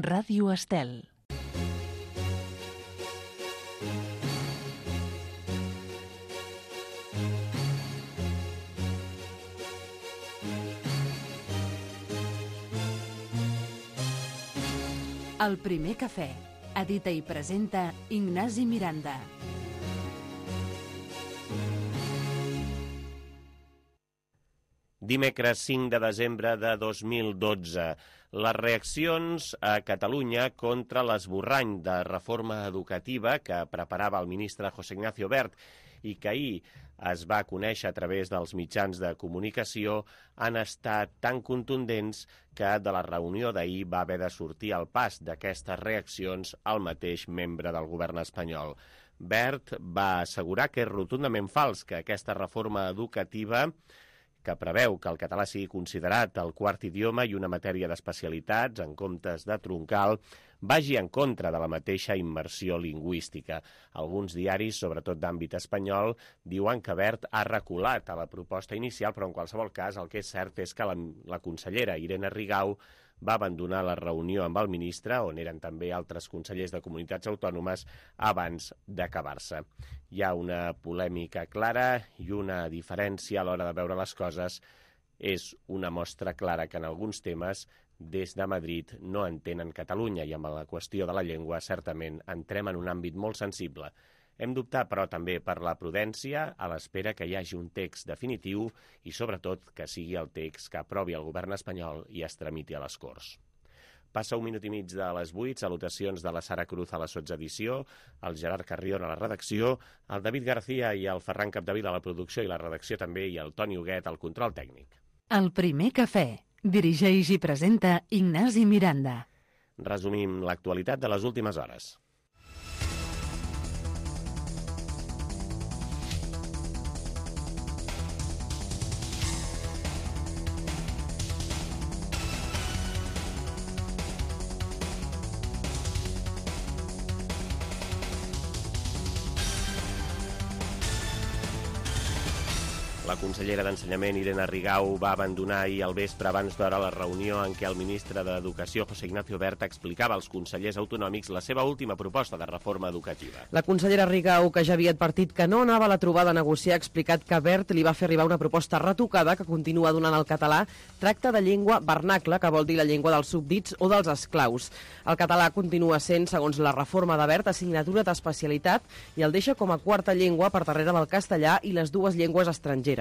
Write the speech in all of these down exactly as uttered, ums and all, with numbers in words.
Ràdio Estel. El primer cafè. Edita i presenta Ignasi Miranda. Dimecres cinc de desembre de dos mil dotze. Les reaccions a Catalunya contra l'esborrany de reforma educativa que preparava el ministre José Ignacio Wert i que ahir es va conèixer a través dels mitjans de comunicació han estat tan contundents que de la reunió d'ahir va haver de sortir al pas d'aquestes reaccions el mateix membre del govern espanyol. Wert va assegurar que és rotundament fals que aquesta reforma educativa que preveu que el català sigui considerat el quart idioma i una matèria d'especialitats en comptes de troncal, vagi en contra de la mateixa immersió lingüística. Alguns diaris, sobretot d'àmbit espanyol, diuen que Wert ha reculat a la proposta inicial, però en qualsevol cas el que és cert és que la, la consellera Irene Rigau va abandonar la reunió amb el ministre, on eren també altres consellers de comunitats autònomes, abans d'acabar-se. Hi ha una polèmica clara i una diferència a l'hora de veure les coses. És una mostra clara que en alguns temes des de Madrid no entenen Catalunya i amb la qüestió de la llengua certament entrem en un àmbit molt sensible. Hem d'optar, però, també per la prudència a l'espera que hi hagi un text definitiu i, sobretot, que sigui el text que aprovi el govern espanyol i es tramiti a les Corts. Passa un minut i mig de les vuit, salutacions de la Sara Cruz a la sotsedició, el Gerard Carrion a la redacció, el David García i el Ferran Capdevila a la producció i la redacció també, i el Toni Huguet al control tècnic. El primer cafè. Dirigeix i presenta Ignasi Miranda. Resumim l'actualitat de les últimes hores. La consellera d'Ensenyament, Irene Rigau, va abandonar ahir al vespre abans d'hora la reunió en què el ministre d'Educació, José Ignacio Wert, explicava als consellers autonòmics la seva última proposta de reforma educativa. La consellera Rigau, que ja havia advertit que no anava a la trobada a negociar, ha explicat que Wert li va fer arribar una proposta retocada que continua donant al català tracte de llengua vernacle, que vol dir la llengua dels súbdits o dels esclaus. El català continua sent, segons la reforma de Wert, assignatura d'especialitat i el deixa com a quarta llengua per darrere del castellà i les dues llengües estrangeres.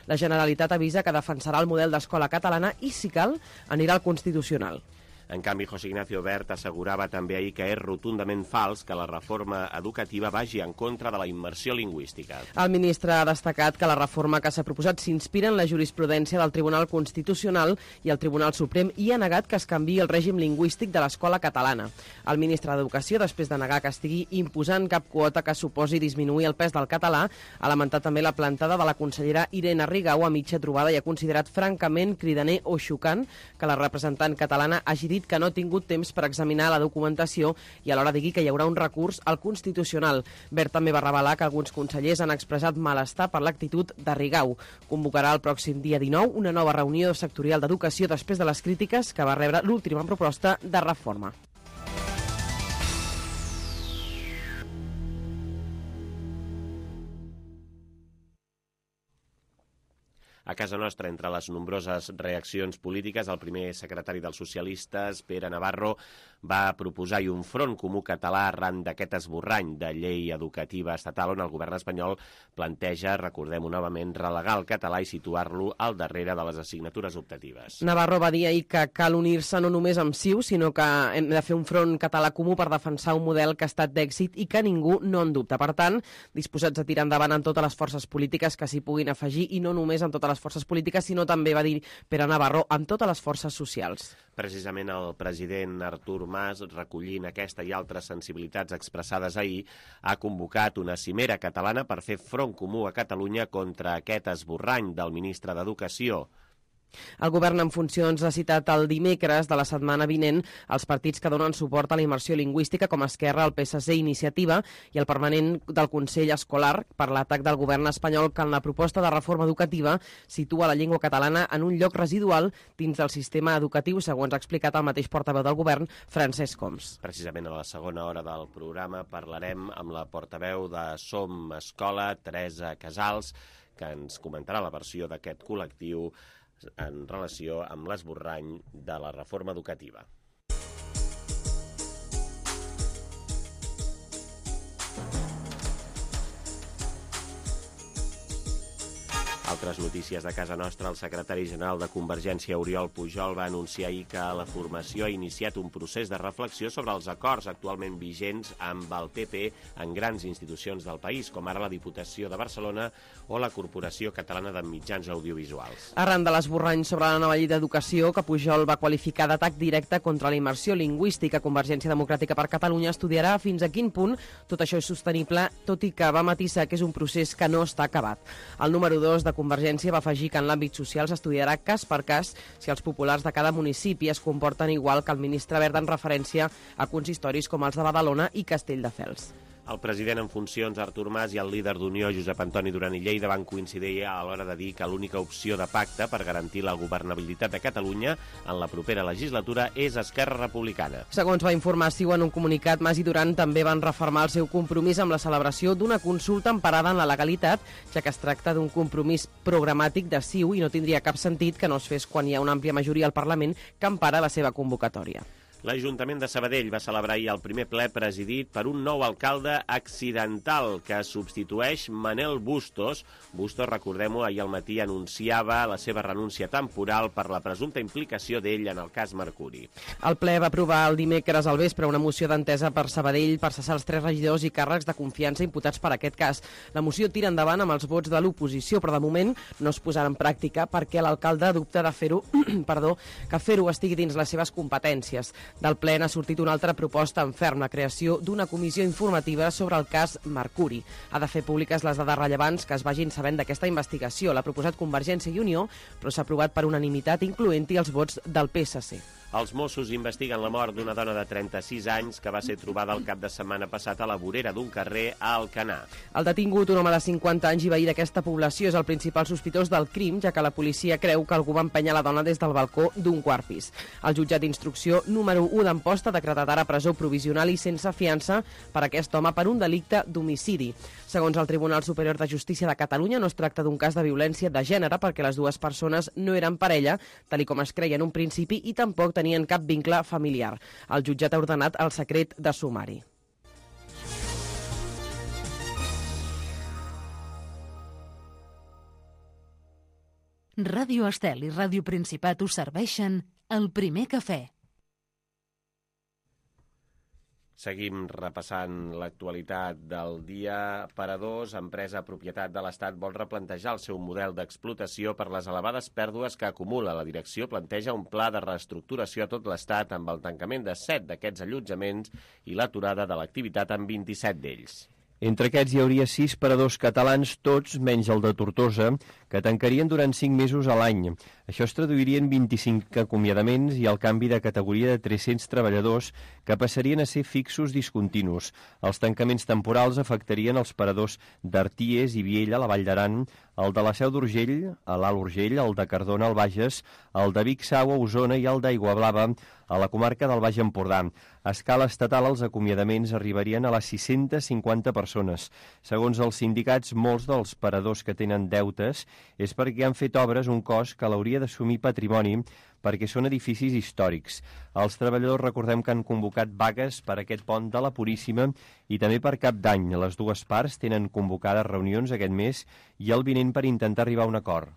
La Generalitat avisa que defensarà el model d'escola catalana i, si cal, anirà al Constitucional. En canvi, José Ignacio Wert assegurava també ahir que és rotundament fals que la reforma educativa vagi en contra de la immersió lingüística. El ministre ha destacat que la reforma que s'ha proposat s'inspira en la jurisprudència del Tribunal Constitucional i el Tribunal Suprem i ha negat que es canviï el règim lingüístic de l'escola catalana. El ministre d'Educació, després de negar que estigui imposant cap quota que suposi disminuir el pes del català, ha lamentat també la plantada de la consellera Irene Rigau a mitja trobada i ha considerat francament cridaner o xocant que la representant catalana hagi dit que no ha tingut temps per examinar la documentació i alhora digui que hi haurà un recurs al Constitucional. Wert també va revelar que alguns consellers han expressat malestar per l'actitud de Rigau. Convocarà el pròxim dia dinou una nova reunió sectorial d'educació després de les crítiques que va rebre l'última proposta de reforma. A casa nostra, entre les nombroses reaccions polítiques, el primer secretari dels socialistes, Pere Navarro, va proposar-hi un front comú català arran d'aquest esborrany de llei educativa estatal on el govern espanyol planteja, recordem-ho novament, relegar el català i situar-lo al darrere de les assignatures optatives. Navarro va dir ahir que cal unir-se no només amb C I U, sinó que hem de fer un front català comú per defensar un model que ha estat d'èxit i que ningú no en dubta. Per tant, disposats a tirar endavant amb totes les forces polítiques que s'hi puguin afegir i no només amb totes les forces polítiques, sinó també, va dir Pere Navarro, amb totes les forces socials. Precisament el president Artur Mas, recollint aquesta i altres sensibilitats expressades ahir, ha convocat una cimera catalana per fer front comú a Catalunya contra aquest esborrany del ministre d'Educació. El govern en funcions ha citat el dimecres de la setmana vinent els partits que donen suport a la immersió lingüística com Esquerra, el P S C, Iniciativa i el permanent del Consell Escolar per l'atac del govern espanyol que en la proposta de reforma educativa situa la llengua catalana en un lloc residual dins del sistema educatiu, segons ha explicat el mateix portaveu del govern, Francesc Homs. Precisament a la segona hora del programa parlarem amb la portaveu de Som Escola, Teresa Casals, que ens comentarà la versió d'aquest col·lectiu en relació amb l'esborrany de la reforma educativa. Altres notícies de casa nostra, el secretari general de Convergència, Oriol Pujol, va anunciar ahir que la formació ha iniciat un procés de reflexió sobre els acords actualment vigents amb el P P en grans institucions del país, com ara la Diputació de Barcelona o la Corporació Catalana de Mitjans Audiovisuals. Arran de l'esborrany sobre la nova llei d'educació que Pujol va qualificar d'atac directe contra la immersió lingüística, Convergència Democràtica per Catalunya estudiarà fins a quin punt tot això és sostenible, tot i que va matisar que és un procés que no està acabat. El número dos de Convergència va afegir que en l'àmbit social s'estudiarà cas per cas si els populars de cada municipi es comporten igual que el ministre Wert en referència a consistoris com els de Badalona i Castelldefels. El president en funcions, Artur Mas, i el líder d'Unió, Josep Antoni Duran i Lleida, van coincidir a l'hora de dir que l'única opció de pacte per garantir la governabilitat de Catalunya en la propera legislatura és Esquerra Republicana. Segons va informar C I U en un comunicat, Mas i Duran també van refermar el seu compromís amb la celebració d'una consulta emparada en la legalitat, ja que es tracta d'un compromís programàtic de C I U i no tindria cap sentit que no es fes quan hi ha una àmplia majoria al Parlament que empara la seva convocatòria. L'Ajuntament de Sabadell va celebrar ahir el primer ple presidit per un nou alcalde accidental que substitueix Manel Bustos. Bustos, recordem-ho, ahir al matí anunciava la seva renúncia temporal per la presumpta implicació d'ell en el cas Mercuri. El ple va aprovar el dimecres al vespre una moció d'entesa per Sabadell per cessar els tres regidors i càrrecs de confiança imputats per aquest cas. La moció tira endavant amb els vots de l'oposició, però de moment no es posarà en pràctica perquè l'alcalde dubta de fer-ho, perdó, que fer-ho estigui dins les seves competències. Del ple n'ha sortit una altra proposta en ferm, la creació d'una comissió informativa sobre el cas Mercuri. Ha de fer públiques les dades rellevants que es vagin sabent d'aquesta investigació. L'ha proposat Convergència i Unió, però s'ha aprovat per unanimitat, incloent-hi els vots del P S C. Els Mossos investiguen la mort d'una dona de trenta-sis anys que va ser trobada el cap de setmana passat a la vorera d'un carrer a Alcanar. El detingut, un home de cinquanta anys i veí d'aquesta població, és el principal sospitós del crim, ja que la policia creu que algú va empènyer la dona des del balcó d'un quart pis. El jutjat d'instrucció número u d'Amposta ha decretat ara presó provisional i sense fiança per aquest home per un delicte d'homicidi. Segons el Tribunal Superior de Justícia de Catalunya, no es tracta d'un cas de violència de gènere perquè les dues persones no eren parella, tal com es creia en un principi, i tampoc tenien cap vincle familiar. El jutjat ha ordenat el secret de sumari. Ràdio Estel i Ràdio Principat us serveixen el primer cafè. Seguim repassant l'actualitat del dia. Paradors, empresa propietat de l'Estat, vol replantejar el seu model d'explotació per les elevades pèrdues que acumula. La direcció planteja un pla de reestructuració a tot l'Estat amb el tancament de set d'aquests allotjaments i l'aturada de l'activitat en vint-i-set d'ells. Entre aquests hi hauria sis paradors catalans, tots menys el de Tortosa, que tancarien durant cinc mesos a l'any. Això es traduiria en vint-i-cinc acomiadaments i el canvi de categoria de tres-cents treballadors que passarien a ser fixos discontinus. Els tancaments temporals afectarien els paradors d'Arties i Viella, a la Vall d'Aran, el de la Seu d'Urgell, a l'Alt Urgell, el de Cardona, al Bages, el de Vic Sau, a Osona, i el d'Aiguablava, a la comarca del Baix Empordà. A escala estatal, els acomiadaments arribarien a les sis-centes cinquanta persones. Segons els sindicats, molts dels paradors que tenen deutes és perquè han fet obres un cost que l'hauria d'assumir Patrimoni perquè són edificis històrics. Els treballadors, recordem que han convocat vagues per aquest pont de la Puríssima i també per Cap d'Any. Les dues parts tenen convocades reunions aquest mes i el vinent per intentar arribar a un acord.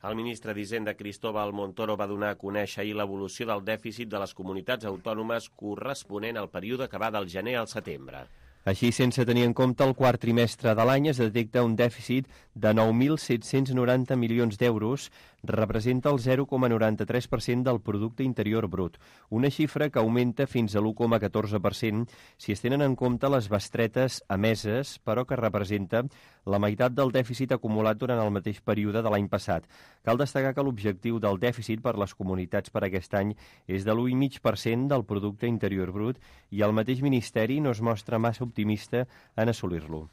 El ministre d'Hisenda, Cristóbal Montoro, va donar a conèixer ahir l'evolució del dèficit de les comunitats autònomes corresponent al període que va del gener al setembre. Així, sense tenir en compte el quart trimestre de l'any, es detecta un dèficit de nou mil set-cents noranta milions d'euros, representa el zero coma noranta-tres per cent del producte interior brut, una xifra que augmenta fins a l'u coma catorze per cent si es tenen en compte les bestretes emeses, però que representa la meitat del dèficit acumulat durant el mateix període de l'any passat. Cal destacar que l'objectiu del dèficit per les comunitats per aquest any és de l'u coma cinc per cent del producte interior brut i el mateix Ministeri no es mostra massa optimista en assolir-lo.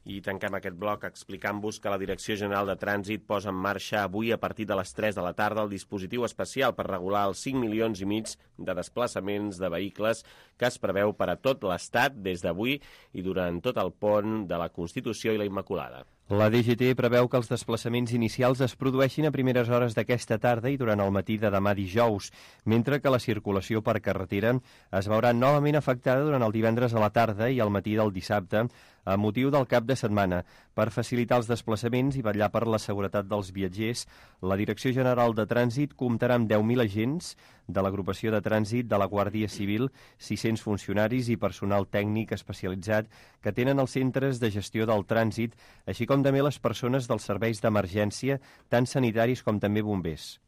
I tanquem aquest bloc explicant-vos que la Direcció General de Trànsit posa en marxa avui a partir de les tres de la tarda el dispositiu especial per regular els cinc milions i mig de desplaçaments de vehicles que es preveu per a tot l'Estat des d'avui i durant tot el pont de la Constitució i la Immaculada. La D G T preveu que els desplaçaments inicials es produeixin a primeres hores d'aquesta tarda i durant el matí de demà dijous, mentre que la circulació per carretera es veurà novament afectada durant el divendres a la tarda i al matí del dissabte, a motiu del cap de setmana. Per facilitar els desplaçaments i vetllar per la seguretat dels viatgers, la Direcció General de Trànsit comptarà amb deu mil agents de l'agrupació de trànsit de la Guàrdia Civil, sis-cents funcionaris i personal tècnic especialitzat que tenen els centres de gestió del trànsit, així com també les persones dels serveis d'emergència, tant sanitaris com també bombers.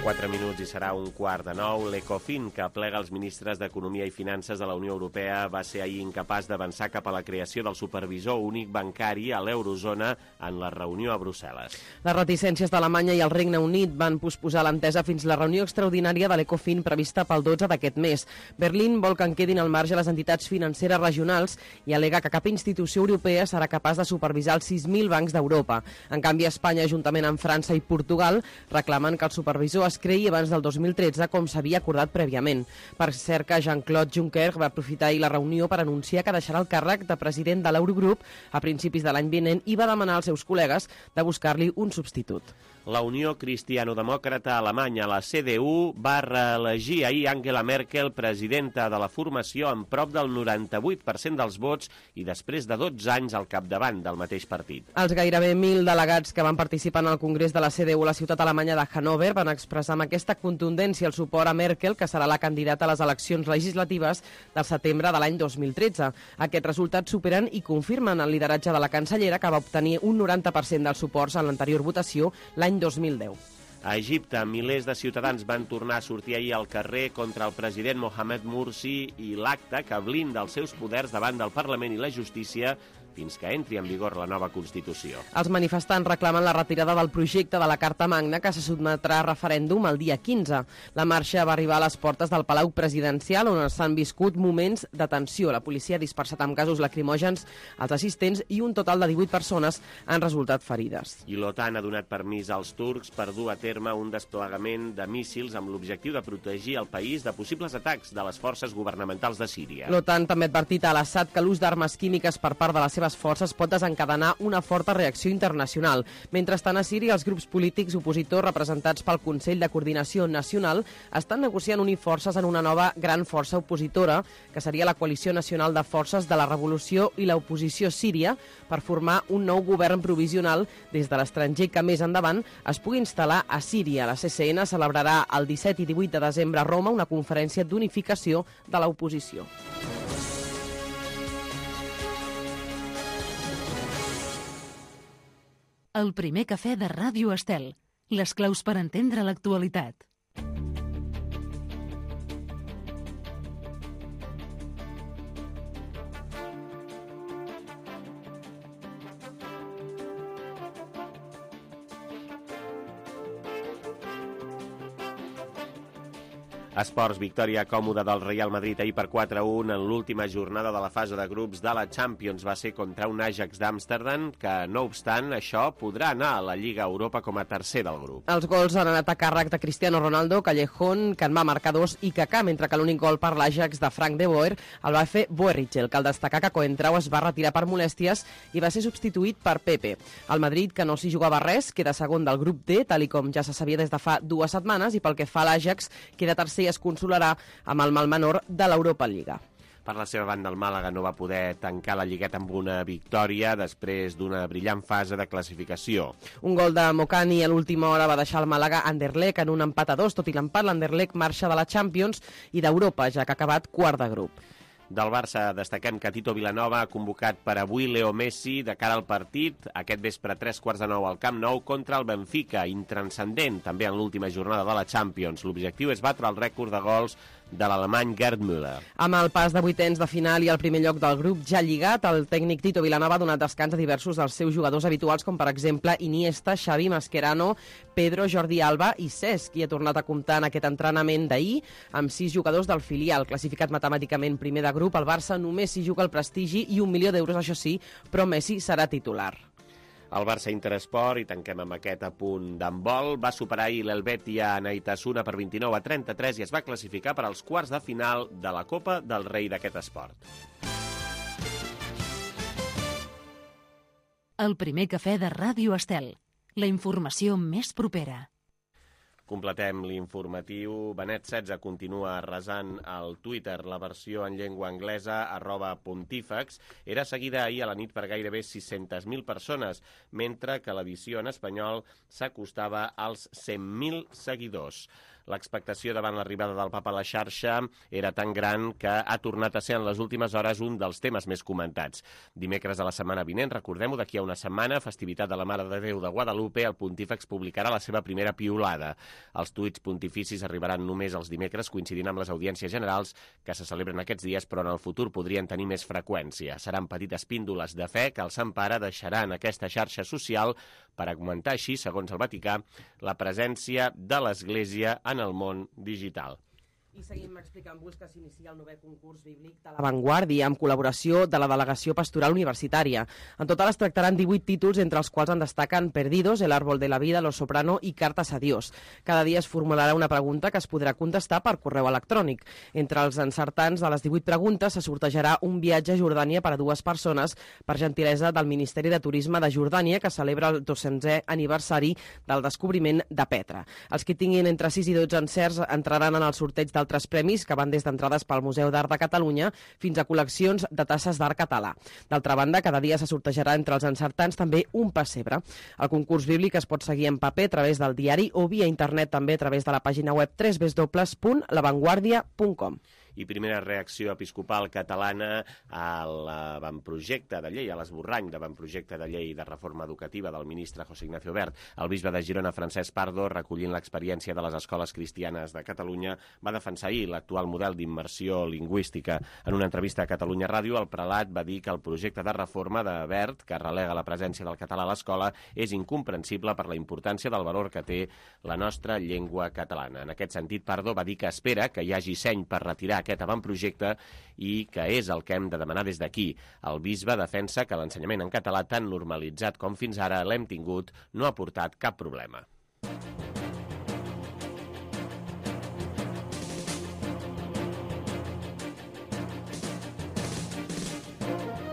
Quatre minuts i serà un quart de nou. L'Ecofin, que aplega els ministres d'Economia i Finances de la Unió Europea, va ser ahir incapaç d'avançar cap a la creació del supervisor únic bancari a l'eurozona en la reunió a Brussel·les. Les reticències d'Alemanya i el Regne Unit van posposar l'entesa fins la reunió extraordinària de l'Ecofin prevista pel dotze d'aquest mes. Berlín vol que en quedin al marge les entitats financeres regionals i al·lega que cap institució europea serà capaç de supervisar els sis mil bancs d'Europa. En canvi, Espanya, juntament amb França i Portugal, reclamen que el supervisor es creï abans del dos mil tretze, com s'havia acordat prèviament. Per cert que Jean-Claude Juncker va aprofitar ahir la reunió per anunciar que deixarà el càrrec de president de l'Eurogrup a principis de l'any vinent i va demanar als seus col·legues de buscar-li un substitut. La Unió Cristiano-Demòcrata Alemanya, la C D U, va reelegir ahir Angela Merkel presidenta de la formació amb prop del noranta-vuit per cent dels vots i després de dotze anys al capdavant del mateix partit. Els gairebé mil delegats que van participar en el Congrés de la C D U a la ciutat alemanya de Hannover van expressar amb aquesta contundència el suport a Merkel, que serà la candidata a les eleccions legislatives del setembre de l'any dos mil tretze. Aquests resultats superen i confirmen el lideratge de la cancellera, que va obtenir un noranta per cent dels suports en l'anterior votació l'any dos mil deu. A Egipte, milers de ciutadans van tornar a sortir ahir al carrer contra el president Mohamed Morsi i l'acte que blinda els seus poders davant del Parlament i la justícia fins que entri en vigor la nova Constitució. Els manifestants reclamen la retirada del projecte de la Carta Magna, que se sotmetrà a referèndum el dia quinze. La marxa va arribar a les portes del Palau Presidencial, on s'han viscut moments de tensió. La policia ha dispersat amb gasos lacrimògens als assistents i un total de divuit persones han resultat ferides. I l'OTAN ha donat permís als turcs per dur a terme un desplegament de míssils amb l'objectiu de protegir el país de possibles atacs de les forces governamentals de Síria. L'OTAN també ha advertit a l'Assad que l'ús d'armes químiques per part de la seva forces pot desencadenar una forta reacció internacional. Mentrestant, a Síria, els grups polítics opositors representats pel Consell de Coordinació Nacional estan negociant unir forces en una nova gran força opositora, que seria la Coalició Nacional de Forces de la Revolució i l'Oposició Síria, per formar un nou govern provisional des de l'estranger que més endavant es pugui instal·lar a Síria. La C C N celebrarà el disset i divuit de desembre a Roma una conferència d'unificació de l'oposició. El primer cafè de Ràdio Estel. Les claus per entendre l'actualitat. Esports, victòria còmoda del Real Madrid ahir per quatre a u en l'última jornada de la fase de grups de la Champions. Va ser contra un Ajax d'Amsterdam que, no obstant això, podrà anar a la Lliga Europa com a tercer del grup. Els gols han anat a càrrec de Cristiano Ronaldo, Callejón, que en va marcar dos, i Kaká, mentre que l'únic gol per l'Ajax de Frank de Boer el va fer Boerrichel. Cal destacar que Coentrao es va retirar per molèsties i va ser substituït per Pepe. El Madrid, que no s'hi jugava res, queda segon del grup D, tal i com ja se sabia des de fa dues setmanes, i pel que fa a l'Ajax, queda tercer i es consolarà amb el mal menor de l'Europa Lliga. Per la seva banda, el Màlaga no va poder tancar la lligueta amb una victòria després d'una brillant fase de classificació. Un gol de Mokani a l'última hora va deixar el Màlaga Anderlecht en un empat a dos. Tot i l'empat, l'Anderlecht marxa de la Champions i d'Europa, ja que ha acabat quart de grup. Del Barça destaquem que Tito Vilanova ha convocat per avui Leo Messi de cara al partit, aquest vespre a tres quarts de nou al Camp Nou contra el Benfica, intranscendent també en l'última jornada de la Champions. L'objectiu és batre el rècord de gols de l'alemany Gerd Müller. Amb el pas de vuitens de final i el primer lloc del grup ja lligat, el tècnic Tito Vilanova ha donat descans a diversos dels seus jugadors habituals, com per exemple Iniesta, Xavi, Mascherano, Pedro, Jordi Alba i Cesc, qui ha tornat a comptar en aquest entrenament d'ahir amb sis jugadors del filial. Classificat matemàticament primer de grup, el Barça només s'hi juga el prestigi i un milió d'euros, això sí, però Messi serà titular. El Barça Interesport, i tanquem amb aquest apunt d'handbol, va superar ahir l'Helvetia Naitasuna per vint-i-nou a trenta-tres i es va classificar per als quarts de final de la Copa del Rei d'aquest esport. El primer cafè de Ràdio Estel. La informació més propera. Completem l'informatiu. Benet setze continua resant al Twitter. La versió en llengua anglesa, arroba pontífex, era seguida ahir a la nit per gairebé sis-centes mil persones, mentre que l'edició en espanyol s'acostava als cent mil seguidors. L'expectació davant l'arribada del papa a la xarxa era tan gran que ha tornat a ser en les últimes hores un dels temes més comentats. Dimecres de la setmana vinent, recordem-ho, d'aquí a una setmana, festivitat de la Mare de Déu de Guadalupe, el pontífex publicarà la seva primera piulada. Els tuits pontificis arribaran només els dimecres, coincidint amb les audiències generals que se celebren aquests dies, però en el futur podrien tenir més freqüència. Seran petites píndoles de fe que el Sant Pare deixarà en aquesta xarxa social per augmentar així, segons el Vaticà, la presència de l'Església en el món digital. I seguim explicant-vos que s'inicia el novè concurs bíblic de l'Avantguàrdia amb col·laboració de la Delegació Pastoral Universitària. En total es tractaran divuit títols, entre els quals en destaquen Perdidos, El árbol de la vida, Los Soprano i Cartas a Dios. Cada dia es formularà una pregunta que es podrà contestar per correu electrònic. Entre els encertants de les divuit preguntes se sortejarà un viatge a Jordània per a dues persones per gentilesa del Ministeri de Turisme de Jordània, que celebra el dos-cents aniversari del descobriment de Petra. Els que tinguin entre sis i dotze encerts entraran en el sorteig del altres premis que van des d'entrades pel Museu d'Art de Catalunya fins a col·leccions de tasses d'art català. D'altra banda, cada dia se sortejarà entre els encertants també un pessebre. El concurs bíblic es pot seguir en paper a través del diari o via internet també a través de la pàgina web w w w punt lavanguardia punt com. I primera reacció episcopal catalana a l'avantprojecte de llei, a l'esborrany d'avantprojecte de llei de reforma educativa del ministre José Ignacio Wert. El bisbe de Girona, Francesc Pardo, recollint l'experiència de les escoles cristianes de Catalunya, va defensar ahir l'actual model d'immersió lingüística. En una entrevista a Catalunya Ràdio, el prelat va dir que el projecte de reforma de Wert, que relega la presència del català a l'escola, és incomprensible per la importància del valor que té la nostra llengua catalana. En aquest sentit, Pardo va dir que espera que hi hagi seny per retirar aquest avantprojecte i que és el que hem de demanar des d'aquí. El bisbe defensa que l'ensenyament en català, tan normalitzat com fins ara l'hem tingut, no ha portat cap problema.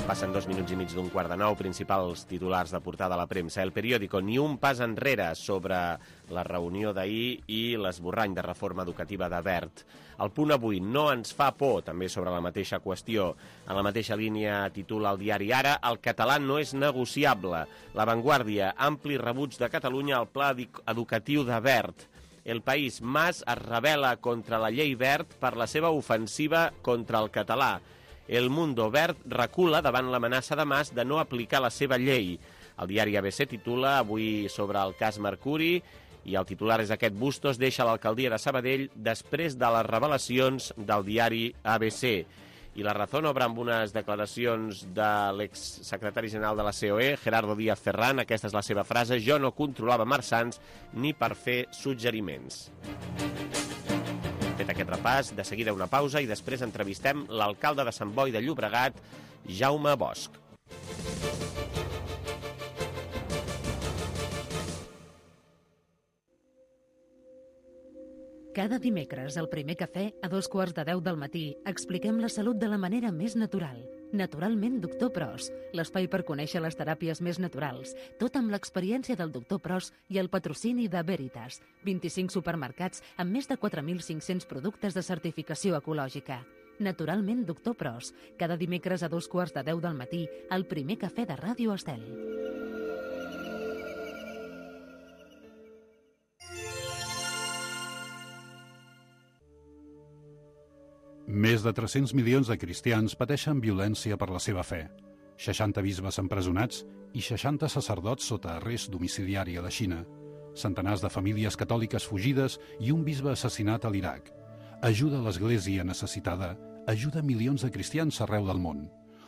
Passen dos minuts i mig d'un quart de nou, principals titulars de portada a la premsa. El periòdico, ni un pas enrere sobre la reunió d'ahir i l'esborrany de reforma educativa de Wert. El Punt avui, no ens fa por, també sobre la mateixa qüestió. En la mateixa línia titula el diari Ara, el català no és negociable. L'Avantguàrdia, ampli rebuig de Catalunya al pla educatiu de Wert. El País, Mas es rebel·la contra la llei Wert per la seva ofensiva contra el català. El Mundo, Wert recula davant l'amenaça de Mas de no aplicar la seva llei. El diari A B C titula avui sobre el cas Mercuri i el titular és aquest: Bustos deixa l'alcaldia de Sabadell després de les revelacions del diari A B C. I La Razón obre amb unes declaracions de l'exsecretari general de la C O E, Gerardo Díaz Ferrán. Aquesta és la seva frase: jo no controlava Marsans ni per fer suggeriments. Fet aquest repàs, de seguida una pausa i després entrevistem l'alcalde de Sant Boi de Llobregat, Jaume Bosch. Cada dimecres, al primer cafè, a dos quarts de deu del matí, expliquem la salut de la manera més natural. Naturalment, doctor Pros, l'espai per conèixer les teràpies més naturals, tot amb l'experiència del doctor Pros i el patrocini de Veritas, vint-i-cinc supermercats amb més de quatre mil cinc-cents productes de certificació ecològica. Naturalment, doctor Pros, cada dimecres a dos quarts de deu del matí, al primer cafè de Ràdio Estel. Més de tres-cents milions de cristians pateixen violència per la seva fe. seixanta bisbes empresonats i seixanta sacerdots sota arrest domiciliari a la Xina. Centenars de famílies catòliques fugides i un bisbe assassinat a l'Iraq. Ajuda a l'Església necessitada, ajuda milions de cristians arreu del món.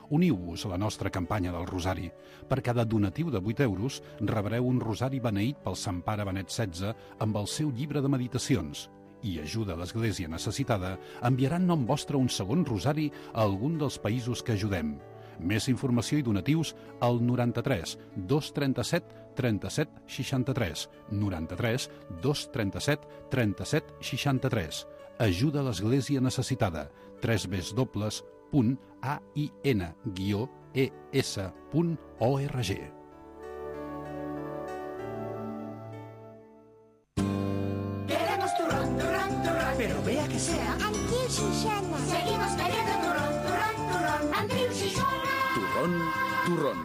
Uniu-vos a la nostra campanya del Rosari. Per cada donatiu de vuit euros rebreu un rosari beneït pel Sant Pare Benet setze amb el seu llibre de meditacions. I ajuda a l'Església necessitada enviarà en nom vostre un segon rosari a algun dels països que ajudem. Més informació i donatius al noranta-tres dos trenta-set trenta-set seixanta-tres, noranta-tres dos trenta-set trenta-set seixanta-tres. Ajuda a l'Església necessitada. w w w punt a i n guió e s punt org. Queremos turrón, turrón, turrón. Pero vea que sea Andreu Xixona. Seguimos queriendo turrón, turrón, turrón. Andreu Xixona. Turrón, turrón.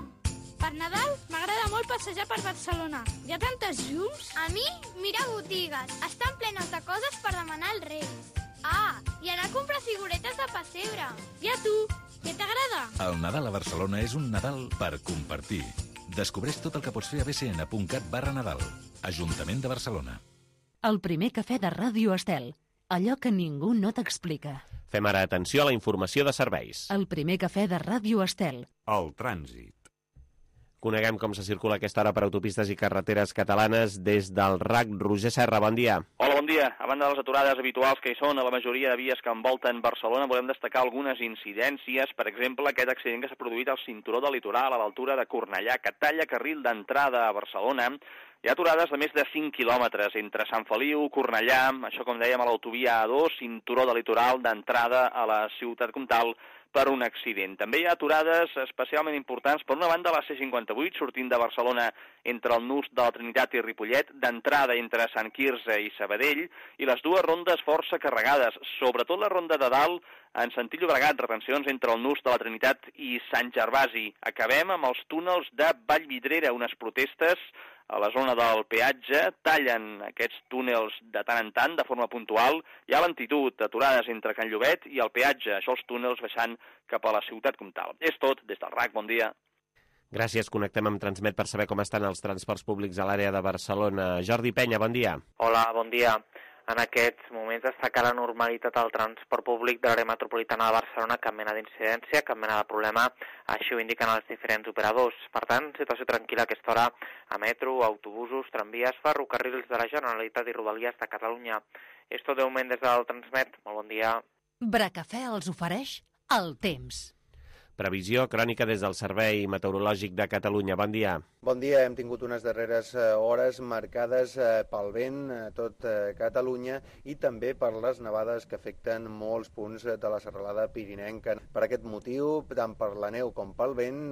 Per Nadal m'agrada molt passejar per Barcelona. Hi ha tantes llums. A mi, mira botigues. Estan plenes de coses per demanar als Reis. Ah, i anar a comprar figuretes de pessebre. I a tu, què t'agrada? El Nadal a Barcelona és un Nadal per compartir. Descobreix tot el que pots fer a b c n punt cat barra Nadal. Ajuntament de Barcelona. El primer cafè de Ràdio Estel. Allò que ningú no t'explica. Fem ara atenció a la informació de serveis. El primer cafè de Ràdio Estel. El trànsit. Coneguem com se circula aquesta hora per autopistes i carreteres catalanes des del R A C. Roger Serra, bon dia. Hola, bon dia. A banda de les aturades habituals que hi són a la majoria de vies que envolten Barcelona, volem destacar algunes incidències. Per exemple, aquest accident que s'ha produït al cinturó del litoral a l'altura de Cornellà, que talla carril d'entrada a Barcelona. Hi ha aturades de més de cinc quilòmetres entre Sant Feliu, Cornellà, això com dèiem a l'autovia A dos, cinturó del litoral d'entrada a la ciutat comtal, per un accident. També hi ha aturades especialment importants, per una banda, a la C cinquanta-vuit, sortint de Barcelona entre el nus de la Trinitat i Ripollet, d'entrada entre Sant Quirze i Sabadell, i les dues rondes força carregades, sobretot la ronda de dalt, en sentit Llobregat, retencions entre el nus de la Trinitat i Sant Gervasi. Acabem amb els túnels de Vallvidrera, unes protestes a la zona del peatge, tallen aquests túnels de tant en tant, de forma puntual. Hi ha lentitud, aturades entre Can Llobet i el peatge, això els túnels baixant cap a la ciutat comtal. És tot, des del R A C, bon dia. Gràcies, connectem amb Transmet per saber com estan els transports públics a l'àrea de Barcelona. Jordi Penya, bon dia. Hola, bon dia. En aquests moments destaca la normalitat al transport públic de l'àrea metropolitana de Barcelona, cap mena d'incidència, cap mena de problema, així ho indiquen els diferents operadors. Per tant, situació tranquil·la a aquesta hora a metro, autobusos, tramvies, ferrocarrils de la Generalitat i Rodalies de Catalunya. És tot de moment des del Transmet. Molt bon dia. Bracafè els ofereix el temps. Previsió crònica des del Servei Meteorològic de Catalunya. Bon dia. Bon dia. Hem tingut unes darreres hores marcades pel vent a tot Catalunya i també per les nevades que afecten molts punts de la serralada pirinenca. Per aquest motiu, tant per la neu com pel vent,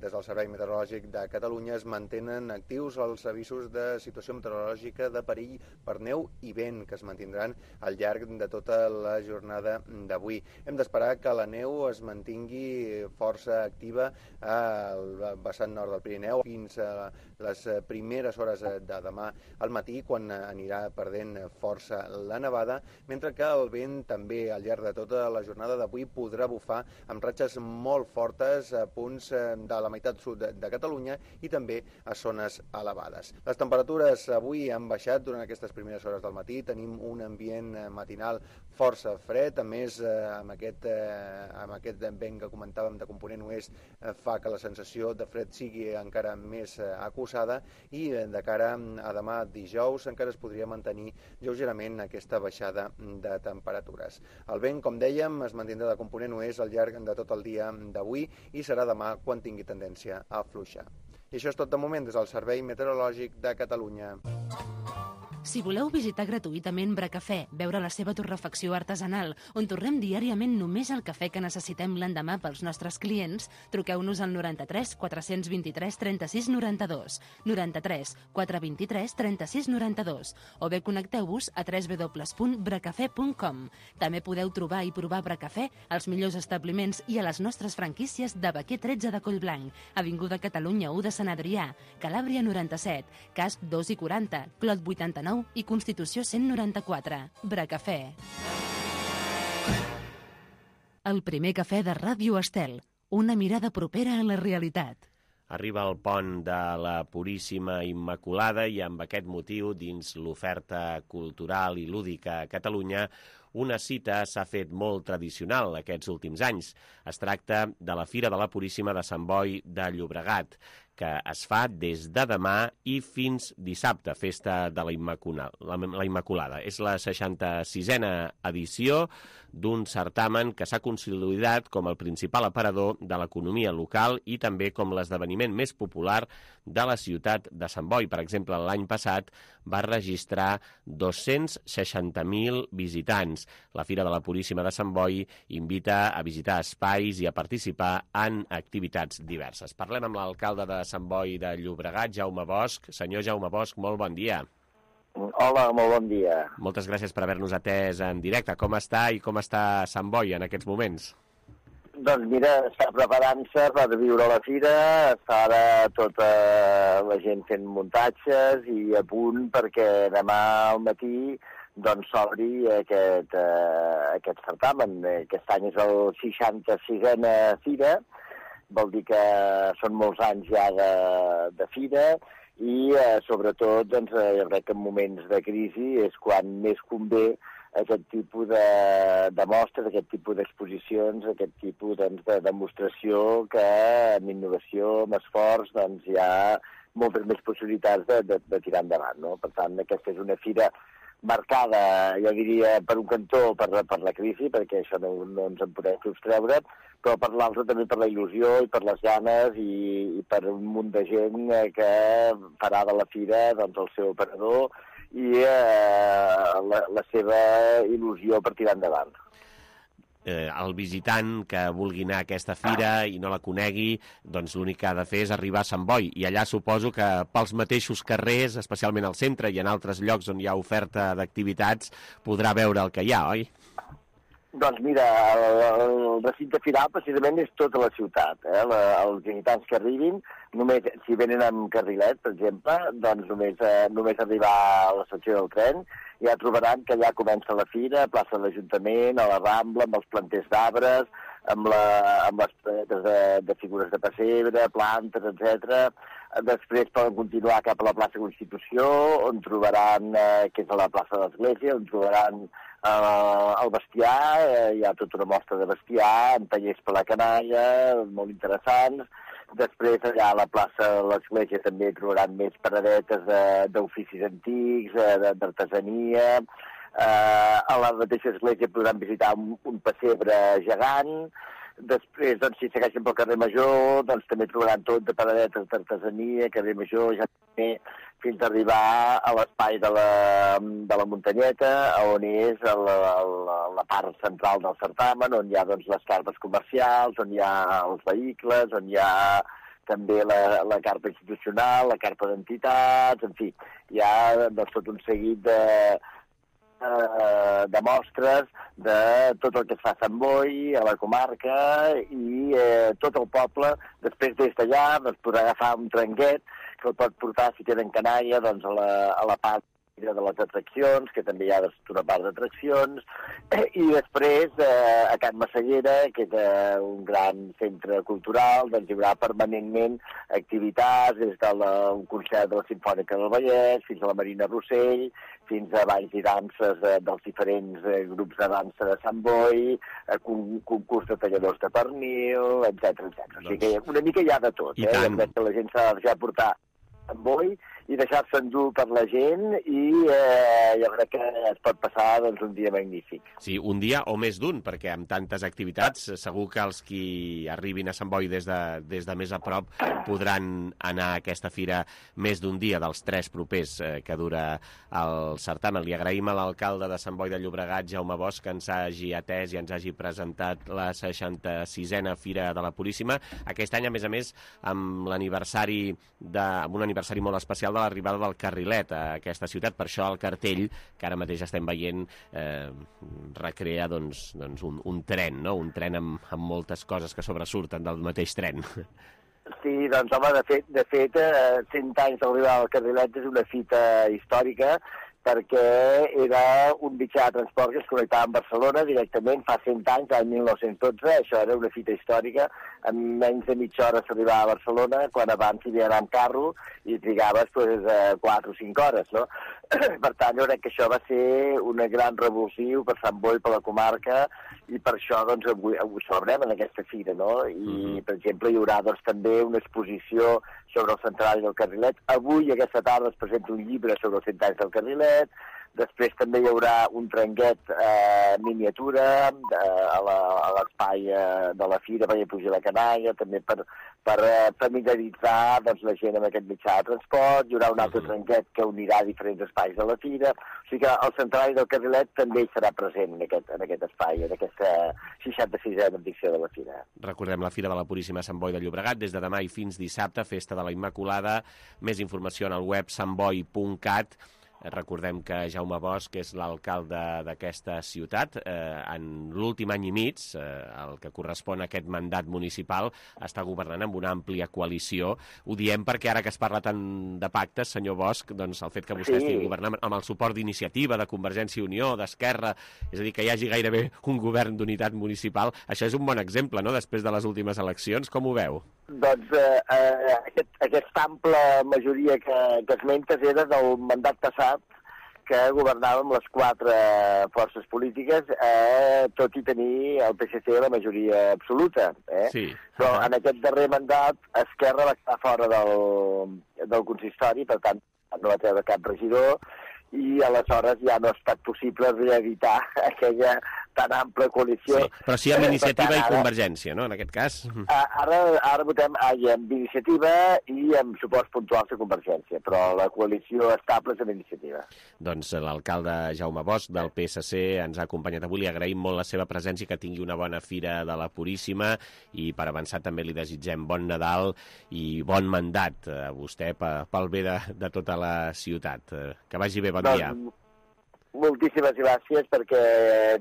des del Servei Meteorològic de Catalunya es mantenen actius els avisos de situació meteorològica de perill per neu i vent que es mantindran al llarg de tota la jornada d'avui. Hem d'esperar que la neu es mantingui força activa al vessant nord del Pirineu fins a les primeres hores de demà al matí, quan anirà perdent força la nevada, mentre que el vent també al llarg de tota la jornada d'avui podrà bufar amb ratxes molt fortes a punts de la meitat sud de Catalunya i també a zones elevades. Les temperatures avui han baixat durant aquestes primeres hores del matí, tenim un ambient matinal força fred, a més amb aquest, amb aquest vent que comentàvem de component oest fa que la sensació de fred sigui encara més acusada i de cara a demà dijous encara es podria mantenir lleugerament aquesta baixada de temperatures. El vent, com dèiem, es mantindrà de component oest al llarg de tot el dia d'avui i serà demà quan tingui tendència a afluixar. I això és tot de moment des del Servei Meteorològic de Catalunya. Si voleu visitar gratuïtament Bracafè, veure la seva torrefacció artesanal, on torrem diàriament només el cafè que necessitem l'endemà pels nostres clients, truqueu-nos al noranta-tres quatre vint tres trenta-sis noranta-dos, noranta-tres quatre vint tres trenta-sis noranta-dos, o bé connecteu-vos a w w w punt bracafè punt com. També podeu trobar i provar Bracafè als millors establiments i a les nostres franquícies de Baquer tretze de Collblanc, Avinguda Catalunya u de Sant Adrià, Calàbria noranta-set, Casp dos i quaranta, Clot vuitanta-nou i Constitució cent noranta-quatre. Bracafè. el primer cafè de Ràdio Estel, una mirada propera a la realitat. Arriba el pont de la Puríssima Immaculada i amb aquest motiu, dins l'oferta cultural i lúdica a Catalunya, una cita s'ha fet molt tradicional aquests últims anys. Es tracta de la Fira de la Puríssima de Sant Boi de Llobregat, que es fa des de demà i fins dissabte, festa de la Immaculada. La Immaculada. És la seixanta-sisena edició d'un certamen que s'ha consolidat com el principal aparador de l'economia local i també com l'esdeveniment més popular de la ciutat de Sant Boi. Per exemple, l'any passat va registrar dos-cents seixanta mil visitants. La Fira de la Puríssima de Sant Boi invita a visitar espais i a participar en activitats diverses. Parlem amb l'alcalde de Sant Boi de Llobregat, Jaume Bosch. Senyor Jaume Bosch, molt bon dia. Hola, molt bon dia. Moltes gràcies per haver-nos atès en directe. Com està i com està Sant Boi en aquests moments? Doncs mira, està preparant-se per viure la fira, està ara tota la gent fent muntatges i a punt perquè demà al matí doncs s'obri aquest, eh, aquest certamen. Aquest any és el seixanta-sisena fira, vol dir que són molts anys ja de, de fira i eh, sobretot doncs, jo crec que en moments de crisi és quan més convé aquest tipus de, de mostres, aquest tipus d'exposicions, aquest tipus doncs, de demostració que amb innovació, amb esforç, doncs, hi ha moltes més possibilitats de, de, de tirar endavant. No? Per tant, aquesta és una fira marcada, jo diria, per un cantó per, per la crisi, perquè això no, no ens en podem sostreure, però per l'altre també per la il·lusió i per les ganes i, i per un munt de gent que farà de la fira doncs, el seu operador i eh, la, la seva il·lusió per tirar endavant. Eh, el visitant que vulgui anar a aquesta fira i no la conegui, doncs l'únic que ha de fer és arribar a Sant Boi. I allà suposo que pels mateixos carrers, especialment al centre i en altres llocs on hi ha oferta d'activitats, podrà veure el que hi ha, oi? Doncs mira, el, el recinte firal precisament és tota la ciutat. Eh? La, els visitants que arribin, només, si venen amb carrilet, per exemple, doncs només, eh, només arribar a l'estació del tren, ja trobaran que ja comença la fira, a plaça de l'Ajuntament, a la Rambla, amb els planters d'arbres, amb, la, amb les planetes de, de figures de pessebre, plantes, etcètera. Després poden continuar cap a la plaça Constitució, on trobaran, eh, que és a la plaça de l'Església, on trobaran Uh, el bestiar, eh, hi ha tota una mostra de bestiar, amb tallers per la canalla, molt interessants. Després allà a la plaça de l'Església també trobaran més paradetes d'oficis antics, d'artesania. Uh, a la mateixa església podran visitar un, un pessebre gegant. Després, doncs, si segueixen pel carrer Major, doncs també trobaran tot de paradetes d'artesania, carrer Major, ja també fins a arribar a l'espai de, la, de la muntanyeta, on és la, la, la part central del certamen, on hi ha doncs, les carpes comercials, on hi ha els vehicles, on hi ha també la, la carpa institucional, la carpa d'entitats, en fi, hi ha doncs, tot un seguit de, de mostres de tot el que es fa a Sant Boi, a la comarca i eh, tot el poble. Després des d'allà doncs, podrà agafar un trenquet que el pot portar, si tenen canalla, doncs, a, la, a la part de les atraccions, que també hi ha una part d'atraccions, i després eh, a Can Massallera, que és eh, un gran centre cultural, doncs hi haurà permanentment activitats, des del un concert de la Simfònica del Vallès, fins a la Marina Rossell, fins a balls i danses eh, dels diferents eh, grups de dansa de Sant Boi, eh, con concurs de talladors de pernil, etcètera, etcètera. O sigui que una mica hi ha de tot, eh? Jo crec que la gent s'ha de deixar portar Sant Boi i deixar-se endur per la gent i eh, jo crec que es pot passar doncs, un dia magnífic. Sí, un dia o més d'un, perquè amb tantes activitats segur que els qui arribin a Sant Boi des de, des de més a prop podran anar a aquesta fira més d'un dia, dels tres propers eh, que dura el certamen. Li agraïm a l'alcalde de Sant Boi de Llobregat, Jaume Bosch, que ens hagi atès i ens hagi presentat la seixanta-sisena Fira de la Puríssima. Aquest any, a més a més, amb l'aniversari de, amb un aniversari molt especial de l'arribada del carrilet a aquesta ciutat. Per això el cartell que ara mateix estem veient eh, recrea doncs, doncs un, un tren, no? Un tren amb, amb moltes coses que sobresurten del mateix tren. Sí, doncs home, de fet, de fet eh, cent anys d'arribada del carrilet és una fita històrica, perquè era un mitjà de transport que es connectava amb Barcelona directament fa cent anys, l'any mil nou-cents dotze, això era una fita històrica, en menys de mitja hora s'arribava a Barcelona, quan abans hi havia d'anar amb carro i trigaves pues, quatre o cinc hores, no? Per tant, jo crec que això va ser un gran revulsiu per Sant Boi, per la comarca, i per això doncs, avui, avui celebrem en aquesta fira, no? I, mm-hmm. per exemple, hi haurà doncs, també una exposició sobre el centenari del Carrilet. Avui, aquesta tarda, es presenta un llibre sobre els cent anys del Carrilet. Després també hi haurà un trenguet eh, miniatura eh, a l'espai eh, de la fira perquè pugi la canalla, també per, per eh, familiaritzar doncs, la gent amb aquest mitjà de transport. Hi haurà un altre uh-huh. trenguet que unirà diferents espais de la fira. O sigui que el centenari del Carrilet també hi serà present en aquest, en aquest espai, en aquesta seixanta-sisena edició de la fira. Recordem la Fira de la Puríssima Sant Boi de Llobregat, des de demà i fins dissabte, Festa de la Immaculada. Més informació en el web santboi punt cat. Recordem que Jaume Bosch és l'alcalde d'aquesta ciutat. Eh, en l'últim any i mig, eh, el que correspon a aquest mandat municipal, està governant amb una àmplia coalició. Ho diem perquè ara que es parla tant de pactes, senyor Bosch, doncs el fet que vostè sí. estigui governant amb el suport d'Iniciativa, de Convergència i Unió, d'Esquerra, és a dir, que hi hagi gairebé un govern d'unitat municipal, això és un bon exemple, no?, després de les últimes eleccions. Com ho veu? Doncs eh, eh, aquest, aquesta ampla majoria que, que esmentes era del mandat passat, que governàvem les quatre forces polítiques, eh, tot i tenir el P S C la majoria absoluta. Eh? Sí. Però uh-huh. en aquest darrer mandat, Esquerra va estar fora del, del consistori, per tant, no va treure cap regidor, i aleshores ja no ha estat possible reeditar aquella tan ampla coalició. Sí, però sí amb Iniciativa tant, i Convergència, no?, en aquest cas. Ara, ara votem amb Iniciativa i amb suports puntuals de Convergència, però la coalició estable és amb Iniciativa. Doncs l'alcalde Jaume Bosch del P S C ens ha acompanyat avui. Li agraïm molt la seva presència i que tingui una bona Fira de la Puríssima, i per avançar també li desitgem bon Nadal i bon mandat a vostè pel bé de, de tota la ciutat. Que vagi bé, bon doncs, dia. Moltíssimes gràcies, perquè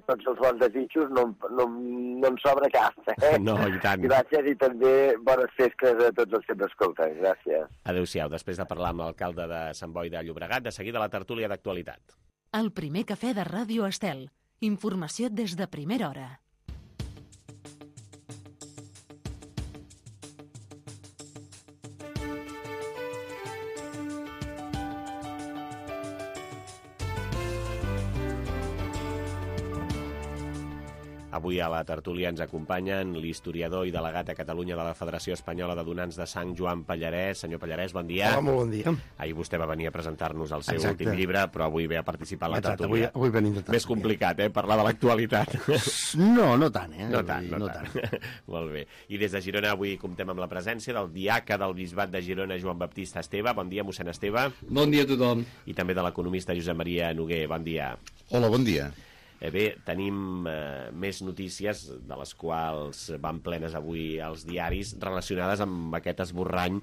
tots els bons desitjos no, no, no em sobra cap. Eh? No, i tant. Gràcies, i també bones festes a tots els que ens escolten. Gràcies. Adéu-siau. Després de parlar amb l'alcalde de Sant Boi de Llobregat, de seguida la tertúlia d'actualitat. El primer cafè de Ràdio Estel. Informació des de primera hora. Avui a la tertúlia ens acompanyen l'historiador i delegat a Catalunya de la Federació Espanyola de Donants de Sang, Joan Pallarès. Senyor Pallarès, bon dia. Hola, molt bon dia. Ahir vostè va venir a presentar-nos el seu Exacte. últim llibre, però avui ve a participar a la Exacte, tertúlia. Avui, avui venim de Més complicat, eh?, parlar de l'actualitat. No, no tant, eh? No tant, no, no tant. tant. Molt bé. I des de Girona avui comptem amb la presència del diaca del Bisbat de Girona, Joan Baptista Esteve. Bon dia, mossèn Esteve. Bon dia a tothom. I també de l'economista Josep Maria Noguer. Bon dia. Hola, bon dia. Eh bé, tenim eh, més notícies, de les quals van plenes avui els diaris, relacionades amb aquest esborrany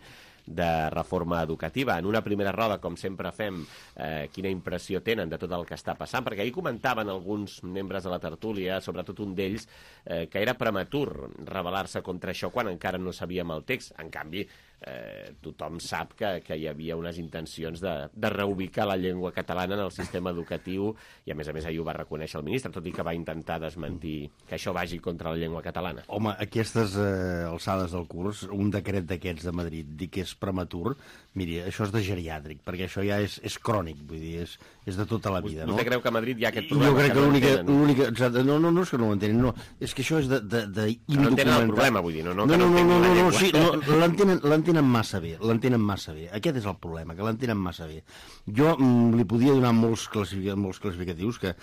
de reforma educativa. En una primera roda, com sempre fem, eh, quina impressió tenen de tot el que està passant? Perquè ahir comentaven alguns membres de la tertúlia, sobretot un d'ells, eh, que era prematur rebel·lar-se contra això quan encara no sabíem el text. En canvi, eh, tothom sap que, que hi havia unes intencions de, de reubicar la llengua catalana en el sistema educatiu, i a més a més ahir ho va reconèixer el ministre, tot i que va intentar desmentir que això vagi contra la llengua catalana. Home, aquestes eh, alçades del curs, un decret d'aquests de Madrid dir que és prematur, miri, això és de geriàtric, perquè això ja és, és crònic, vull dir, és, és de tota la vida, no? Vostè creu que a Madrid hi ha aquest problema? Jo crec que, que l'única... l'única no, no, no és que no ho entenen, no, és que això és de, de, de no entenen el problema, vull dir, no, no, no, no, no, no, no, no, sí, no, l'entenen, l'entenen massa bé, l'entenen massa bé. Aquest és el problema, que l'entenen massa bé. Jo mm, li podia donar molts, classific molts classificatius que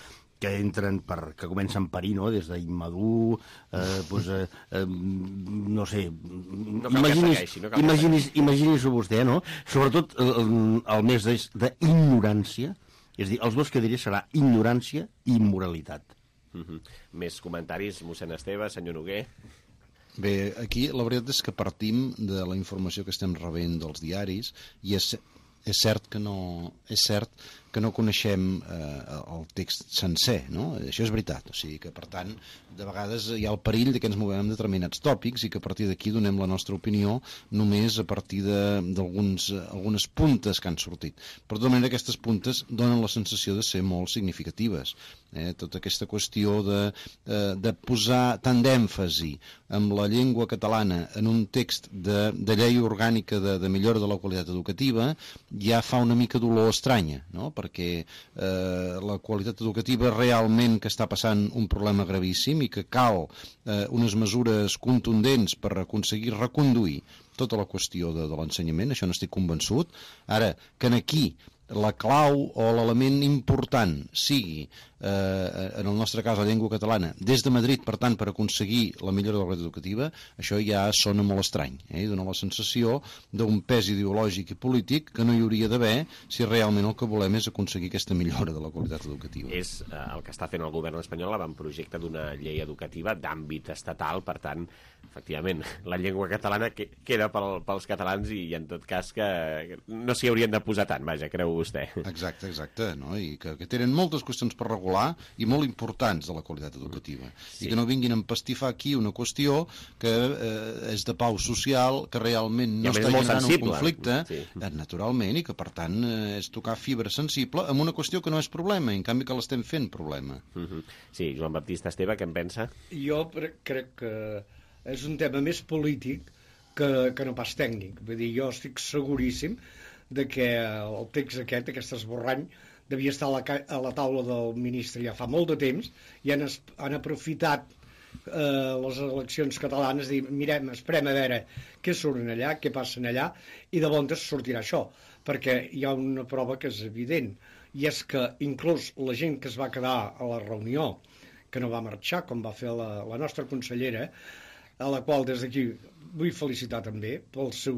que entren per, que comencen per I, no?, des d'immadur, eh, pues, eh, eh, no sé, no imaginis, no imaginis, imaginis-ho vostè, no? Sobretot el, el mes d'ignorància, és a dir, els dos que diré serà ignorància i immoralitat. Uh -huh. Més comentaris, mossèn Esteve, senyor Noguer? Bé, aquí la veritat és que partim de la informació que estem rebent dels diaris, i és, és cert que no és cert que no coneixem eh, el text sencer, no? Això és veritat, o sigui que, per tant, de vegades hi ha el perill de que ens movem en determinats tòpics i que a partir d'aquí donem la nostra opinió només a partir d'algunes puntes que han sortit. Per tota manera, aquestes puntes donen la sensació de ser molt significatives. Eh? Tota aquesta qüestió de, eh, de posar tant d'èmfasi amb la llengua catalana en un text de, de llei orgànica de, de millora de la qualitat educativa ja fa una mica d'olor estranya, no? Perquè eh, la qualitat educativa realment que està passant un problema gravíssim i que cal eh, unes mesures contundents per aconseguir reconduir tota la qüestió de, de l'ensenyament, això n'estic convençut. Ara, que aquí la clau o l'element important sigui, eh, en el nostre cas, la llengua catalana, des de Madrid, per tant, per aconseguir la millora de la qualitat educativa, això ja sona molt estrany, eh? I dona la sensació d'un pes ideològic i polític que no hi hauria d'haver si realment el que volem és aconseguir aquesta millora de la qualitat educativa. És eh, el que està fent el govern espanyol, l'avantprojecte d'una llei educativa d'àmbit estatal, per tant, efectivament, la llengua catalana que, queda pel, pels catalans i, i en tot cas que no s'hi haurien de posar tant, vaja, creu vostè. Exacte, exacte, no? I que, que tenen moltes qüestions per regular i molt importants de la qualitat educativa. Sí. I que no vinguin a empastifar aquí una qüestió que eh, és de pau social, que realment no està generant un conflicte, sí. eh, naturalment, i que per tant eh, és tocar fibra sensible amb una qüestió que no és problema, i en canvi que l'estem fent problema. Uh-huh. Sí, Joan Baptista Esteve, què en pensa? Jo crec que és un tema més polític que, que no pas tècnic. Vull dir, jo estic seguríssim de que el text aquest, aquest esborrany, devia estar a la, a la taula del ministre ja fa molt de temps i han, es, han aprofitat eh, les eleccions catalanes i mirem, esperem a veure què surten allà, què passen allà, i de bon temps sortirà això, perquè hi ha una prova que és evident, i és que inclús la gent que es va quedar a la reunió, que no va marxar, com va fer la, la nostra consellera, a la qual des d'aquí vull felicitar també pel seu,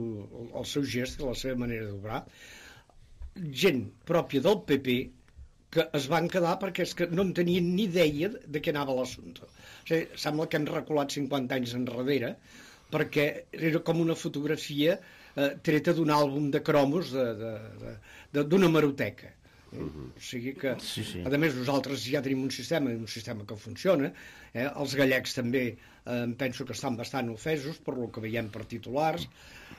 el seu gest i la seva manera d'obrar, gent pròpia del P P que es van quedar perquè és que no en tenien ni idea de què anava l'assumpte. O sigui, sembla que hem reculat cinquanta anys enrere perquè era com una fotografia eh, treta d'un àlbum de cromos d'una hemeroteca. Uh-huh. O sigui que, sí, sí. A més, nosaltres ja tenim un sistema, un sistema que funciona. Eh? Els gallecs també eh, penso que estan bastant ofesos per lo que veiem per titulars.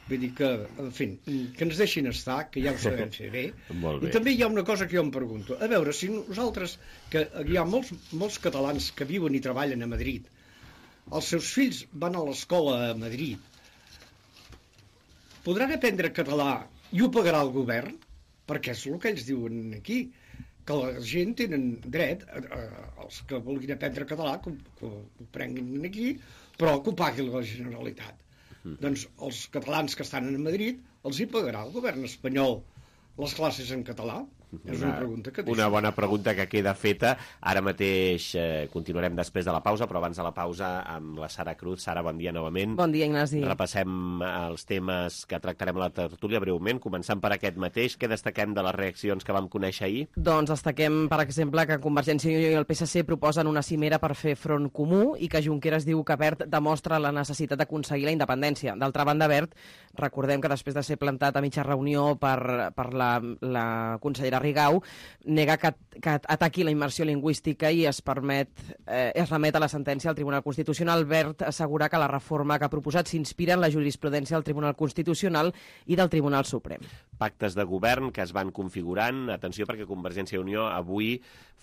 Vull dir que, en fi, que ens deixin estar, que ja ho sabem fer bé. Molt bé. I també hi ha una cosa que jo em pregunto. A veure, si nosaltres, que hi ha molts, molts catalans que viuen i treballen a Madrid, els seus fills van a l'escola a Madrid, podran aprendre català i ho pagarà el govern? Perquè és el que ells diuen aquí, que la gent tenen dret, a, a, els que vulguin aprendre català, que, que ho prenguin aquí, però que ho pagui la Generalitat. Mm. Doncs els catalans que estan a Madrid els hi pagarà el govern espanyol les classes en català? És una pregunta que... Una bona pregunta que queda feta. Ara mateix eh, continuarem després de la pausa, però abans de la pausa amb la Sara Cruz. Sara, bon dia novament. Bon dia, Ignasi. Repassem els temes que tractarem a la tertúlia breument, començant per aquest mateix. Què destaquem de les reaccions que vam conèixer ahir? Doncs destaquem, per exemple, que Convergència i Unió i el P S C proposen una cimera per fer front comú i que Junqueras diu que Wert demostra la necessitat d'aconseguir la independència. D'altra banda, Wert, recordem que després de ser plantat a mitja reunió per, per la, la consellera Rigau, nega que, que ataqui la immersió lingüística i es permet eh, es remet a la sentència del Tribunal Constitucional. Wert assegura que la reforma que ha proposat s'inspira en la jurisprudència del Tribunal Constitucional i del Tribunal Suprem. Pactes de govern que es van configurant. Atenció, perquè Convergència i Unió avui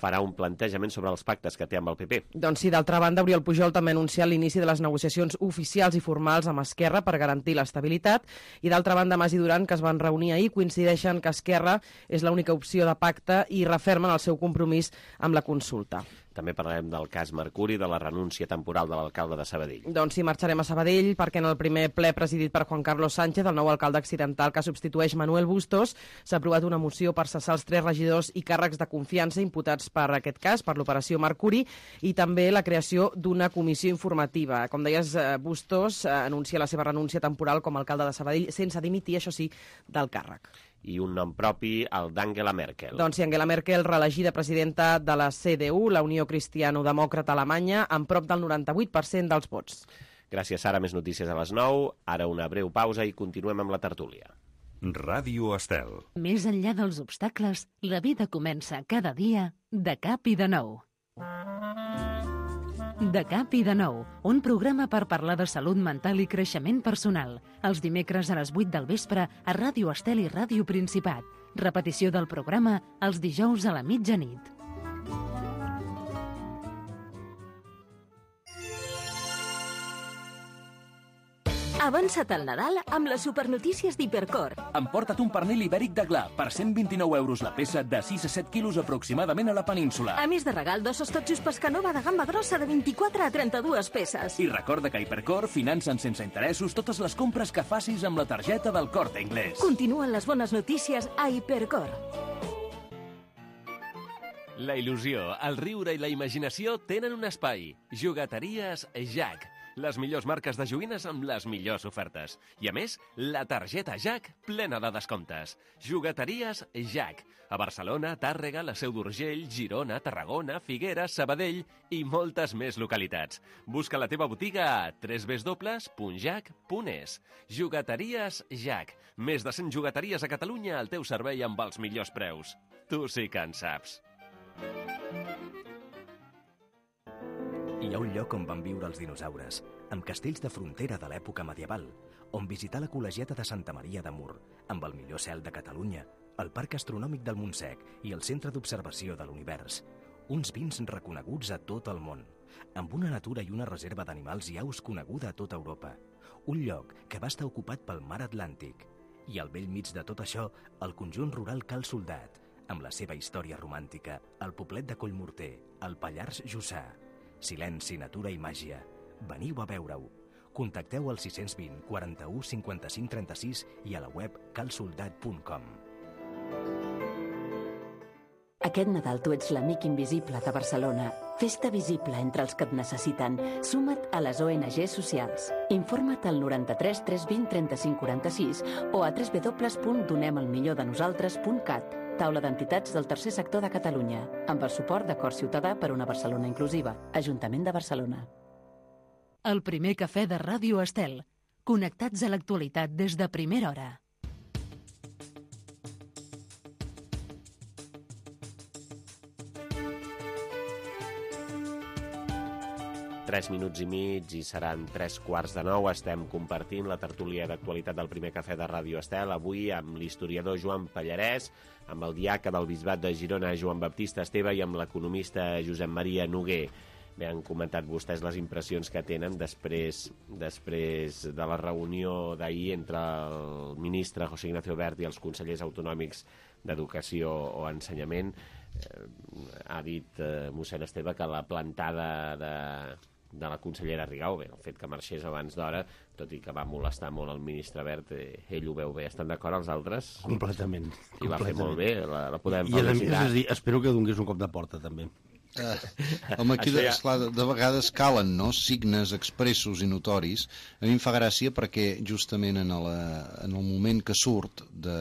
farà un plantejament sobre els pactes que té amb el P P. Doncs sí, d'altra banda, Oriol Pujol també ha anunciat l'inici de les negociacions oficials i formals amb Esquerra per garantir l'estabilitat, i d'altra banda, Mas i Duran, que es van reunir ahir, coincideixen que Esquerra és l'única opció de pacte i refermen el seu compromís amb la consulta. També parlarem del cas Mercuri, de la renúncia temporal de l'alcalde de Sabadell. Doncs sí, marxarem a Sabadell perquè en el primer ple presidit per Juan Carlos Sánchez, el nou alcalde accidental que substitueix Manuel Bustos, s'ha aprovat una moció per cessar els tres regidors i càrrecs de confiança imputats per aquest cas, per l'operació Mercuri, i també la creació d'una comissió informativa. Com deies, Bustos anuncia la seva renúncia temporal com a alcalde de Sabadell sense dimitir, això sí, del càrrec. I un nom propi, el d'Angela Merkel. Doncs sí, Angela Merkel, reelegida presidenta de la C D U, la Unió Cristiano-Demòcrata Alemanya, amb prop del noranta-vuit per cent dels vots. Gràcies, Sara. Més notícies a les nou. Ara una breu pausa i continuem amb la tertúlia. Ràdio Estel. Més enllà dels obstacles, la vida comença cada dia de cap i de nou. De cap i de nou, un programa per parlar de salut mental i creixement personal. Els dimecres a les vuit del vespre a Ràdio Estel i Ràdio Principat. Repetició del programa els dijous a la mitjanit. Avança't al Nadal amb les supernotícies d'Hipercor. Emporta't un pernil ibèric de gla per cent vint-i-nou euros la peça de sis a set quilos aproximadament a la península. A més de regal, dos hostotxos Pescanova de gamba grossa de vint-i-quatre a trenta-dues peces. I recorda que Hipercor financen sense interessos totes les compres que facis amb la targeta del Corte Inglés. Continuen les bones notícies a Hipercor. La il·lusió, el riure i la imaginació tenen un espai. Jugateries Jack. Les millors marques de joguines amb les millors ofertes. I a més, la targeta Jack plena de descomptes. Jugateries Jack. A Barcelona, Tàrrega, la Seu d'Urgell, Girona, Tarragona, Figueres, Sabadell i moltes més localitats. Busca la teva botiga a w w w punt jack punt es. Jugateries Jack. Més de cent jugateries a Catalunya al teu servei amb els millors preus. Tu sí que en saps. Hi ha un lloc on van viure els dinosaures, amb castells de frontera de l'època medieval, on visitar la col·legiata de Santa Maria de Mur, amb el millor cel de Catalunya, el Parc Astronòmic del Montsec i el Centre d'Observació de l'Univers. Uns vins reconeguts a tot el món, amb una natura i una reserva d'animals i aus coneguda a tota Europa. Un lloc que va estar ocupat pel mar Atlàntic. I al bell mig de tot això, el conjunt rural Cal Soldat, amb la seva història romàntica, el poblet de Collmorter, el Pallars Jussà. Silenci, natura i màgia. Veniu a veure-ho. Contacteu al sis cents vint, quaranta-u, cinquanta-cinc, trenta-sis i a la web cal soldat punt com. Aquest Nadal tu ets l'amic invisible de Barcelona. Fes-te visible entre els que et necessiten. Suma't a les O N G socials. Informa't al noranta-tres tres vint trenta-cinc quaranta-sis o a w w w punt donem el millor de nosaltres punt cat. Taula d'entitats del tercer sector de Catalunya, amb el suport de Cor Ciutadà per una Barcelona inclusiva. Ajuntament de Barcelona. El primer cafè de Ràdio Estel. Connectats a l'actualitat des de primera hora. Tres minuts i mig i seran tres quarts de nou. Estem compartint la tertúlia d'actualitat del primer cafè de Ràdio Estel, avui amb l'historiador Joan Pallarès, amb el diaca del Bisbat de Girona, Joan Baptista Esteve, i amb l'economista Josep Maria Noguer. Bé, han comentat vostès les impressions que tenen després, després de la reunió d'ahir entre el ministre José Ignacio Wert i els consellers autonòmics d'Educació o Ensenyament. Eh, ha dit eh, mossèn Esteve que la plantada de... de la consellera Rigau, bé, el fet que marxés abans d'hora, tot i que va molestar molt el ministre Wert, eh, ell ho veu bé. Estan d'acord els altres? Completament. I va fer molt bé, la, la podem I, felicitar. I, és a dir, espero que donés un cop de porta, també. Eh, home, aquí de, esclar, de, de vegades calen, no?, signes expressos i notoris. A mi em fa gràcia perquè justament en, la, en el moment que surt de,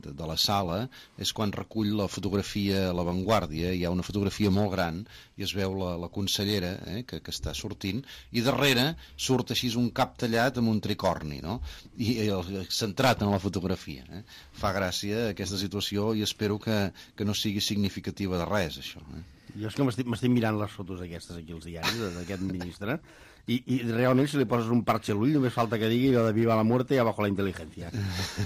de, de la sala és quan recull la fotografia a l'avantguàrdia. Hi ha una fotografia molt gran i es veu la, la consellera eh, que, que està sortint, i darrere surt així un cap tallat amb un tricorni, no?, i eh, centrat en la fotografia. Eh? Fa gràcia aquesta situació i espero que, que no sigui significativa de res, això. Eh? Jo és que m'estic mirant les fotos aquestes aquí als diaris d'aquest ministre i, i realment si li poses un parche a l'ull només falta que digui lo de viva la muerte y abajo la inteligencia.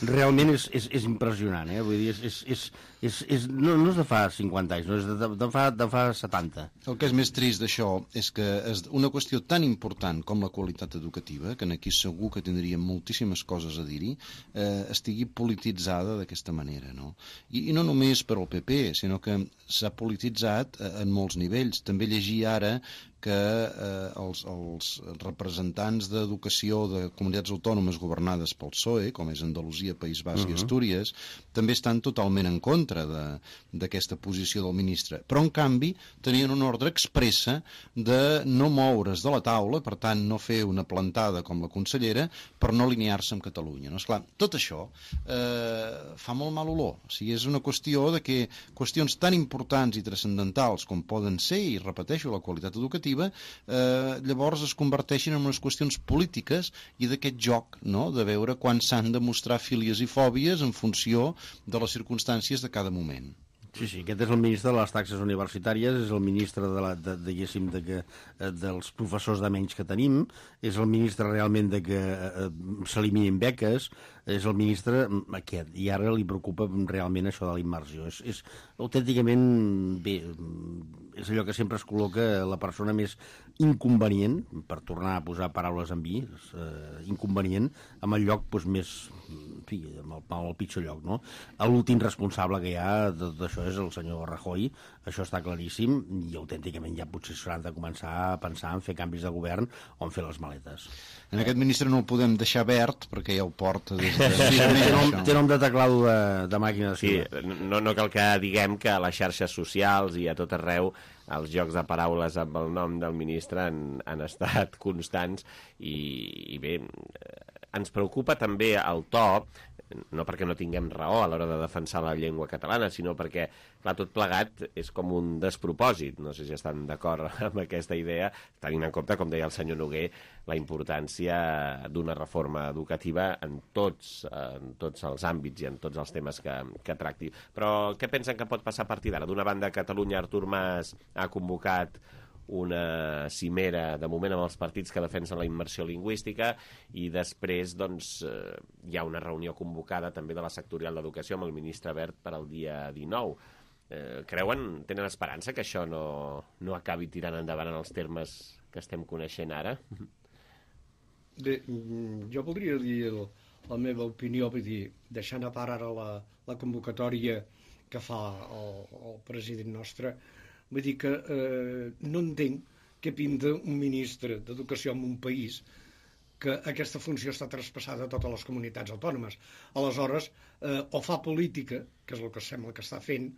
Realment és, és, és impressionant, eh? Vull dir, és, és, és, és, és, no, no és de fa cinquanta anys, no és de, de, fa, de fa setanta. El que és més trist d'això és que és una qüestió tan important com la qualitat educativa, que aquí segur que tindríem moltíssimes coses a dir-hi, eh, estigui polititzada d'aquesta manera, no? I, I no només per al P P, sinó que s'ha polititzat eh, en molts nivells. També llegir ara que eh, els, els representants d'educació de comunitats autònomes governades pel P S O E, com és Andalusia, País Basc uh-huh. i Astúries, també estan totalment en contra d'aquesta posició del ministre. Però, en canvi, tenien una ordre expressa de no moure's de la taula, per tant, no fer una plantada com la consellera, per no alinear-se amb Catalunya. No? Esclar, tot això eh, fa molt mal olor. O sigui, és una qüestió de que qüestions tan importants i transcendentals com poden ser, i repeteixo, la qualitat educativa, educativa, eh, llavors es converteixin en unes qüestions polítiques i d'aquest joc, no?, de veure quan s'han de mostrar fílies i fòbies en funció de les circumstàncies de cada moment. Sí, sí, aquest és el ministre de les taxes universitàries, és el ministre de la, de, de, de que, dels professors de menys que tenim, és el ministre realment de que eh, s'eliminin beques, és el ministre aquest, i ara li preocupa realment això de la immersió. És, és autènticament, bé, és allò que sempre es col·loca la persona més inconvenient, per tornar a posar paraules en vi, és, eh, inconvenient, amb el lloc doncs, més, en fi, amb el, amb el pitjor lloc, no? L'últim responsable que hi ha d'això és el senyor Rajoy, això està claríssim, i autènticament ja potser s'hauran de començar a pensar en fer canvis de govern o en fer les maletes. En aquest ministre no el podem deixar verd, perquè ja ho porta des de... Sí, té, nom, té nom de teclado de, de màquina de sí, no, no cal que diguem que a les xarxes socials i a tot arreu els jocs de paraules amb el nom del ministre han, han estat constants i, i bé, ens preocupa també el to, no perquè no tinguem raó a l'hora de defensar la llengua catalana, sinó perquè, clar, tot plegat és com un despropòsit. No sé si estan d'acord amb aquesta idea, tenint en compte, com deia el senyor Noguer, la importància d'una reforma educativa en tots, en tots els àmbits i en tots els temes que, que tracti. Però què pensen que pot passar a partir d'ara? D'una banda, Catalunya, Artur Mas ha convocat una cimera, de moment, amb els partits que defensen la immersió lingüística, i després doncs, eh, hi ha una reunió convocada també de la sectorial d'Educació amb el ministre Wert per al dia dinou. Eh, creuen, tenen esperança que això no, no acabi tirant endavant en els termes que estem coneixent ara? Bé, jo voldria dir el, la meva opinió, vull dir, deixant a part ara la, la convocatòria que fa el, el president nostre, vull dir que eh, no entenc què pinta un ministre d'Educació en un país que aquesta funció està traspassada a totes les comunitats autònomes. Aleshores, eh, o fa política, que és el que sembla que està fent,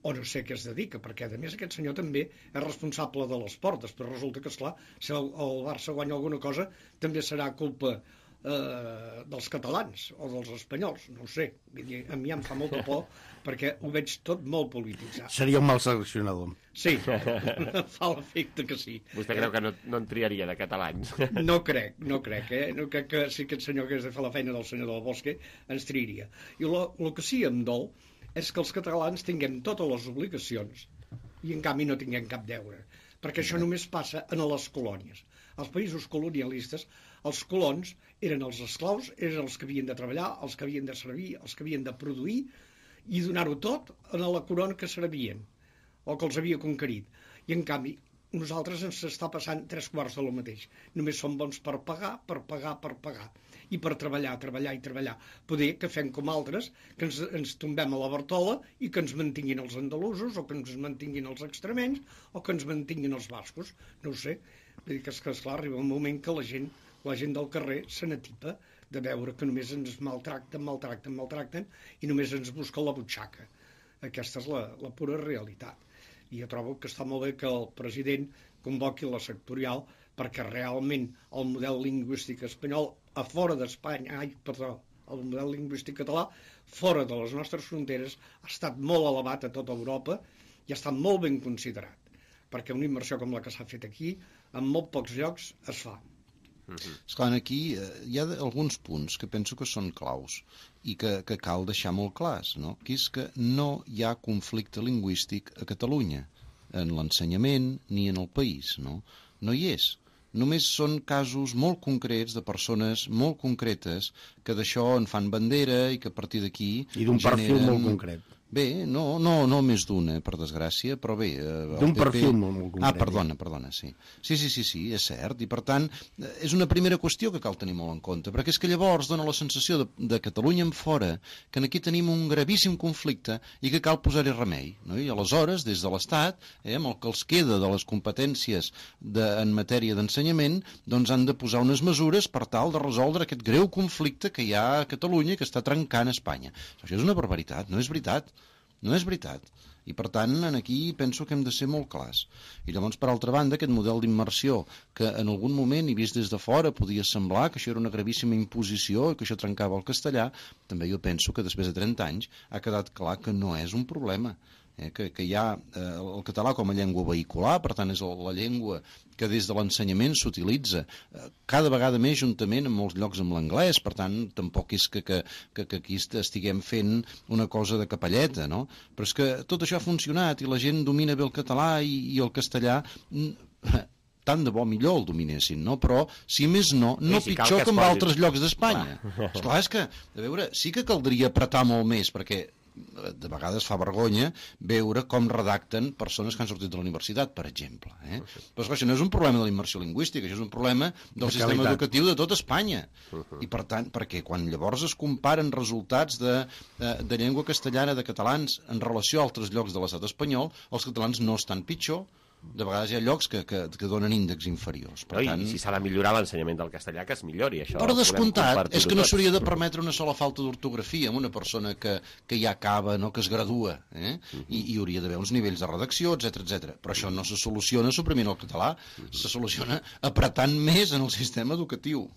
o no sé què es dedica, perquè a més aquest senyor també és responsable de l'esport. Després resulta que, esclar, si el, el Barça guanya alguna cosa, també serà culpa eh, dels catalans o dels espanyols, no ho sé. Vull dir, a mi em fa molta por perquè ho veig tot molt polititzat. Seria un mal seleccionador. Sí, fa l'efecte que sí. Vostè creu que no, no en triaria de catalans? No crec, no crec, eh? No crec que si aquest senyor que hagués de fer la feina del senyor del Bosque ens triaria. I el que sí em dol és que els catalans tinguem totes les obligacions i en canvi no tinguem cap deure, perquè això només passa en les colònies. Als països colonialistes, els colons eren els esclaus, eren els que havien de treballar, els que havien de servir, els que havien de produir i donar-ho tot a la corona que servien o que els havia conquerit. I en canvi, nosaltres ens està passant tres quarts de lo mateix. Només som bons per pagar, per pagar, per pagar. I per treballar, treballar i treballar. Poder que fem com altres, que ens, ens tombem a la Bartola i que ens mantinguin els andalusos, o que ens mantinguin els extremenys, o que ens mantinguin els bascos. No ho sé. Vull dir que, és que esclar, arriba un moment que la gent, la gent del carrer se n'atipa de veure que només ens maltracten, maltracten, maltracten, i només ens busquen la butxaca. Aquesta és la, la pura realitat. I jo trobo que està molt bé que el president convoqui la sectorial perquè realment el model lingüístic espanyol a fora d'Espanya, ai, perdó, el model lingüístic català fora de les nostres fronteres ha estat molt elevat a tota Europa i ha estat molt ben considerat, perquè una immersió com la que s'ha fet aquí en molt pocs llocs es fa. Esclar, aquí eh, hi ha alguns punts que penso que són claus i que, que cal deixar molt clars, no? Que és que no hi ha conflicte lingüístic a Catalunya, en l'ensenyament ni en el país, no? No hi és. Només són casos molt concrets de persones molt concretes que d'això en fan bandera i que a partir d'aquí... I d'un perfil molt concret. Bé, no, no, no més d'una, per desgràcia, però bé... D'un perfil molt, molt concret. Ah, perdona, perdona, sí. Sí, sí, sí, sí, és cert, i per tant és una primera qüestió que cal tenir molt en compte, perquè és que llavors dona la sensació de, de Catalunya en fora que aquí tenim un gravíssim conflicte i que cal posar-hi remei, no? I aleshores, des de l'Estat, eh, amb el que els queda de les competències de, en matèria d'ensenyament, doncs han de posar unes mesures per tal de resoldre aquest greu conflicte que hi ha a Catalunya i que està trencant Espanya. Això és una barbaritat, no és veritat. No és veritat. I, per tant, aquí penso que hem de ser molt clars. I llavors, per altra banda, aquest model d'immersió, que en algun moment, i vist des de fora, podia semblar que això era una gravíssima imposició i que això trencava el castellà, també jo penso que després de trenta anys ha quedat clar que no és un problema. eh, que, que hi ha eh, el català com a llengua vehicular, per tant és la llengua que des de l'ensenyament s'utilitza eh, cada vegada més juntament en molts llocs amb l'anglès, per tant tampoc és que, que, que, que aquí estiguem fent una cosa de capelleta, no? Però és que tot això ha funcionat i la gent domina bé el català i, i el castellà tant de bo millor el dominessin, no? Però, si més no, no sí, pitjor com posi... altres llocs d'Espanya. Esclar, és que, a veure, sí que caldria apretar molt més, perquè de vegades fa vergonya veure com redacten persones que han sortit de la universitat, per exemple. Eh? Però això no és un problema de la immersió lingüística, això és un problema del de sistema qualitat. Educatiu de tot Espanya. I per tant, perquè quan llavors es comparen resultats de, de, de llengua castellana de catalans en relació a altres llocs de l'estat espanyol, els catalans no estan pitjor. De vegades hi ha llocs que, que, que donen índexs inferiors. Per no, tant... I si s'ha de millorar l'ensenyament del castellà, que es millori. Això per descomptat, és que no tots. s'hauria de permetre una sola falta d'ortografia amb una persona que, que ja acaba, no, que es gradua, eh? I hi hauria d'haver uns nivells de redacció, etcètera, etcètera. Però això no se soluciona suprimint el català, se soluciona apretant més en el sistema educatiu.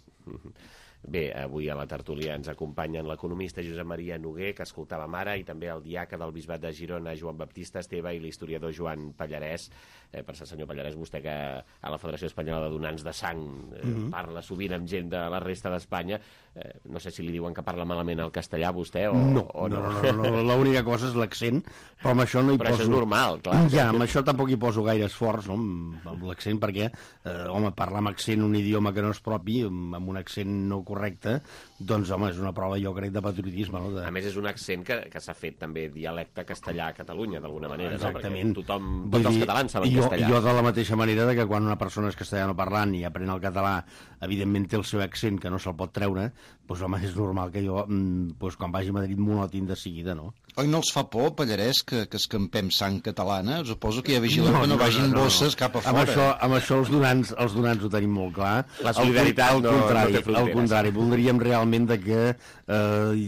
Bé, avui a la tertúlia ens acompanyen l'economista Josep Maria Noguer, que escoltàvem ara, i també el diaca del Bisbat de Girona, Joan Baptista Esteve, i l'historiador Joan Pallarès. Eh, per ser senyor Pallarès, vostè que a la Federació Espanyola de Donants de Sang eh, mm-hmm. parla sovint amb gent de la resta d'Espanya, eh, no sé si li diuen que parla malament el castellà, vostè, o no. O no, no, no, no, l'única cosa és l'accent, però amb això no hi però poso... això és normal, clar. Ja, amb això tampoc hi poso gaire esforç, no? amb, amb l'accent, perquè, eh, home, parlar amb accent un idioma que no és propi, amb, amb un accent no correcte, doncs, home, és una prova, jo crec, de patriotisme. No? De... A més, és un accent que, que s'ha fet també dialecte castellà a Catalunya, d'alguna manera. Exactament. No? Perquè tothom, Vull tots dir, els catalans saben jo, castellà. Jo de la mateixa manera de que quan una persona és castellano parlant i aprèn el català, evidentment té el seu accent que no se'l pot treure, doncs, home, és normal que jo, doncs, quan vagi a Madrid, m'ho notin de seguida, no? Oi, no els fa por, Pallarès, que, que escampem sang catalana? Suposo que hi ha vigilants no, que no, no vagin no, no, bosses no. cap a amb fora. Això, amb això els donants, els donants ho tenim molt clar. La solidaritat al, al no, contrari, no té fronteres. Al contrari, voldríem realment de que eh,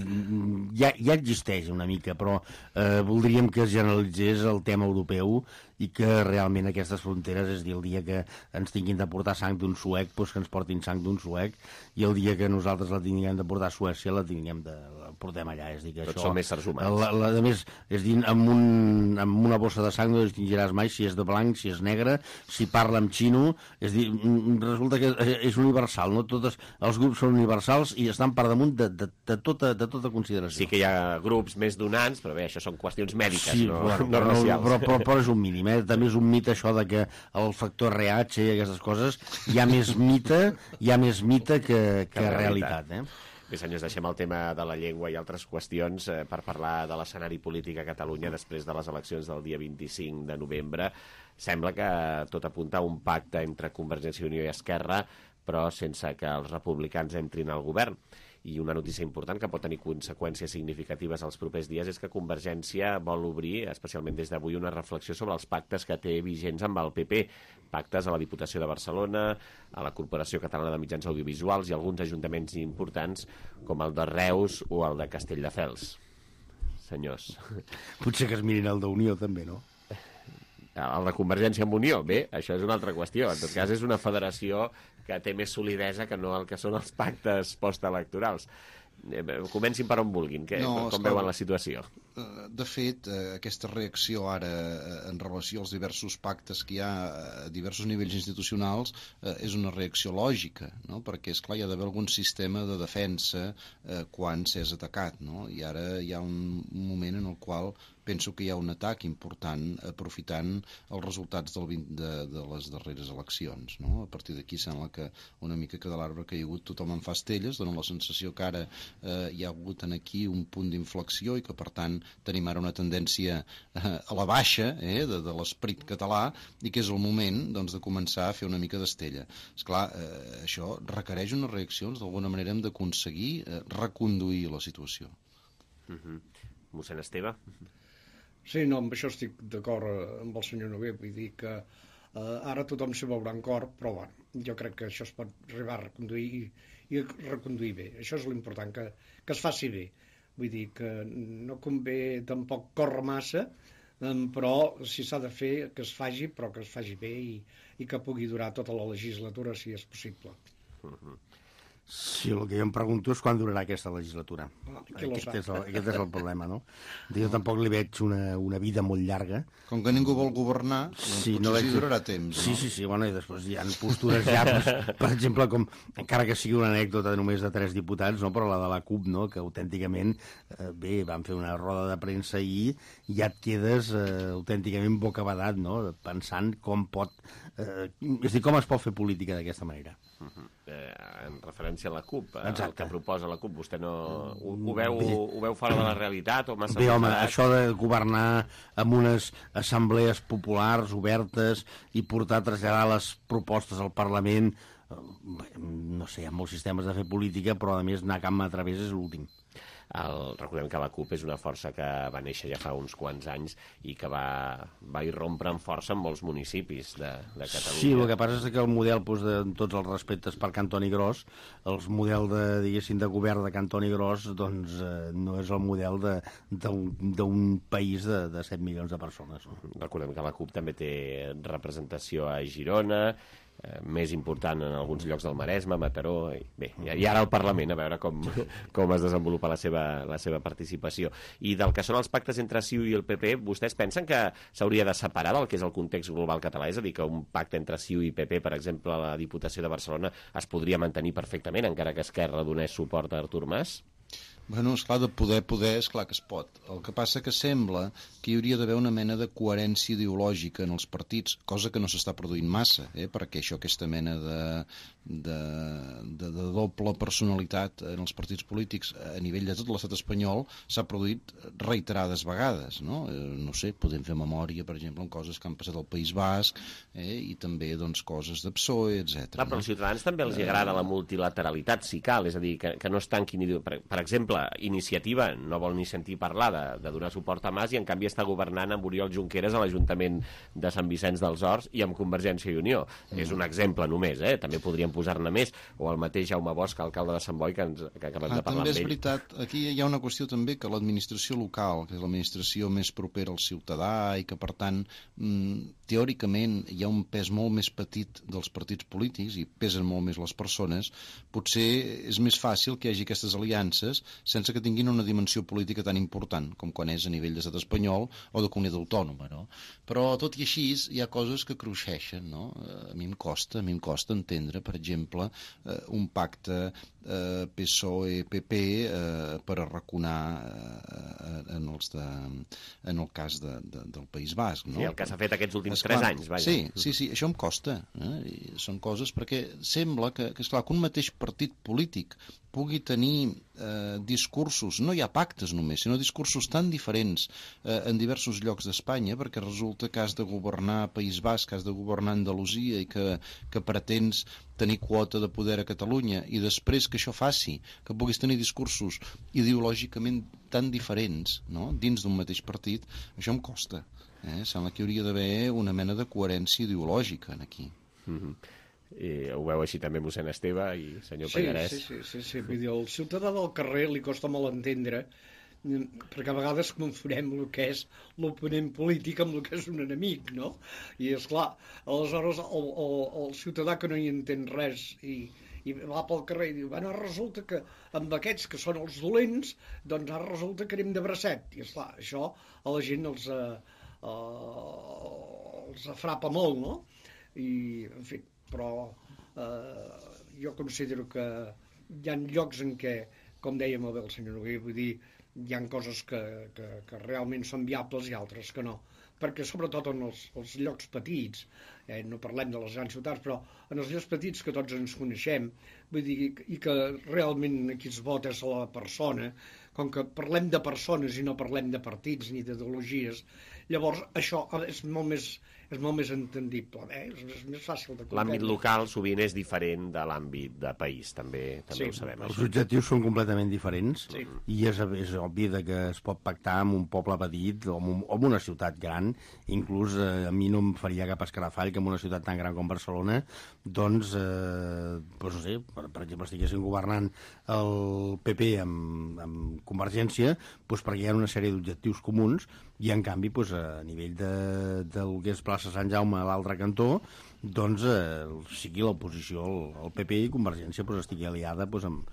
ja, ja existeix una mica, però eh, voldríem que es generalitzés el tema europeu i que realment aquestes fronteres, és a dir, el dia que ens tinguin de portar sang d'un suec, doncs que ens portin sang d'un suec, i el dia que nosaltres la tinguem de portar a Suècia, la tinguem de... la portem allà. És a dir, que Tots això, són més éssers humans. La, la, a més, és a dir, amb, un, amb una bossa de sang no distingiràs mai si és de blanc, si és negre, si parla amb xino, és a dir, resulta que és universal, no? Totes, els grups són universals i estan per damunt de, de, de, tota, de tota consideració. Sí que hi ha grups més donants, però bé, això són qüestions mèdiques, sí, no, bueno, no racials. Però, però, però és un mínim. Eh? També és un mite això de que el factor R H i aquestes coses hi ha més mite, hi ha més mite que, que, que realitat. realitat eh? Bé, senyors, deixem el tema de la llengua i altres qüestions eh, per parlar de l'escenari polític a Catalunya després de les eleccions del dia vint-i-cinc de novembre. Sembla que tot apunta a un pacte entre Convergència i Unió i Esquerra, però sense que els republicans entrin al govern. I una notícia important que pot tenir conseqüències significatives als propers dies és que Convergència vol obrir, especialment des d'avui, una reflexió sobre els pactes que té vigents amb el P P. Pactes a la Diputació de Barcelona, a la Corporació Catalana de Mitjans Audiovisuals i alguns ajuntaments importants com el de Reus o el de Castelldefels. Senyors. Potser que es mirin el d'Unió també, no? El de Convergència amb Unió, bé, això és una altra qüestió. En tot cas, és una federació que té més solidesa que no el que són els pactes postelectorals. Comencin per on vulguin, que, no, com veuen la situació. De fet, aquesta reacció ara en relació als diversos pactes que hi ha a diversos nivells institucionals és una reacció lògica, no? Perquè, esclar, hi ha d'haver algun sistema de defensa quan s'és atacat, no? I ara hi ha un moment en el qual penso que hi ha un atac important aprofitant els resultats del vint, de, de les darreres eleccions, no? A partir d'aquí sembla que una mica que de l'arbre que hi ha hagut tothom en fa estelles, dona la sensació que ara eh, hi ha hagut en aquí un punt d'inflexió i que per tant tenim ara una tendència eh, a la baixa eh, de, de l'esperit català i que és el moment doncs, de començar a fer una mica d'estella. Esclar, eh, això requereix unes reaccions, d'alguna manera hem d'aconseguir eh, reconduir la situació. Uh-huh. Mossèn Esteve? Sí, no, amb això estic d'acord amb el senyor Noguer, vull dir que eh, ara tothom s'hi veurà en cor, però bueno, jo crec que això es pot arribar a reconduir i, i reconduir bé. Això és l'important, que, que es faci bé. Vull dir que no convé tampoc córrer massa, eh, però si s'ha de fer, que es faci, però que es faci bé i, i que pugui durar tota la legislatura, si és possible. Uh-huh. Sí, el que jo em pregunto és quan durarà aquesta legislatura. Ah, aquest, és el, aquest és el problema, no? Jo tampoc li veig una, una vida molt llarga. Com que ningú vol governar, doncs sí, potser no veig... sí durarà temps. Sí, no? sí, sí, bueno, i després hi ha postures ja, pues, per exemple, com, encara que sigui una anècdota només de tres diputats, no? Però la de la CUP, no? Que autènticament, eh, bé, van fer una roda de premsa ahir i ja et quedes eh, autènticament bocabadat, no? Pensant com pot... Eh, és a dir, com es pot fer política d'aquesta manera. Uh-huh. eh, en referència a la CUP, eh, Exacte. el que proposa la CUP, vostè no ho, ho, veu, ho veu fora de la realitat o massa... Bé, home, separat? això de governar amb unes assemblees populars obertes i portar a traslladar les propostes al Parlament, eh, no sé, hi ha molts sistemes de fer política, però a més anar camp a través és l'últim. El, recordem que la CUP és una força que va néixer ja fa uns quants anys i que va, va irrompre amb força en molts municipis de, de Catalunya. Sí, el que passa és que el model, doncs, de, amb tots els respectes per Cantoni Gros, el model de, diguéssim, de govern de Cantoni Gros, doncs eh, no és el model d'un país de, de set milions de persones. No? Recordem que la CUP també té representació a Girona, eh, més important en alguns llocs del Maresme, Mataró, i, bé, i ara al Parlament, a veure com, com es desenvolupa la seva, la seva participació. I del que són els pactes entre C I U i el P P, vostès pensen que s'hauria de separar del que és el context global català? És a dir, que un pacte entre C I U i P P, per exemple, a la Diputació de Barcelona, es podria mantenir perfectament, encara que Esquerra donés suport a Artur Mas? Bueno, esclar, de poder, poder, esclar que es pot. El que passa que sembla que hi hauria d'haver una mena de coherència ideològica en els partits, cosa que no s'està produint massa, eh? Perquè això, aquesta mena de, de, de, de doble personalitat en els partits polítics a nivell de tot l'estat espanyol s'ha produït reiterades vegades, no? Eh, no sé, podem fer memòria, per exemple, en coses que han passat al País Basc, eh? I també, doncs, coses de P S O E, etcètera. Clar, però als ciutadans també els agrada la multilateralitat, si cal, és a dir, que, que no es tanquin... Per, per exemple, Iniciativa no vol ni sentir parlar de, de donar suport a Mas i en canvi està governant amb Oriol Junqueras a l'Ajuntament de Sant Vicenç dels Horts i amb Convergència i Unió. Mm. És un exemple només, eh? També podríem posar-ne més. O el mateix Jaume Bosch, alcalde de Sant Boi, que, ens, que acabem ah, de parlar amb ell. També és veritat, aquí hi ha una qüestió també que l'administració local, que és l'administració més propera al ciutadà i que per tant mm, teòricament hi ha un pes molt més petit dels partits polítics i pesen molt més les persones, potser és més fàcil que hi hagi aquestes aliances sense que tinguin una dimensió política tan important com quan és a nivell d'estat espanyol o de comunitat autònoma, no? Però tot i així hi ha coses que cruixeixen, no? A mi em costa, a mi em costa entendre, per exemple, un pacte eh, P S O E-P P eh, per arraconar eh, en, els de, en el cas de, de, del País Basc, no? Sí, el que s'ha fet aquests últims esclar, tres anys, vaja. Sí, sí, sí, això em costa. Eh? I són coses perquè sembla que, que, esclar, que un mateix partit polític pugui tenir eh, discursos, no hi ha pactes només, sinó discursos tan diferents eh, en diversos llocs d'Espanya, perquè resulta que has de governar País Basc, que has de governar Andalusia i que, que pretens tenir quota de poder a Catalunya, i després que això faci, que puguis tenir discursos ideològicament tan diferents, no?, dins d'un mateix partit, això em costa. Eh? Sembla que hi hauria d'haver una mena de coherència ideològica en aquí. Mm-hmm. I ho veu així també mossèn Esteve i senyor sí, Pallarès. Sí, sí, sí, sí. Vull dir, el ciutadà del carrer li costa molt entendre, perquè a vegades confonem el que és l'oponent polític amb el que és un enemic, no? I és clar, aleshores el, el, el ciutadà que no hi entén res i, i va pel carrer i diu, bueno, resulta que amb aquests que són els dolents, doncs ara resulta que anem de bracet. I és clar, això a la gent els, eh, eh, els afrapa molt, no? I, en fi, però eh, jo considero que hi ha llocs en què, com deia molt bé el senyor Noguer, vull dir, hi ha coses que, que, que realment són viables i altres que no, perquè sobretot en els, els llocs petits, eh, no parlem de les grans ciutats, però en els llocs petits que tots ens coneixem, vull dir, i que realment aquí es vota és la persona, com que parlem de persones i no parlem de partits ni d'ideologies, llavors això és molt més, és molt més entendible, eh? és, és més fàcil de comprendre. L'àmbit local sovint és diferent de l'àmbit de país, també, també sí, ho sabem. Els això. objectius són completament diferents sí. i és, és obvi que es pot pactar amb un poble petit o amb, un, o amb una ciutat gran, inclús eh, a mi no em faria cap escarafall que en una ciutat tan gran com Barcelona, doncs, eh, doncs no sé, per, per exemple, estiguessin governant el P P amb, amb Convergència, doncs perquè hi ha una sèrie d'objectius comuns i en canvi doncs, a nivell de, del que és plaça Sant Jaume a l'altre cantó, doncs eh, sigui l'oposició, el, el P P i Convergència pues, estigui aliada pues, amb,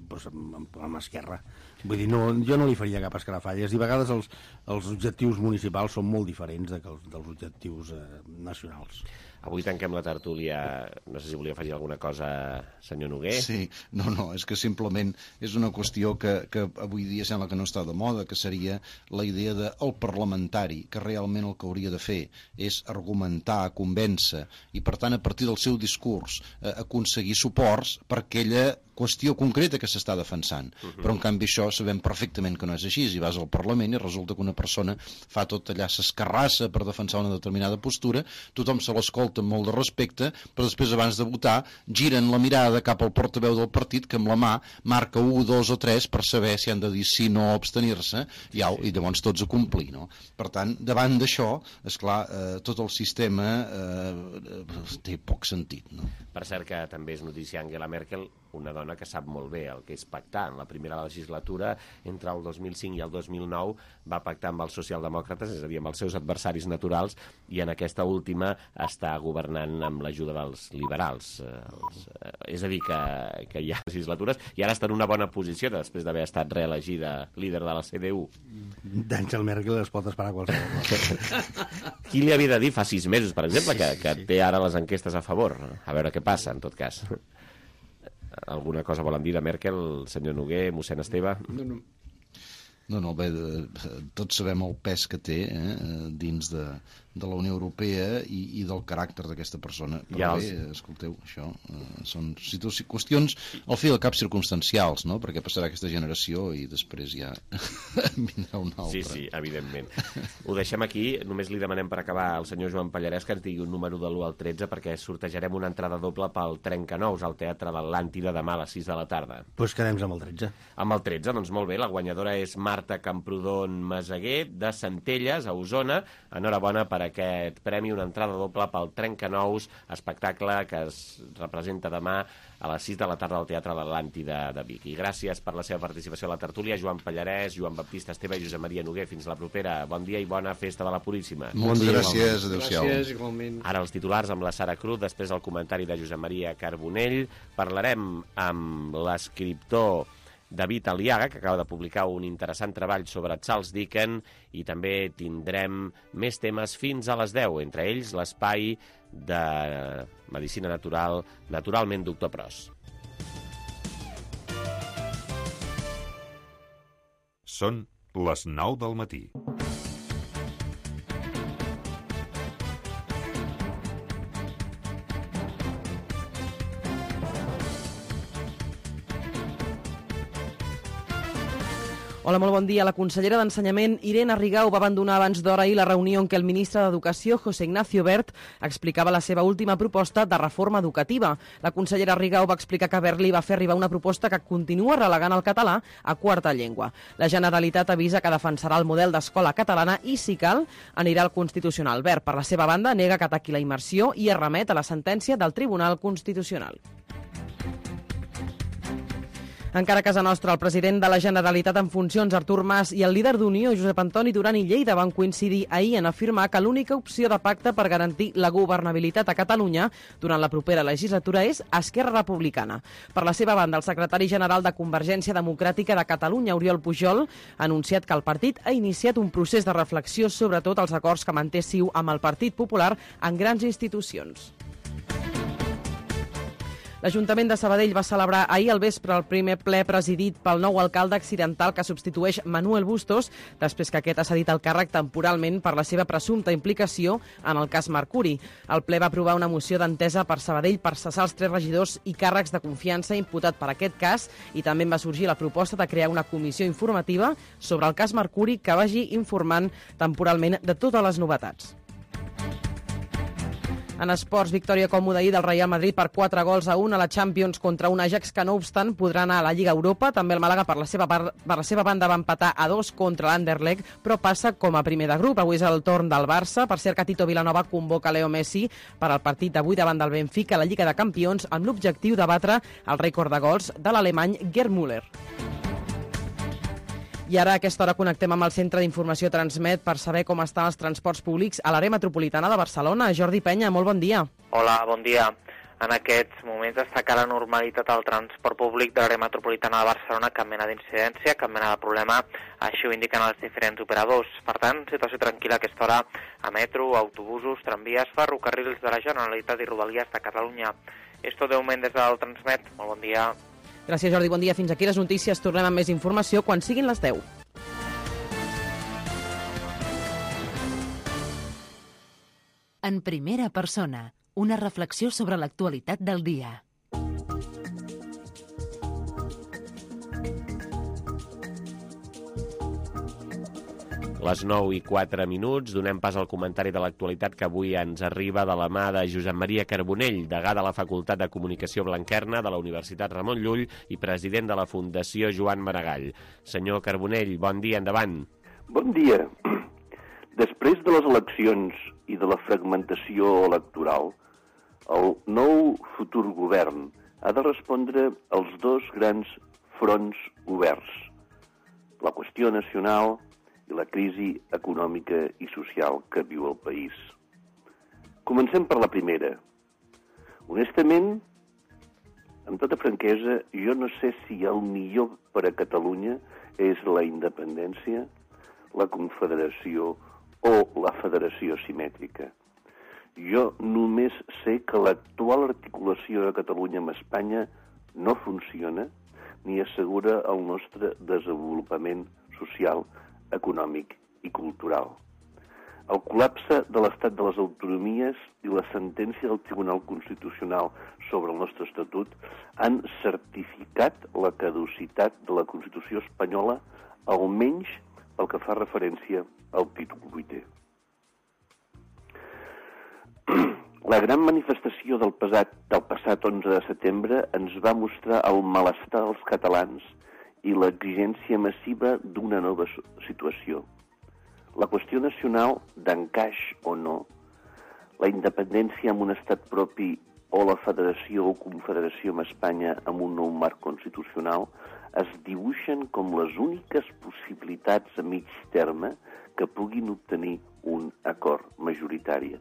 pues, amb, amb, amb Esquerra. Vull dir, no, jo no li faria cap escarafalles i a vegades els, els objectius municipals són molt diferents de, dels objectius eh, nacionals. Avui tanquem la tertúlia. No sé si volia afegir alguna cosa, senyor Noguer. Sí, no, no, és que simplement és una qüestió que, que avui dia sembla que no està de moda, que seria la idea del parlamentari, que realment el que hauria de fer és argumentar, convèncer, i per tant a partir del seu discurs eh, aconseguir suports per aquella qüestió concreta que s'està defensant. Uh -huh. Però en canvi això sabem perfectament que no és així, i vas al Parlament i resulta que una persona fa tot allà, s'escarrassa per defensar una determinada postura, tothom se l'escolta amb molt de respecte, però després abans de votar giren la mirada cap al portaveu del partit que amb la mà marca un, dos o tres per saber si han de dir sí, no o abstenir-se, i, au, i llavors tots a complir, no? Per tant, davant d'això, esclar, eh, tot el sistema eh, té poc sentit, no? Per cert que també és notícia Angela Merkel, una dona que sap molt bé el que és pactar. En la primera legislatura, entre el dos mil cinc i el dos mil nou, va pactar amb els socialdemòcrates, és a dir, amb els seus adversaris naturals, i en aquesta última està governant amb l'ajuda dels liberals. Eh, els, eh, és a dir, que, que hi ha legislatures, i ara està en una bona posició després d'haver estat reelegida líder de la C D U. D'Àngel Merkel es pot esperar qualsevol. Qui li havia de dir fa sis mesos, per exemple, que, que té ara les enquestes a favor? A veure què passa, en tot cas. Alguna cosa volen dir de Merkel, senyor Noguer, mossèn Esteve? No, no. No, no, bé, tots sabem el pes que té eh, dins de, de la Unió Europea i, i del caràcter d'aquesta persona. Però ja bé, els... escolteu, això eh, són situacions, qüestions al fi del cap circumstancials, no? Perquè passarà aquesta generació i després ja vindrà una altra. Sí, sí, evidentment. Ho deixem aquí. Només li demanem per acabar al senyor Joan Pallarès que ens digui un número de l'u al tretze perquè sortejarem una entrada doble pel Trencanous al Teatre l'Atlàntida demà a les sis de la tarda. Doncs pues quedem amb el tretze. Amb el tretze, doncs molt bé. La guanyadora és Marta Camprodon Meseguer, de Centelles, a Osona. Enhorabona per aquest premi, una entrada doble pel Trencanous, espectacle que es representa demà a les sis de la tarda al Teatre l'Atlàntida de Vic. I gràcies per la seva participació a la tertúlia, Joan Pallarès, Joan Baptista Esteve i Josep Maria Noguer. Fins la propera. Bon dia i bona festa de la Puríssima. Moltes bon gràcies, adéu-siau. Gràcies, igualment. Ara els titulars amb la Sara Cruz, després el comentari de Josep Maria Carbonell. Parlarem amb l'escriptor David Aliaga, que acaba de publicar un interessant treball sobre Charles Dickens, i també tindrem més temes fins a les deu, entre ells l'espai de Medicina Natural, naturalment doctor Pros. Són les nou del matí. Hola, molt bon dia. La consellera d'Ensenyament, Irene Rigau, va abandonar abans d'hora ahir la reunió en què el ministre d'Educació, José Ignacio Wert, explicava la seva última proposta de reforma educativa. La consellera Rigau va explicar que Wert li va fer arribar una proposta que continua relegant el català a quarta llengua. La Generalitat avisa que defensarà el model d'escola catalana i, si cal, anirà al Constitucional. Wert, per la seva banda, nega que ataqui la immersió i es remet a la sentència del Tribunal Constitucional. Encara a casa nostra, el president de la Generalitat en funcions, Artur Mas, i el líder d'Unió, Josep Antoni Duran i Lleida, van coincidir ahir en afirmar que l'única opció de pacte per garantir la governabilitat a Catalunya durant la propera legislatura és Esquerra Republicana. Per la seva banda, el secretari general de Convergència Democràtica de Catalunya, Oriol Pujol, ha anunciat que el partit ha iniciat un procés de reflexió sobre tot els acords que manté CiU amb el Partit Popular en grans institucions. L'Ajuntament de Sabadell va celebrar ahir al vespre el primer ple presidit pel nou alcalde accidental que substitueix Manuel Bustos, després que aquest ha cedit el càrrec temporalment per la seva presumpta implicació en el cas Mercuri. El ple va aprovar una moció d'entesa per Sabadell per cessar els tres regidors i càrrecs de confiança imputat per aquest cas, i també va sorgir la proposta de crear una comissió informativa sobre el cas Mercuri que vagi informant temporalment de totes les novetats. En esports, victòria còmoda ahir del Real Madrid per quatre gols a un a la Champions contra un Ajax que, no obstant, podrà anar a la Lliga Europa. També el Màlaga, per la seva, per la seva banda, va empatar a dos contra l'Anderlecht, però passa com a primer de grup. Avui és el torn del Barça. Per cert, que Tito Vilanova convoca Leo Messi per al partit d'avui davant del Benfica a la Lliga de Campions amb l'objectiu de batre el rècord de gols de l'alemany Gerd Müller. I ara a aquesta hora connectem amb el Centre d'Informació Transmet per saber com estan els transports públics a l'àrea metropolitana de Barcelona. Jordi Penya, molt bon dia. Hola, bon dia. En aquests moments destaca la normalitat al transport públic de l'àrea metropolitana de Barcelona, cap mena d'incidència, cap mena de problema, així ho indiquen els diferents operadors. Per tant, situació tranquil·la a aquesta hora a metro, autobusos, tramvies, ferrocarrils de la Generalitat i Rodalies de Catalunya. És tot de moment des del Transmet. Molt bon dia. Gràcies, Jordi. Bon dia. Fins aquí les notícies. Tornem amb més informació quan siguin les deu. En primera persona, una reflexió sobre l'actualitat del dia. Les nou i quatre minuts, donem pas al comentari de l'actualitat que avui ens arriba de la mà de Josep Maria Carbonell, degà de la Facultat de Comunicació Blanquerna de la Universitat Ramon Llull i president de la Fundació Joan Maragall. Senyor Carbonell, bon dia, endavant. Bon dia. Després de les eleccions i de la fragmentació electoral, el nou futur govern ha de respondre als dos grans fronts oberts, la qüestió nacional i la crisi econòmica i social que viu el país. Comencem per la primera. Honestament, amb tota franquesa, jo no sé si el millor per a Catalunya és la independència, la confederació o la federació simètrica. Jo només sé que l'actual articulació de Catalunya amb Espanya no funciona ni assegura el nostre desenvolupament social, econòmic i cultural. El col·lapse de l'estat de les autonomies i la sentència del Tribunal Constitucional sobre el nostre estatut han certificat la caducitat de la Constitució espanyola, almenys pel que fa referència al títol vuitè. La gran manifestació del passat, del passat onze de setembre ens va mostrar el malestar dels catalans i l'exigència massiva d'una nova situació. La qüestió nacional, d'encaix o no, la independència amb un estat propi o la federació o confederació amb Espanya amb un nou marc constitucional es dibuixen com les úniques possibilitats a mig terme que puguin obtenir un acord majoritari.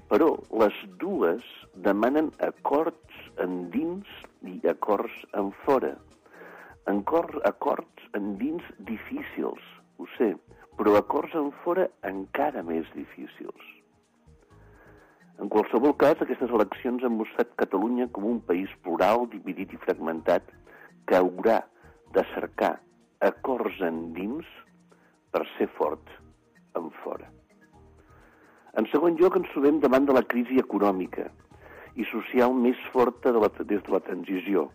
Però les dues demanen acords endins i acords en fora. Acords endins difícils, ho sé, però acords en fora encara més difícils. En qualsevol cas, aquestes eleccions han mostrat Catalunya com un país plural, dividit i fragmentat, que haurà de cercar acords endins per ser fort en fora. En segon lloc, ens trobem davant de la crisi econòmica i social més forta de la, des de la transició,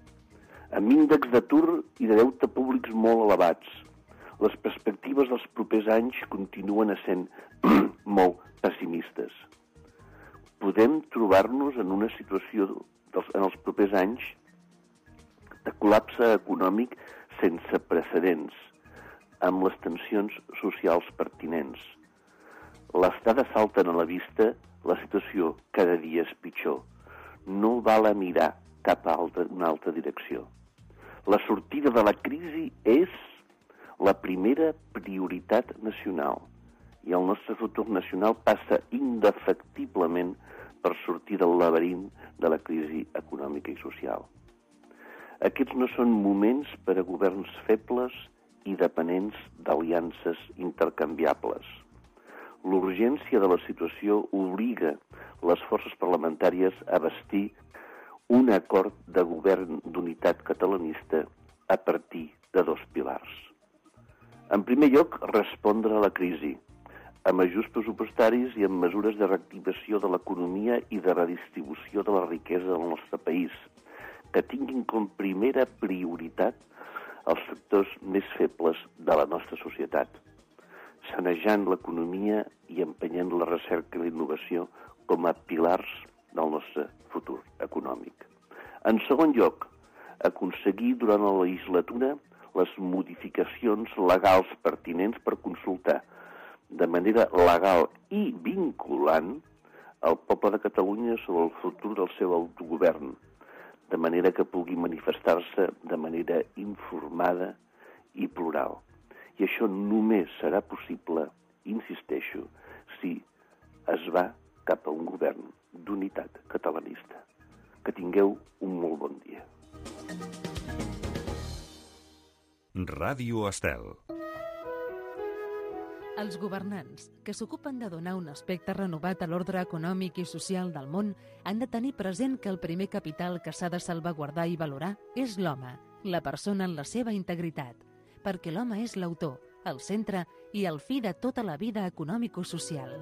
amb índexs d'atur i de deute públics molt elevats. Les perspectives dels propers anys continuen essent molt pessimistes. Podem trobar-nos en una situació dels, en els propers anys de col·lapse econòmic sense precedents, amb les tensions socials pertinents. Les dades salten a la vista, la situació cada dia és pitjor. No val a mirar cap a altra, una altra direcció. La sortida de la crisi és la primera prioritat nacional i el nostre futur nacional passa indefectiblement per sortir del laberint de la crisi econòmica i social. Aquests no són moments per a governs febles i dependents d'aliances intercanviables. L'urgència de la situació obliga les forces parlamentàries a bastir un acord de govern d'unitat catalanista a partir de dos pilars. En primer lloc, respondre a la crisi, amb ajuts pressupostaris i amb mesures de reactivació de l'economia i de redistribució de la riquesa del nostre país, que tinguin com primera prioritat els sectors més febles de la nostra societat, sanejant l'economia i empenyent la recerca i la innovació com a pilars del nostre futur econòmic. En segon lloc, aconseguir durant la legislatura les modificacions legals pertinents per consultar de manera legal i vinculant el poble de Catalunya sobre el futur del seu autogovern, de manera que pugui manifestar-se de manera informada i plural. I això només serà possible, insisteixo, si es va cap a un govern d'unitat catalanista. Que tingueu un molt bon dia. Ràdio Estel. Els governants, que s'ocupen de donar un aspecte renovat a l'ordre econòmic i social del món, han de tenir present que el primer capital que s'ha de salvaguardar i valorar és l'home, la persona en la seva integritat, perquè l'home és l'autor, el centre i el fi de tota la vida econòmico-social.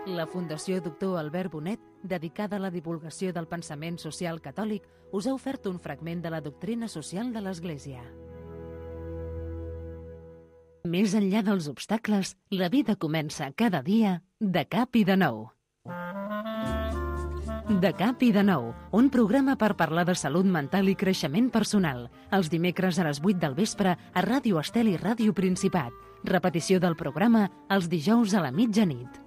La Fundació Doctor Albert Bonet, dedicada a la divulgació del pensament social catòlic, us ha ofert un fragment de la doctrina social de l'Església. Més enllà dels obstacles, la vida comença cada dia de cap i de nou. De cap i de nou, un programa per parlar de salut mental i creixement personal. Els dimecres a les vuit del vespre a Ràdio Estel i Ràdio Principat. Repetició del programa els dijous a la mitjanit.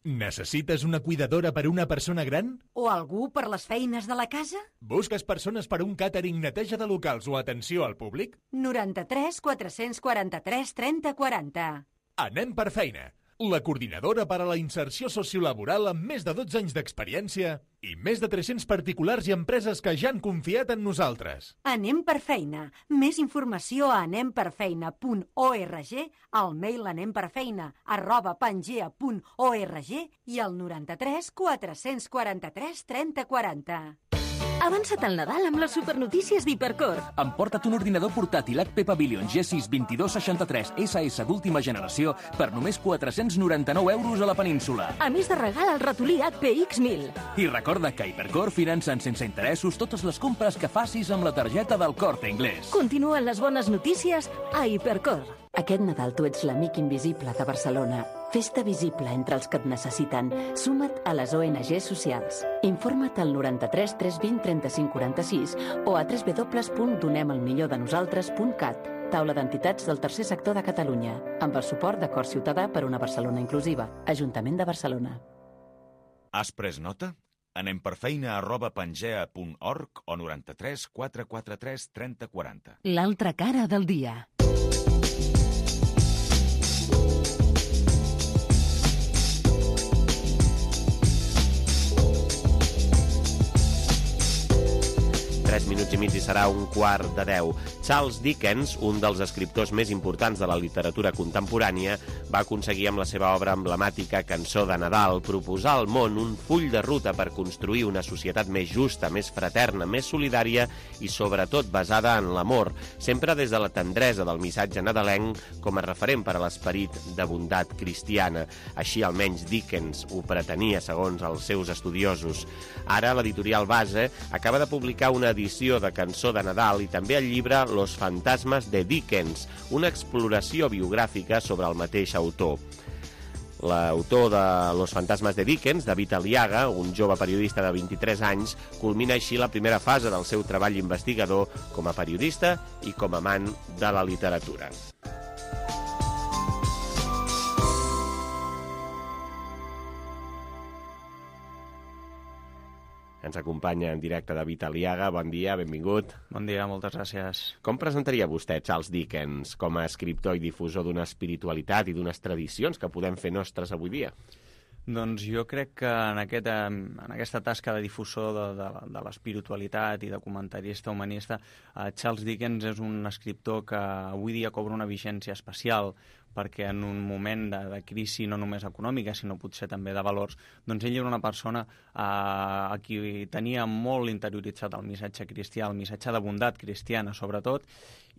Necessites una cuidadora per una persona gran? O algú per les feines de la casa? Busques persones per un càtering, neteja de locals o atenció al públic? noranta-tres quatre-cents quaranta-tres trenta quaranta. Anem per feina. La coordinadora per a la inserció sociolaboral amb més de dotze anys d'experiència i més de tres-cents particulars i empreses que ja han confiat en nosaltres. Anem per feina. Més informació a anem per feina punt org, al mail anemperfeina arroba pangea punt org i al noranta-tres quatre-cents quaranta-tres trenta quaranta. Avança't al Nadal amb les supernotícies d'Hipercor. Emporta't un ordinador portàtil H P Pavilion G sis vint-i-dos seixanta-tres S S d'última generació per només quatre-cents noranta-nou euros a la península. A més de regal el ratolí H P X mil. I recorda que Hipercor financen sense interessos totes les compres que facis amb la targeta del Corte Inglés. Continuen les bones notícies a Hipercor. Aquest Nadal tu ets l'amic invisible de Barcelona. Fes-te visible entre els que et necessiten. Suma't a les O N G socials. Informa't al noranta-tres tres vint trenta-cinc quaranta-sis o a w w w punt donem el millor de nosaltres punt cat. Taula d'entitats del tercer sector de Catalunya, amb el suport de Cor Ciutadà per una Barcelona inclusiva. Ajuntament de Barcelona. Has pres nota? Anem per feina arroba pangea punt org o noranta-tres quatre quaranta-tres trenta quaranta. L'altra cara del dia. Tres minuts i mig i serà un quart de deu. Charles Dickens, un dels escriptors més importants de la literatura contemporània, va aconseguir amb la seva obra emblemàtica Cançó de Nadal proposar al món un full de ruta per construir una societat més justa, més fraterna, més solidària i sobretot basada en l'amor, sempre des de la tendresa del missatge nadalenc com a referent per a l'esperit de bondat cristiana. Així almenys Dickens ho pretenia, segons els seus estudiosos. Ara l'editorial Base acaba de publicar una edició de Cançó de Nadal i també el llibre Los fantasmes de Dickens, una exploració biogràfica sobre el mateix autor. L'autor de Los fantasmes de Dickens, David Aliaga, un jove periodista de vint-i-tres anys, culmina així la primera fase del seu treball investigador com a periodista i com a amant de la literatura. Ens acompanya en directe David Aliaga. Bon dia, benvingut. Bon dia, moltes gràcies. Com presentaria vostè Charles Dickens com a escriptor i difusor d'una espiritualitat i d'unes tradicions que podem fer nostres avui dia? Doncs jo crec que en, aquest, en aquesta tasca de difusor de, de, de l'espiritualitat i de comentarista humanista, eh, Charles Dickens és un escriptor que avui dia cobra una vigència especial, perquè en un moment de, de crisi no només econòmica, sinó potser també de valors, doncs ell era una persona eh, a qui tenia molt interioritzat el missatge cristià, el missatge de bondat cristiana sobretot,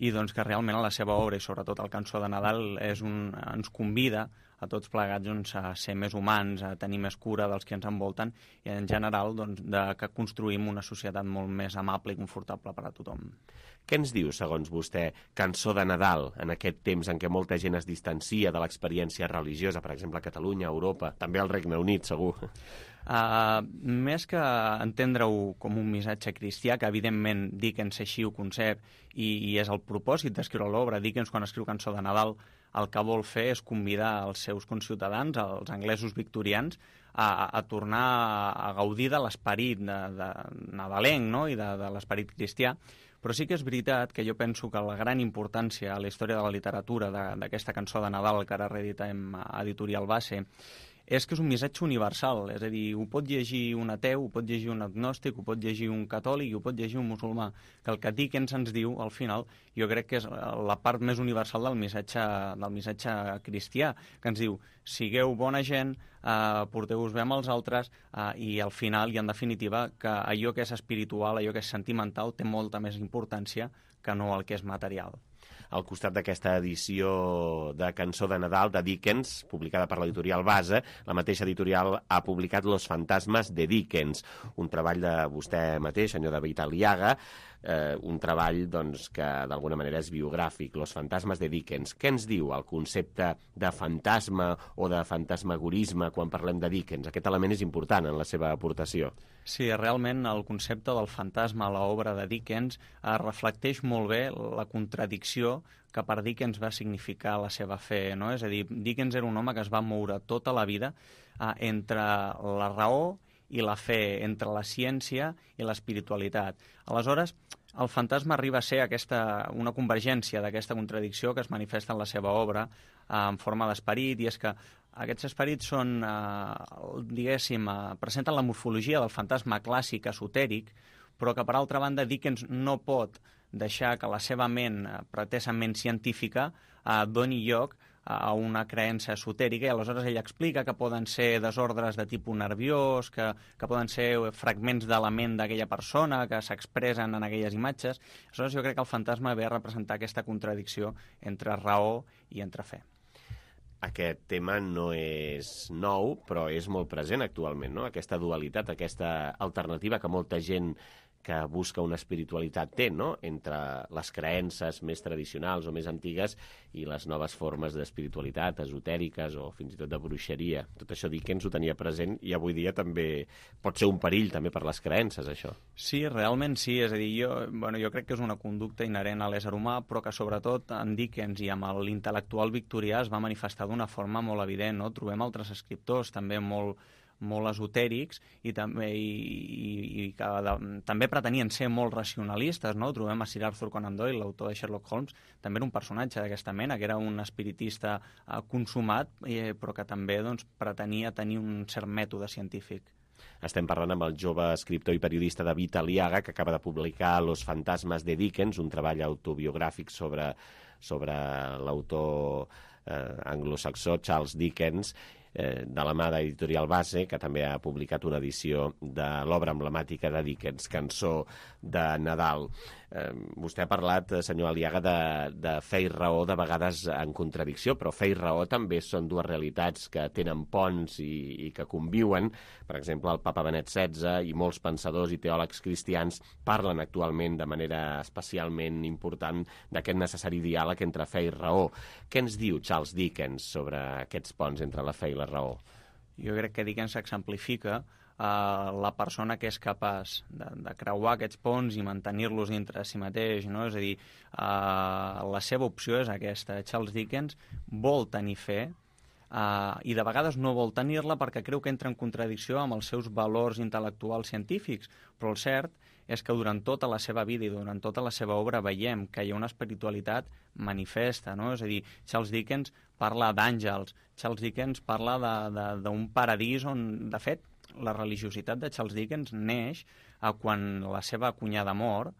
i doncs que realment a la seva obra, i sobretot el Cançó de Nadal, és un, ens convida a tots plegats doncs, a ser més humans, a tenir més cura dels que ens envolten i en general doncs, de que construïm una societat molt més amable i confortable per a tothom. Què ens diu, segons vostè, Cançó de Nadal, en aquest temps en què molta gent es distancia de l'experiència religiosa, per exemple a Catalunya, a Europa, també al Regne Unit, segur? Uh, més que entendre-ho com un missatge cristià, que evidentment Dickens així ho concep i, i és el propòsit d'escriure l'obra. Dickens, quan escriu Cançó de Nadal, el que vol fer és convidar els seus conciutadans, els anglesos victorians, a, a tornar a, a gaudir de l'esperit de, de nadalenc, no? I de, de l'esperit cristià. Però sí que és veritat que jo penso que la gran importància a la història de la literatura d'aquesta cançó de Nadal que ara reeditem a Editorial Base és que és un missatge universal, és a dir, ho pot llegir un ateu, ho pot llegir un agnòstic, ho pot llegir un catòlic i ho pot llegir un musulmà, que el que Dickens ens diu, al final, jo crec que és la part més universal del missatge, del missatge cristià, que ens diu, sigueu bona gent, eh, porteu-vos bé amb els altres, eh, i al final, i en definitiva, que allò que és espiritual, allò que és sentimental, té molta més importància que no el que és material. Al costat d'aquesta edició de Cançó de Nadal de Dickens, publicada per l'editorial Base, la mateixa editorial ha publicat Los fantasmes de Dickens, un treball de vostè mateix, senyor David Aliaga, eh, un treball doncs, que d'alguna manera és biogràfic, Los fantasmes de Dickens. Què ens diu el concepte de fantasma o de fantasmagorisme quan parlem de Dickens? Aquest element és important en la seva aportació. Sí, realment el concepte del fantasma a l'obra de Dickens eh, reflecteix molt bé la contradicció que per Dickens va significar la seva fe, no? És a dir, Dickens era un home que es va moure tota la vida eh, entre la raó i la fe, entre la ciència i l'espiritualitat. Aleshores, el fantasma arriba a ser aquesta, una convergència d'aquesta contradicció que es manifesta en la seva obra eh, en forma d'esperit, i és que aquests esperits són, eh, diguéssim, eh, presenten la morfologia del fantasma clàssic esotèric, però que, per altra banda, Dickens no pot deixar que la seva ment, eh, pretesament científica, eh, doni lloc a una creença esotèrica, i aleshores ell explica que poden ser desordres de tipus nerviós, que, que poden ser fragments de la ment d'aquella persona que s'expressen en aquelles imatges. Aleshores jo crec que el fantasma ve a representar aquesta contradicció entre raó i entre fe. Aquest tema no és nou, però és molt present actualment, no? Aquesta dualitat, aquesta alternativa que molta gent que busca una espiritualitat té, no? Entre les creences més tradicionals o més antigues i les noves formes d'espiritualitat, esotèriques o fins i tot de bruixeria. Tot això Dickens ho tenia present i avui dia també pot ser un perill també per les creences, això. Sí, realment sí. És a dir, jo, bueno, jo crec que és una conducta inherent a l'ésser humà, però que sobretot en Dickens i amb l'intel·lectual victorià es va manifestar d'una forma molt evident, no? Trobem altres escriptors també molt molt esotèrics i també, i, i, i que de, també pretenien ser molt racionalistes, no? Trobem a Sir Arthur Conan Doyle, l'autor de Sherlock Holmes, també era un personatge d'aquesta mena, que era un espiritista eh, consumat, eh, però que també doncs, pretenia tenir un cert mètode científic. Estem parlant amb el jove escriptor i periodista David Aliaga, que acaba de publicar Los fantasmes de Dickens, un treball autobiogràfic sobre, sobre l'autor eh, anglosaxó Charles Dickens, de la mà d'Editorial Base, que també ha publicat una edició de l'obra emblemàtica de Dickens, Cançó de Nadal. Eh, vostè ha parlat, senyor Aliaga, de, de fe i raó de vegades en contradicció, però fe i raó també són dues realitats que tenen ponts i, i que conviuen. Per exemple, el papa Benet setze i molts pensadors i teòlegs cristians parlen actualment de manera especialment important d'aquest necessari diàleg entre fe i raó. Què ens diu Charles Dickens sobre aquests ponts entre la fe i la raó? Jo crec que Dickens exemplifica eh, la persona que és capaç de, de creuar aquests ponts i mantenir-los dintre de si mateix, no? És a dir, eh, la seva opció és aquesta. Charles Dickens vol tenir fe eh, i de vegades no vol tenir-la perquè creu que entra en contradicció amb els seus valors intel·lectuals científics, però el cert és que durant tota la seva vida i durant tota la seva obra veiem que hi ha una espiritualitat manifesta, no? És a dir, Charles Dickens parla d'àngels, Charles Dickens parla d'un paradís on, de fet, la religiositat de Charles Dickens neix a quan la seva cunyada mor,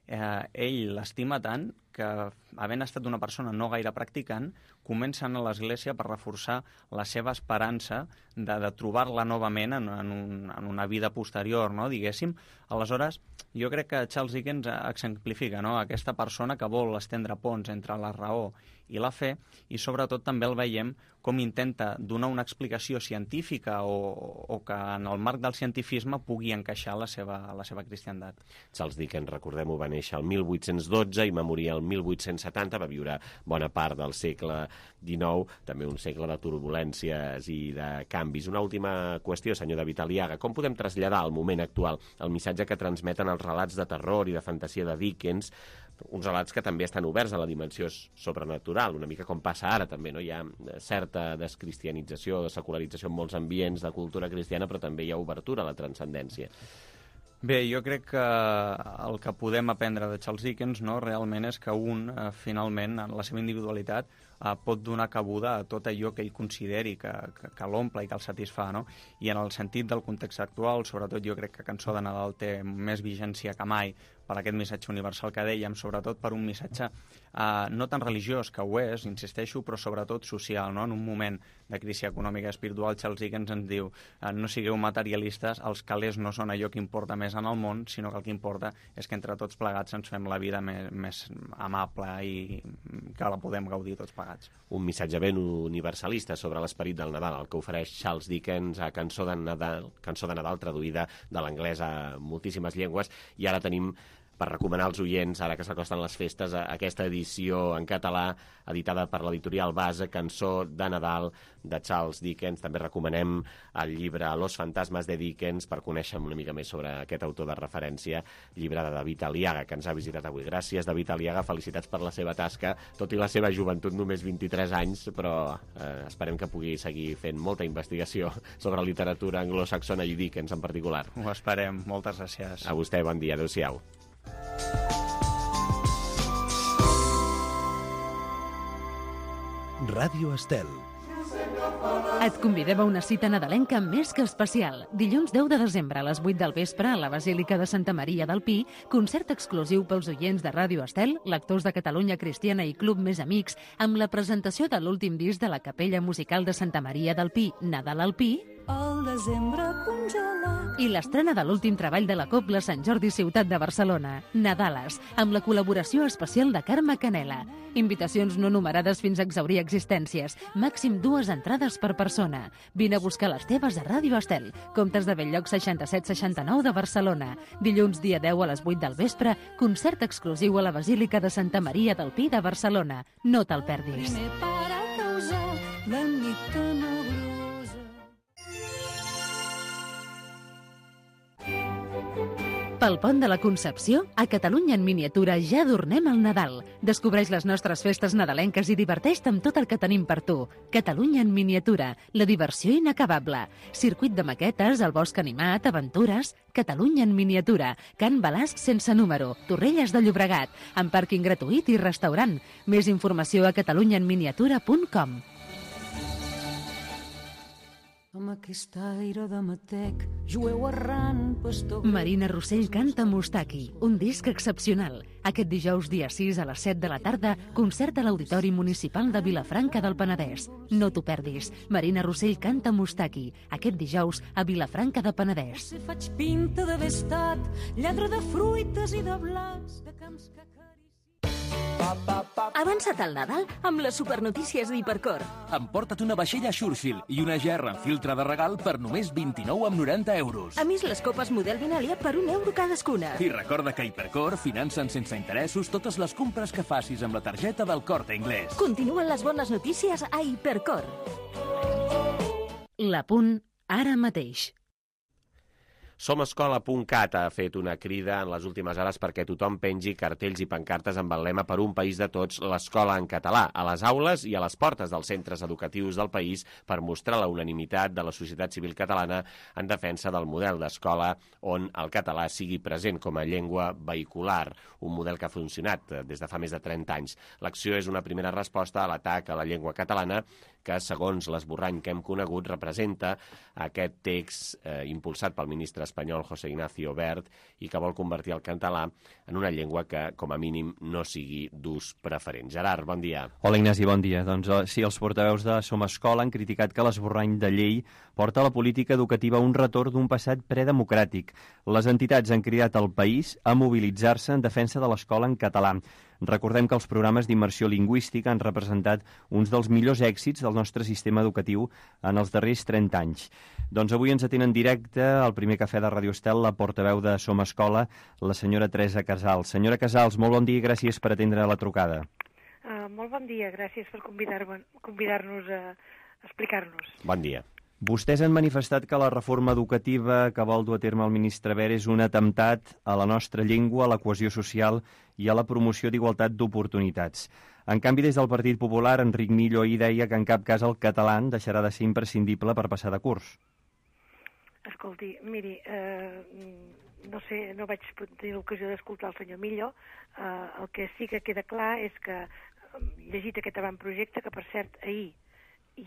eh, ell l'estima tant que, havent estat una persona no gaire practicant, comença a anar a l'església per reforçar la seva esperança de, de trobar-la novament en, en, un, en una vida posterior, no? Diguéssim. Aleshores, jo crec que Charles Dickens exemplifica, no? Aquesta persona que vol estendre ponts entre la raó i la fe, i sobretot també el veiem com intenta donar una explicació científica o, o que en el marc del cientifisme pugui encaixar la seva, la seva cristiandat. Charles Dickens, recordem-ho, va néixer el mil vuit-cents dotze i va morir el mil vuit-cents setanta, va viure bona part del segle dinou, també un segle de turbulències i de canvis. Una última qüestió, senyor David Aliaga. Com podem traslladar al moment actual el missatge que transmeten els relats de terror i de fantasia de Dickens, uns relats que també estan oberts a la dimensió sobrenatural, una mica com passa ara també, no? Hi ha certa descristianització, de secularització en molts ambients de cultura cristiana, però també hi ha obertura a la transcendència. Bé, jo crec que el que podem aprendre de Charles Dickens, no, realment és que un, eh, finalment, en la seva individualitat, eh, pot donar cabuda a tot allò que ell consideri que, que, que l'omple i que el satisfà, no? I en el sentit del context actual, sobretot jo crec que Cançó de Nadal té més vigència que mai per aquest missatge universal que dèiem, sobretot per un missatge eh, no tan religiós, que ho és, insisteixo, però sobretot social, no? En un moment de crisi econòmica i espiritual, Charles Dickens ens diu eh, no sigueu materialistes, els calés no són allò que importa més en el món, sinó que el que importa és que entre tots plegats ens fem la vida més, més amable i que la podem gaudir tots plegats. Un missatge ben universalista sobre l'esperit del Nadal, el que ofereix Charles Dickens a Cançó de Nadal, Cançó de Nadal traduïda de l'anglès a moltíssimes llengües, i ara tenim per recomanar als oients, ara que s'acosten les festes, aquesta edició en català editada per l'editorial Base, Cançó de Nadal de Charles Dickens. També recomanem el llibre Los fantasmes de Dickens per conèixer una mica més sobre aquest autor de referència, llibre de David Aliaga, que ens ha visitat avui. Gràcies, David Aliaga, felicitats per la seva tasca, tot i la seva joventut, només vint-i-tres anys, però eh, esperem que pugui seguir fent molta investigació sobre literatura anglosaxona i Dickens en particular. Ho esperem, moltes gràcies. A vostè, bon dia, adéu-siau. Ràdio Estel. Et convidem a una cita nadalenca més que especial. Dilluns deu de desembre a les vuit del vespre a la Basílica de Santa Maria del Pi, concert exclusiu pels oients de Ràdio Estel, lectors de Catalunya Cristiana i Club Més Amics, amb la presentació de l'últim disc de la Capella Musical de Santa Maria del Pi, Nadal al Pi, el desembre congelat, i l'estrena de l'últim treball de la Cobla Sant Jordi Ciutat de Barcelona, Nadales, amb la col·laboració especial de Carme Canela. Invitacions no numerades fins a exhaurir existències. Màxim dues entrades per persona. Vine a buscar les teves a Ràdio Estel, Comtes de Belllloc seixanta-set seixanta-nou de Barcelona. Dilluns dia deu a les vuit del vespre, concert exclusiu a la Basílica de Santa Maria del Pi de Barcelona. No te'l perdis. primer para causar la nit tenebrosa. Pel pont de la Concepció, a Catalunya en miniatura ja adornem el Nadal. Descobreix les nostres festes nadalenques i diverteix-te amb tot el que tenim per tu. Catalunya en miniatura, la diversió inacabable. Circuit de maquetes, el bosc animat, aventures... Catalunya en miniatura, Can Balasc sense número, Torrelles de Llobregat, amb pàrquing gratuït i restaurant. Més informació a catalunya en miniatura punt com. Amb aquest aire de matec, jueu errant, pastor... Marina Rossell canta Mustaki, un disc excepcional. Aquest dijous dia sis a les set de la tarda, concert a l'Auditori Municipal de Vilafranca del Penedès. No t'ho perdis. Marina Rossell canta Mustaki, aquest dijous a Vilafranca del Penedès. Si faig pinta d'haver estat lladre de fruites i de blancs, de camps que... Avança't al Nadal amb les supernotícies d'Hipercor. Emporta't una vaixella Churchill i una gerra en filtre de regal per només vint-i-nou amb noranta euros. A més, les copes model Vinàlia per un euro cadascuna. I recorda que Hipercor financen sense interessos totes les compres que facis amb la targeta del Corte Inglés. Continuen les bones notícies a Hipercor. La Punt, ara mateix. Somescola punt cat ha fet una crida en les últimes hores perquè tothom pengi cartells i pancartes amb el lema Per un país de tots, l'escola en català, a les aules i a les portes dels centres educatius del país per mostrar la unanimitat de la societat civil catalana en defensa del model d'escola on el català sigui present com a llengua vehicular, un model que ha funcionat des de fa més de trenta anys. L'acció és una primera resposta a l'atac a la llengua catalana que, segons l'esborrany que hem conegut, representa aquest text eh, impulsat pel ministre espanyol José Ignacio Wert i que vol convertir el català en una llengua que, com a mínim, no sigui d'ús preferent. Gerard, bon dia. Hola, Ignasi, bon dia. Doncs sí, els portaveus de Somescola han criticat que l'esborrany de llei porta a la política educativa un retorn d'un passat predemocràtic. Les entitats han cridat al país a mobilitzar-se en defensa de l'escola en català. Recordem que els programes d'immersió lingüística han representat uns dels millors èxits del nostre sistema educatiu en els darrers trenta anys. Doncs avui ens atén en directe al primer cafè de Ràdio Estel la portaveu de Som Escola, la senyora Teresa Casals. Senyora Casals, molt bon dia i gràcies per atendre la trucada. Uh, molt bon dia, gràcies per convidar-nos convidar a explicar-nos. Bon dia. Vostès han manifestat que la reforma educativa que vol dur a terme el ministre Wert és un atemptat a la nostra llengua, a la cohesió social i a la promoció d'igualtat d'oportunitats. En canvi, des del Partit Popular, Enric Millo ahir deia que en cap cas el català deixarà de ser imprescindible per passar de curs. Escolti, miri, eh, no sé, no vaig tenir l'ocasió d'escoltar el senyor Millo. Eh, el que sí que queda clar és que, llegit aquest avantprojecte, que per cert ahir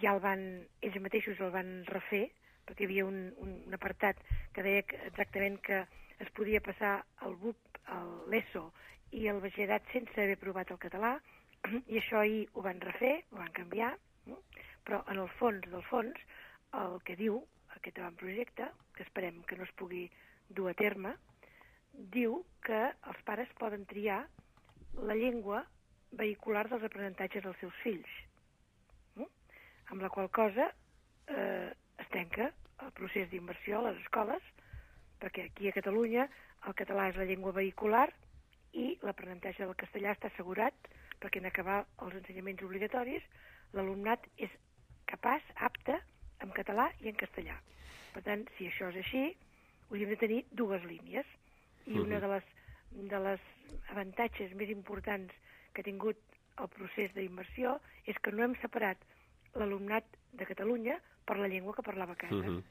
ja el van, ells mateixos el van refer, perquè hi havia un, un, un apartat que deia que exactament que es podia passar el B U P, l'ESO i el batxillerat sense haver provat el català, i això ahir ho van refer, ho van canviar, no? Però en el fons del fons el que diu aquest avantprojecte, que esperem que no es pugui dur a terme, diu que els pares poden triar la llengua vehicular dels aprenentatges dels seus fills, no? Amb la qual cosa eh, es tanca el procés d'immersió a les escoles, perquè aquí a Catalunya el català és la llengua vehicular i l'aprenentatge del castellà està assegurat, perquè en acabar els ensenyaments obligatoris l'alumnat és capaç, apte, en català i en castellà. Per tant, si això és així, hauríem de tenir dues línies. I una de les, de les avantatges més importants que ha tingut el procés d'immersió és que no hem separat l'alumnat de Catalunya per la llengua que parlava a casa. Uh-huh.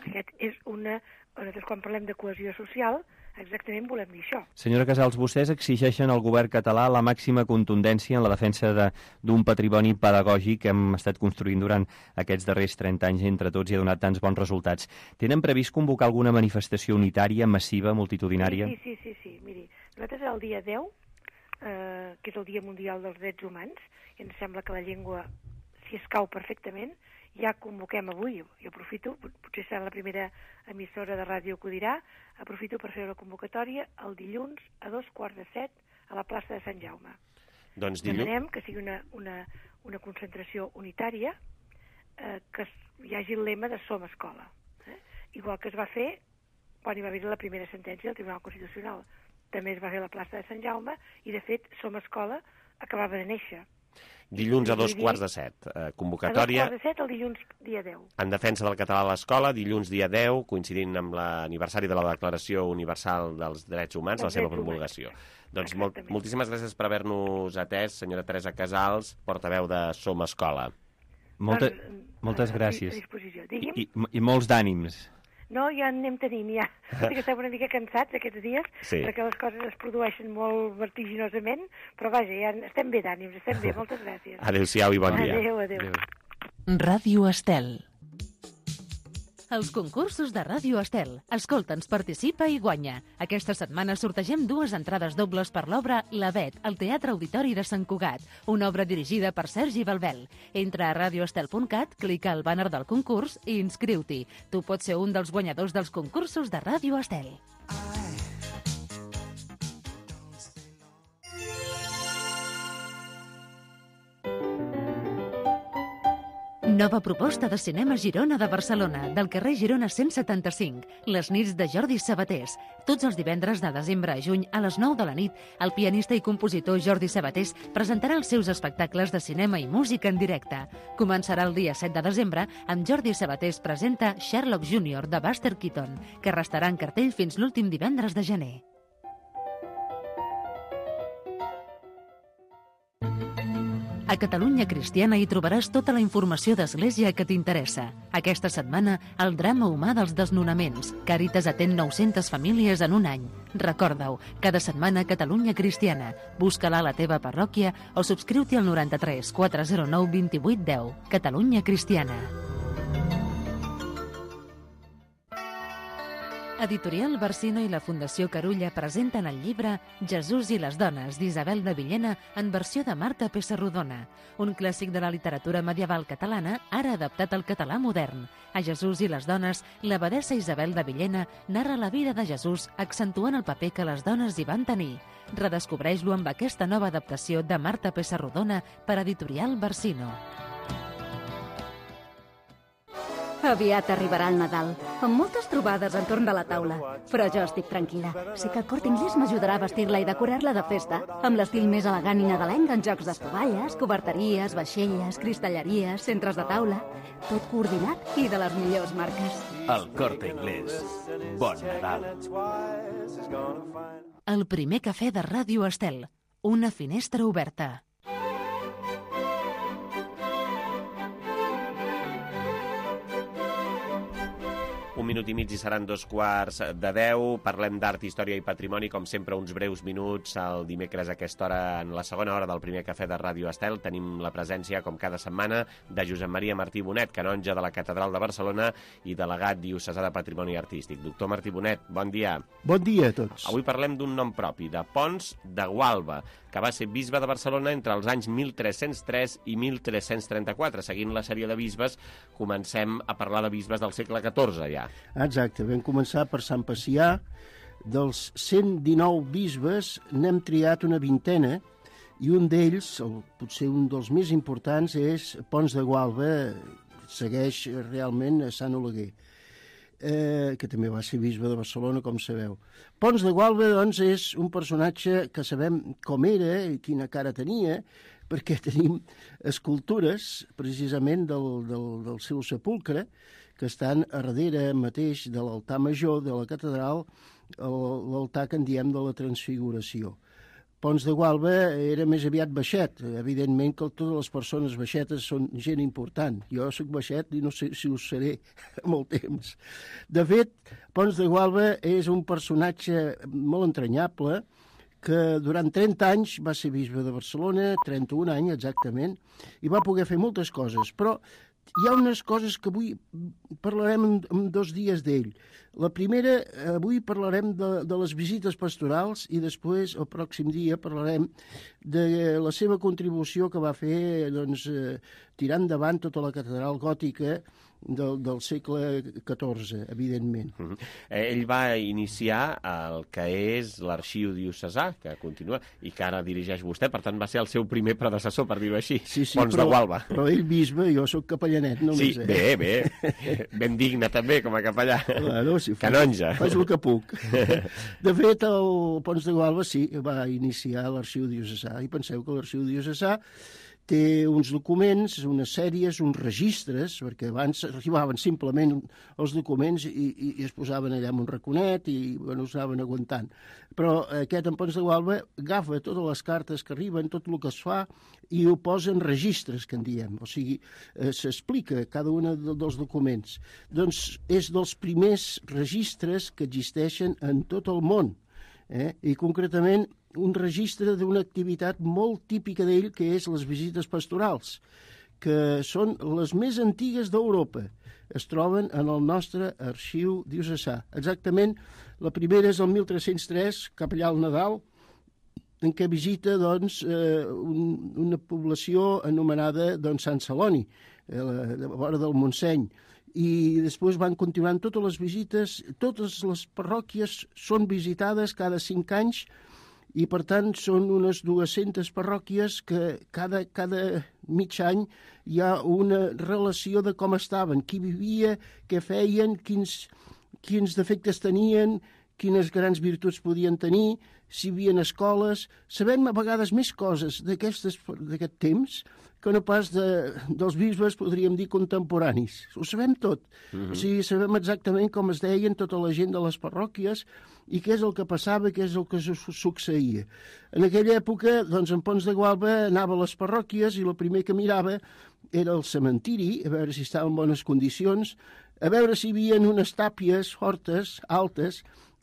Aquest és una... Nosaltres, quan parlem de cohesió social, exactament volem dir això. Senyora Casals, vostès exigeixen al govern català la màxima contundència en la defensa d'un patrimoni pedagògic que hem estat construint durant aquests darrers trenta anys entre tots i ha donat tants bons resultats. Tenen previst convocar alguna manifestació unitària, massiva, multitudinària? Sí, sí, sí, sí. Miri, nosaltres el dia deu, eh, que és el Dia Mundial dels Drets Humans, i ens sembla que la llengua s'hi escau perfectament, ja convoquem avui, jo aprofito, potser serà la primera emissora de ràdio que ho dirà, aprofito per fer una convocatòria el dilluns a dos quarts de set a la plaça de Sant Jaume. Doncs dilluns... Demanem que sigui una, una, una concentració unitària, eh, que hi hagi el lema de Som Escola. Eh? Igual que es va fer quan hi va haver la primera sentència del Tribunal Constitucional. També es va fer a la plaça de Sant Jaume i, de fet, Som Escola acabava de néixer. Dilluns a dos quarts de set, eh, convocatòria... A dos quarts de set el dilluns dia deu. En defensa del català a l'escola, dilluns dia deu, coincidint amb l'aniversari de la Declaració Universal dels Drets Humans, la seva promulgació. Doncs molt, moltíssimes gràcies per haver-nos atès, senyora Teresa Casals, portaveu de Som Escola. Molta, moltes gràcies. I, i, I molts d'ànims. No, ja en anem tenint, ja. Sí que estem una mica cansats aquests dies, sí, perquè les coses es produeixen molt vertiginosament, però vaja, ja estem bé d'ànims, estem bé, moltes gràcies. Adéu-siau i bon dia. Adéu, adéu. adéu. Ràdio Estel. Els concursos de Ràdio Estel. Escolta'ns, participa i guanya. Aquesta setmana sortegem dues entrades dobles per l'obra La Bet, al Teatre Auditori de Sant Cugat, una obra dirigida per Sergi Balbel. Entra a radioestel punt cat, clica al bàner del concurs i inscriu-t'hi. Tu pots ser un dels guanyadors dels concursos de Ràdio Estel. Nova proposta de cinema Girona de Barcelona, del carrer Girona cent setanta-cinc. Les nits de Jordi Sabatés. Tots els divendres de desembre a juny a les nou de la nit, el pianista i compositor Jordi Sabatés presentarà els seus espectacles de cinema i música en directe. Començarà el dia set de desembre amb Jordi Sabatés presenta Sherlock júnior de Buster Keaton, que restarà en cartell fins l'últim divendres de gener. A Catalunya Cristiana hi trobaràs tota la informació d'Església que t'interessa. Aquesta setmana, el drama humà dels desnonaments. Càritas atén nou-centes famílies en un any. Recorda-ho, cada setmana Catalunya Cristiana. Busca-la a la teva parròquia o subscriu-t'hi al noranta-tres quatre zero nou vint-i-vuit deu. Catalunya Cristiana. Editorial Barsino i la Fundació Carulla presenten el llibre Jesús i les dones, d'Isabel de Villena, en versió de Marta Pessarrodona, un clàssic de la literatura medieval catalana, ara adaptat al català modern. A Jesús i les dones, l'abadessa Isabel de Villena narra la vida de Jesús, accentuant el paper que les dones hi van tenir. Redescobreix-lo amb aquesta nova adaptació de Marta Pessarrodona per Editorial Barsino. Aviat arribarà el Nadal, amb moltes trobades entorn de la taula. Però jo estic tranquil·la. Sé que el Corte Inglés m'ajudarà a vestir-la i decorar-la de festa, amb l'estil més elegant i nadalenc en jocs d'estovalles, coberteries, vaixelles, cristalleries, centres de taula... Tot coordinat i de les millors marques. El Corte Inglés. Bon Nadal. El primer cafè de Ràdio Estel. Una finestra oberta. Un minut i mig i seran dos quarts de deu. Parlem d'art, història i patrimoni, com sempre, uns breus minuts el dimecres a aquesta hora, en la segona hora del primer cafè de Ràdio Estel. Tenim la presència, com cada setmana, de Josep Maria Martí Bonet, canonge de la Catedral de Barcelona i delegat diocesà de Patrimoni Artístic. Doctor Martí Bonet, bon dia. Bon dia a tots. Avui parlem d'un nom propi, de Pons de Gualba, que va ser bisbe de Barcelona entre els anys mil tres-cents tres i mil tres-cents trenta-quatre. Seguint la sèrie de bisbes, comencem a parlar de bisbes del segle catorze, ja. Exacte, vam començar per Sant Pacià. Dels cent dinou bisbes n'hem triat una vintena i un d'ells, potser un dels més importants, és Pons de Gualba, segueix realment a Sant Oleguer, eh, que també va ser bisbe de Barcelona, com sabeu. Pons de Gualba, doncs, és un personatge que sabem com era i quina cara tenia, perquè tenim escultures, precisament, del, del, del seu sepulcre, que estan a darrere mateix de l'altar major de la catedral, l'altar que en diem de la Transfiguració. Pons de Gualba era més aviat baixet. Evidentment que totes les persones baixetes són gent important. Jo soc baixet i no sé si ho seré molt temps. De fet, Pons de Gualba és un personatge molt entranyable que durant trenta anys va ser bisbe de Barcelona, trenta-un anys exactament, i va poder fer moltes coses, però hi ha unes coses que avui parlarem en, en dos dies d'ell. La primera, avui parlarem de, de les visites pastorals i després, el pròxim dia, parlarem de la seva contribució que va fer, doncs, eh, tirant endavant tota la catedral gòtica del, del segle catorze, evidentment. Uh-huh. Ell va iniciar el que és l'arxiu diocesà, que continua, i que ara dirigeix vostè, per tant va ser el seu primer predecessor, per dir-ho així, sí, sí, Pons però, de Gualba. Però ell bisbe, jo sóc capellanet, només. Sí, bé, bé, ben digne també, com a capellà. Claro, sí, canonge. Faig el que puc. De fet, el Pons de Gualba sí, va iniciar l'arxiu diocesà, i penseu que l'arxiu diocesà té uns documents, unes sèries, uns registres, perquè abans arribaven simplement els documents i, i, i es posaven allà en un raconet i bueno, es anaven aguantant. Però aquest en Pons de Gualba agafa totes les cartes que arriben, tot el que es fa, i ho posa en registres, que en diem. O sigui, eh, s'explica cada un dels documents. Doncs és dels primers registres que existeixen en tot el món. Eh? I concretament un registre d'una activitat molt típica d'ell, que és les visites pastorals, que són les més antigues d'Europa. Es troben en el nostre arxiu diocesà. Exactament, la primera és el mil tres-cents tres, cap allà al Nadal, en què visita doncs, eh, un, una població anomenada doncs, Sant Celoni, eh, a la vora del Montseny. I després van continuant totes les visites, totes les parròquies són visitades cada cinc anys, i per tant són unes dues-centes parròquies que cada, cada mig any hi ha una relació de com estaven, qui vivia, què feien, quins, quins defectes tenien, quines grans virtuts podien tenir, si hi havia escoles. Sabem a vegades més coses d'aquest temps que no pas de, dels bisbes, podríem dir, contemporanis. Ho sabem tot. Uh-huh. O sigui, sabem exactament com es deien tota la gent de les parròquies i què és el que passava, què és el que succeïa. En aquella època, doncs, en Pons de Gualba anava a les parròquies i el primer que mirava era el cementiri, a veure si estava en bones condicions, a veure si hi havia unes tàpies fortes, altes,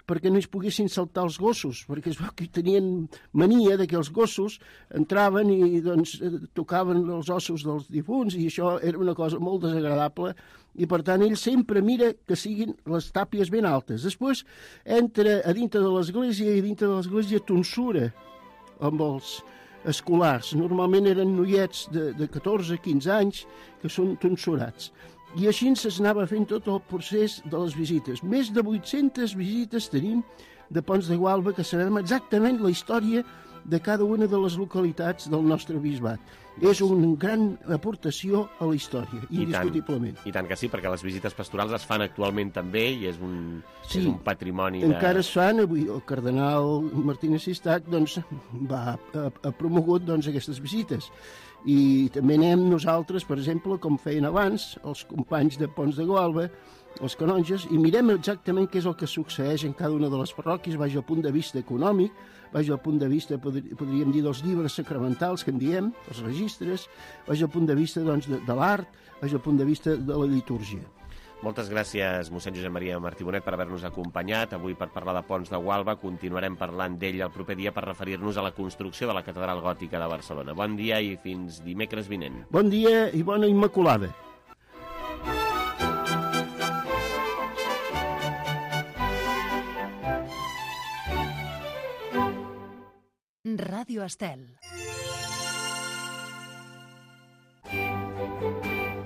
perquè no es poguessin saltar els gossos, perquè es veu que tenien mania de que els gossos entraven i doncs, tocaven els ossos dels difunts, i això era una cosa molt desagradable, i per tant ell sempre mira que siguin les tàpies ben altes. Després entra a dintre de l'església i dintre de l'església tonsura amb els escolars. Normalment eren noiets de, de catorze a quinze anys que són tonsurats. I així s'anava fent tot el procés de les visites. Més de vuit-centes visites tenim de Pons de Gualba, que sabem exactament la història de cada una de les localitats del nostre bisbat. És una gran aportació a la història, indiscutiblement. I tant, i tant que sí, perquè les visites pastorals es fan actualment també i és un, sí, és un patrimoni de... encara es fan. Avui el cardenal Martínez Sistac doncs, va, ha, ha promogut doncs, aquestes visites. I també anem nosaltres, per exemple, com feien abans, els companys de Pons de Gualba, els canonges, i mirem exactament què és el que succeeix en cada una de les parròquies, vaig al punt de vista econòmic, vaig al punt de vista, podríem dir, dels llibres sacramentals que en diem, els registres, vaig al punt de vista doncs, de, de l'art, vaig al punt de vista de la litúrgia. Moltes gràcies, mossèn Josep Maria Martí Bonet, per haver-nos acompanyat. Avui per parlar de Pons de Gualba. Continuarem parlant d'ell el proper dia per referir-nos a la construcció de la Catedral Gòtica de Barcelona. Bon dia i fins dimecres vinent. Bon dia i bona Immaculada. Ràdio Estel.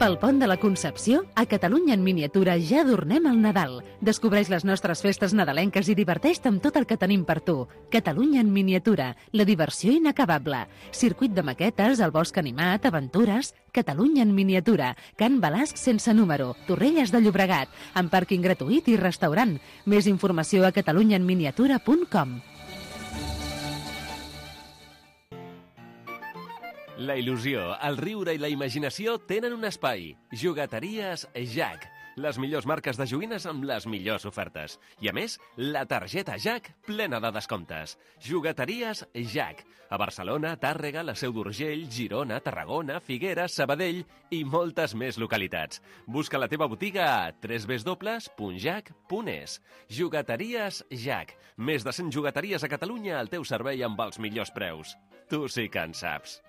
Pel Pont de la Concepció, a Catalunya en miniatura ja adornem el Nadal. Descobreix les nostres festes nadalenques i diverteix-te amb tot el que tenim per tu. Catalunya en miniatura, la diversió inacabable. Circuit de maquetes, el bosc animat, aventures... Catalunya en miniatura, Can Balasc sense número, Torrelles de Llobregat, amb pàrquing gratuït i restaurant. Més informació a catalunya en miniatura punt com. La il·lusió, el riure i la imaginació tenen un espai. Jugueteries Jack. Les millors marques de joguines amb les millors ofertes. I a més, la targeta Jack plena de descomptes. Jugueteries Jack. A Barcelona, Tàrrega, la Seu d'Urgell, Girona, Tarragona, Figueres, Sabadell i moltes més localitats. Busca la teva botiga a w w w punt jack punt es. Jugueteries Jack. Més de cent jugueteries a Catalunya al teu servei amb els millors preus. Tu sí que en saps.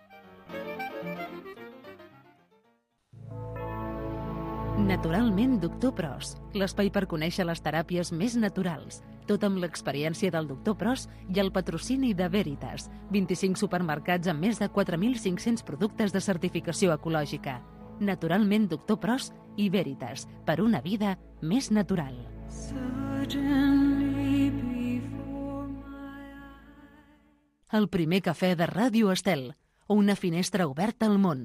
Naturalment, doctor Pros, l'espai per conèixer les teràpies més naturals. Tot amb l'experiència del doctor Pros i el patrocini de Veritas. vint-i-cinc supermercats amb més de quatre mil cinc-cents productes de certificació ecològica. Naturalment, doctor Pros i Veritas, per una vida més natural. El primer cafè de Ràdio Estel, una finestra oberta al món.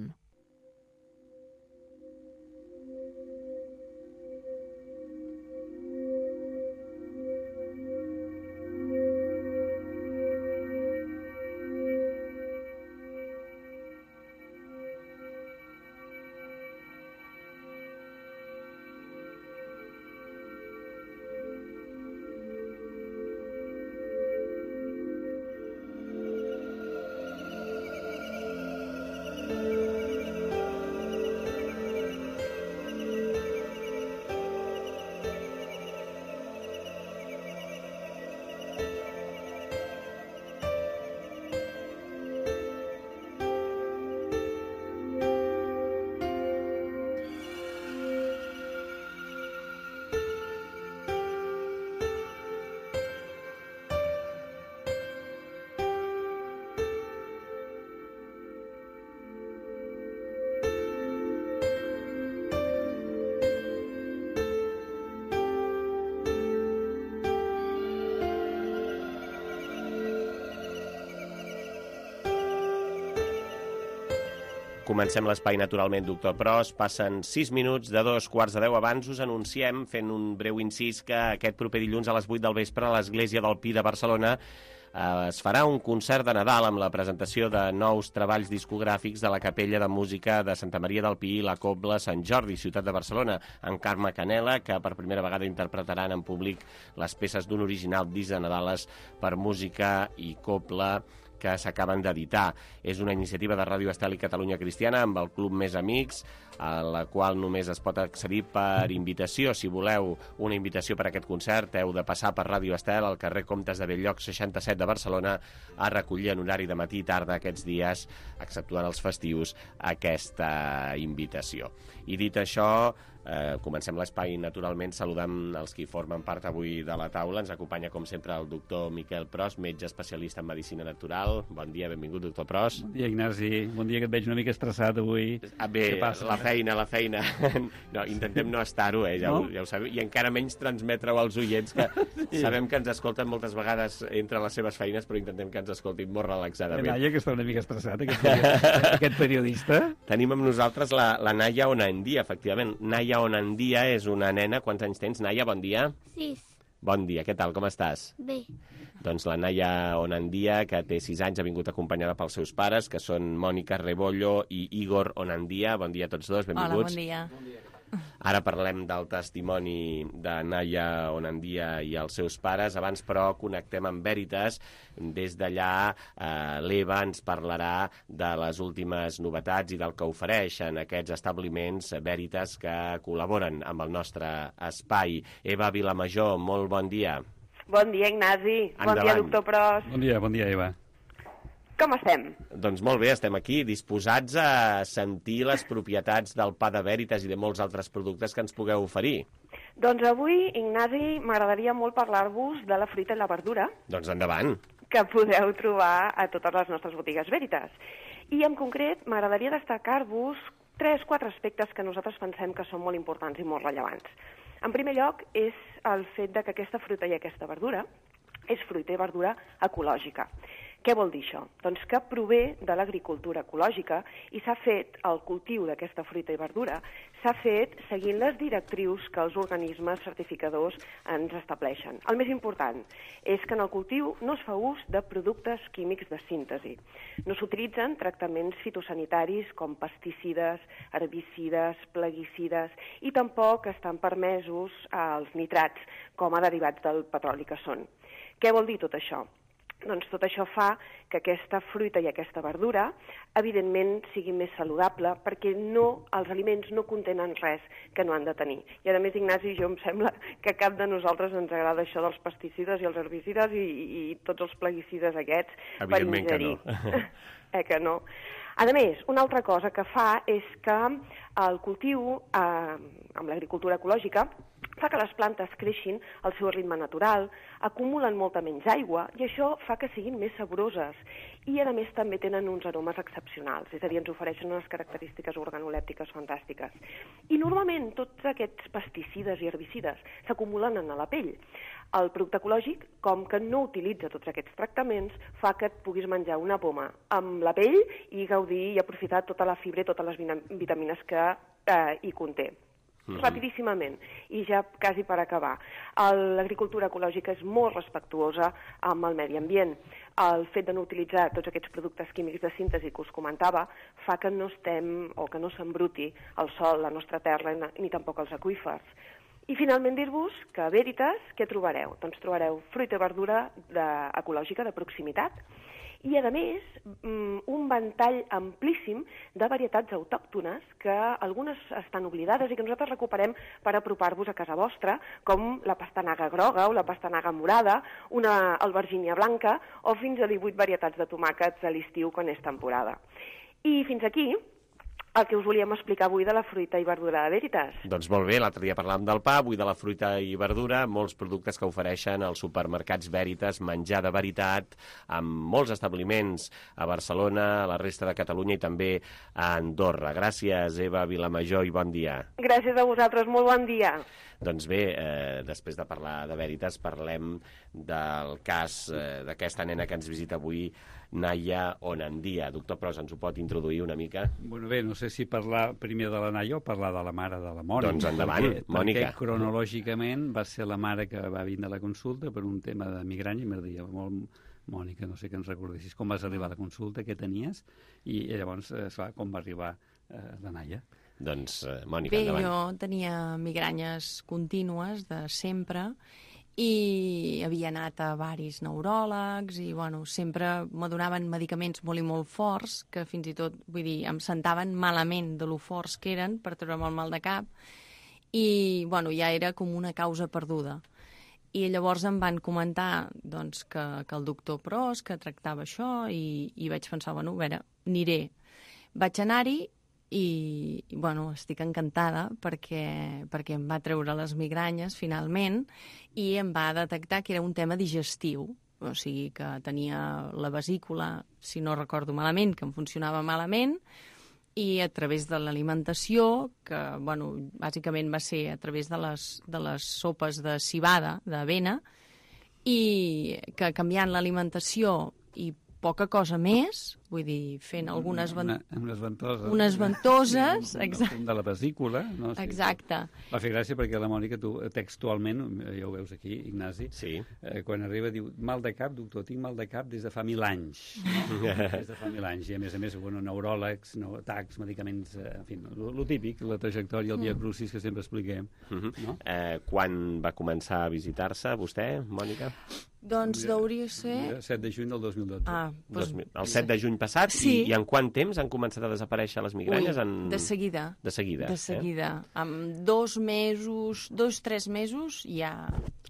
Comencem l'espai naturalment, doctor Pros. Passen sis minuts de dos quarts de deu. Abans us anunciem, fent un breu incís, que aquest proper dilluns a les vuit del vespre a l'Església del Pi de Barcelona eh, es farà un concert de Nadal amb la presentació de nous treballs discogràfics de la Capella de Música de Santa Maria del Pi i la Cobla Sant Jordi, ciutat de Barcelona, en Carme Canela, que per primera vegada interpretaran en públic les peces d'un original disc de Nadales per música i cobla que s'acaben d'editar. És una iniciativa de Ràdio Estel i Catalunya Cristiana amb el Club Més Amics, a la qual només es pot accedir per invitació. Si voleu una invitació per a aquest concert, heu de passar per Ràdio Estel al carrer Comtes de Bell-lloc seixanta-set de Barcelona a recollir en horari de matí i tarda aquests dies, exceptuant els festius, aquesta invitació. I dit això, eh, comencem l'espai naturalment saludant els qui formen part avui de la taula. Ens acompanya, com sempre, el doctor Miquel Pros, metge especialista en medicina natural. Bon dia, benvingut, doctor Pros. Bon dia, Ignasi. Bon dia, que et veig una mica estressat avui. Ah, bé, la feina, la feina. No, intentem no estar-ho, eh, ja, no? ho, ja ho sabem. I encara menys transmetre-ho als oients, que sí. Sabem que ens escolten moltes vegades entre les seves feines, però intentem que ens escoltin molt relaxadament. La Naia, que està una mica estressat, aquest, aquest periodista. Tenim amb nosaltres la, la Naia Onandia, efectivament. Naia Onandia és una nena. Quants anys tens, Naia? Bon dia. Sis. Bon dia, què tal, com estàs? Bé. Doncs la Naia Onandia, que té sis anys, ha vingut acompanyada pels seus pares, que són Mònica Rebollo i Igor Onandia. Bon dia a tots dos, benvinguts. Hola, bon dia. Bon dia. Ara parlem del testimoni de Naia Onandia i els seus pares. Abans, però, connectem amb Veritas. Des d'allà, eh, l'Eva ens parlarà de les últimes novetats i del que ofereixen aquests establiments Veritas que col·laboren amb el nostre espai. Eva Vilamajor, molt bon dia. Bon dia, Ignasi. Endavant. Bon dia, doctor Pros. Bon dia, bon dia, Eva. Com estem? Doncs molt bé, estem aquí disposats a sentir les propietats del pa de Veritas i de molts altres productes que ens pugueu oferir. Doncs avui, Ignasi, m'agradaria molt parlar-vos de la fruita i la verdura. Doncs endavant. Que podeu trobar a totes les nostres botigues Veritas. I en concret m'agradaria destacar-vos tres, quatre aspectes que nosaltres pensem que són molt importants i molt rellevants. En primer lloc és el fet de que aquesta fruita i aquesta verdura és fruita i verdura ecològica. Què vol dir això? Doncs que prové de l'agricultura ecològica i s'ha fet, el cultiu d'aquesta fruita i verdura, s'ha fet seguint les directrius que els organismes certificadors ens estableixen. El més important és que en el cultiu no es fa ús de productes químics de síntesi. No s'utilitzen tractaments fitosanitaris com pesticides, herbicides, plaguicides i tampoc estan permesos els nitrats com a derivats del petroli que són. Què vol dir tot això? Doncs tot això fa que aquesta fruita i aquesta verdura, evidentment, sigui més saludable perquè no, els aliments no contenen res que no han de tenir. I a més, Ignasi, jo em sembla que cap de nosaltres ens agrada això dels pesticides i els herbicides i, i tots els plaguicides aquests per ingerir. Que no. eh que no? A més, una altra cosa que fa és que el cultiu, eh, amb l'agricultura ecològica, fa que les plantes creixin al seu ritme natural, acumulen molta menys aigua i això fa que siguin més saboroses i a més també tenen uns aromes excepcionals, és a dir, ens ofereixen unes característiques organolèptiques fantàstiques. I normalment tots aquests pesticides i herbicides s'acumulen a la pell. El producte ecològic, com que no utilitza tots aquests tractaments, fa que et puguis menjar una poma amb la pell i gaudir i aprofitar tota la fibra i totes les vitamines que eh, hi conté. Mm-hmm. Rapidíssimament, i ja quasi per acabar. L'agricultura ecològica és molt respectuosa amb el medi ambient. El fet de no utilitzar tots aquests productes químics de síntesi que us comentava fa que no estem o que no s'embruti el sòl, la nostra terra, ni tampoc els aqüífers. I finalment dir-vos que a Veritas què trobareu? Doncs trobareu fruita i verdura de, ecològica de proximitat i, a més, un ventall amplíssim de varietats autòctones que algunes estan oblidades i que nosaltres recuperem per apropar-vos a casa vostra, com la pastanaga groga o la pastanaga morada, una albergínia blanca o fins a divuit varietats de tomàquets a l'estiu quan és temporada. I fins aquí el que us volíem explicar avui de la fruita i verdura de Veritas. Doncs molt bé, l'altre dia parlàvem del pa, avui de la fruita i verdura, molts productes que ofereixen als supermercats Veritas, menjar de veritat, amb molts establiments a Barcelona, a la resta de Catalunya i també a Andorra. Gràcies, Eva Vilamajor, i bon dia. Gràcies a vosaltres, molt bon dia. Doncs bé, eh, després de parlar de Veritas, parlem del cas eh, d'aquesta nena que ens visita avui, Naia Onandia. Doctor Pros, ens ho pot introduir una mica? Bueno, bé, no sé si parlar primer de la Naia o parlar de la mare de la Mònica. Doncs endavant, perquè, Mònica. Perquè cronològicament va ser la mare que va vindre a la consulta per un tema de migranya i m'agradaria molt... Mònica, no sé que ens recordessis com vas arribar a la consulta, què tenies, i llavors, esclar, com va arribar eh, la Naia. Doncs, eh, Mònica, Bé, endavant. jo tenia migranyes contínues de sempre i i havia anat a varis neuròlegs i, bueno, sempre me donaven medicaments molt i molt forts, que fins i tot, vull dir, em sentaven malament de lo forts que eren per treure'm el mal de cap, i, bueno, ja era com una causa perduda. I llavors em van comentar, doncs, que, que el doctor Pros, que tractava això, i, i vaig pensar, bueno, a veure, aniré. Vaig anar-hi i, i, bueno, estic encantada perquè, perquè em va treure les migranyes, finalment, i em va detectar que era un tema digestiu, o sigui, que tenia la vesícula, si no recordo malament, que em funcionava malament, i a través de l'alimentació, que, bueno, bàsicament va ser a través de les, de les sopes de civada, d'avena, i que canviant l'alimentació i poca cosa més, vull dir, fent algunes... Una, unes ventoses. Unes ventoses, sí, exacte. De la vesícula. No? Sí, exacte. Va fer gràcia perquè la Mònica, tu textualment, ja ho veus aquí, Ignasi, sí. eh, quan arriba diu, mal de cap, doctor, tinc mal de cap des de fa mil anys. No? Des de fa mil anys. I a més a més, bueno, neuròlegs, no, tacs, medicaments, eh, en fi, lo típic, la trajectòria, el via crucis que sempre expliquem. Uh -huh. No? eh, quan va començar a visitar-se vostè, Mònica? Doncs deuria ser... set de juny del dos mil dotze. Ah, doncs... El set de juny passat? Sí. I, I en quant temps han començat a desaparèixer les migranyes? Ui, en... de seguida. De seguida. De seguida. Eh? Amb dos mesos, dos, tres mesos, ja...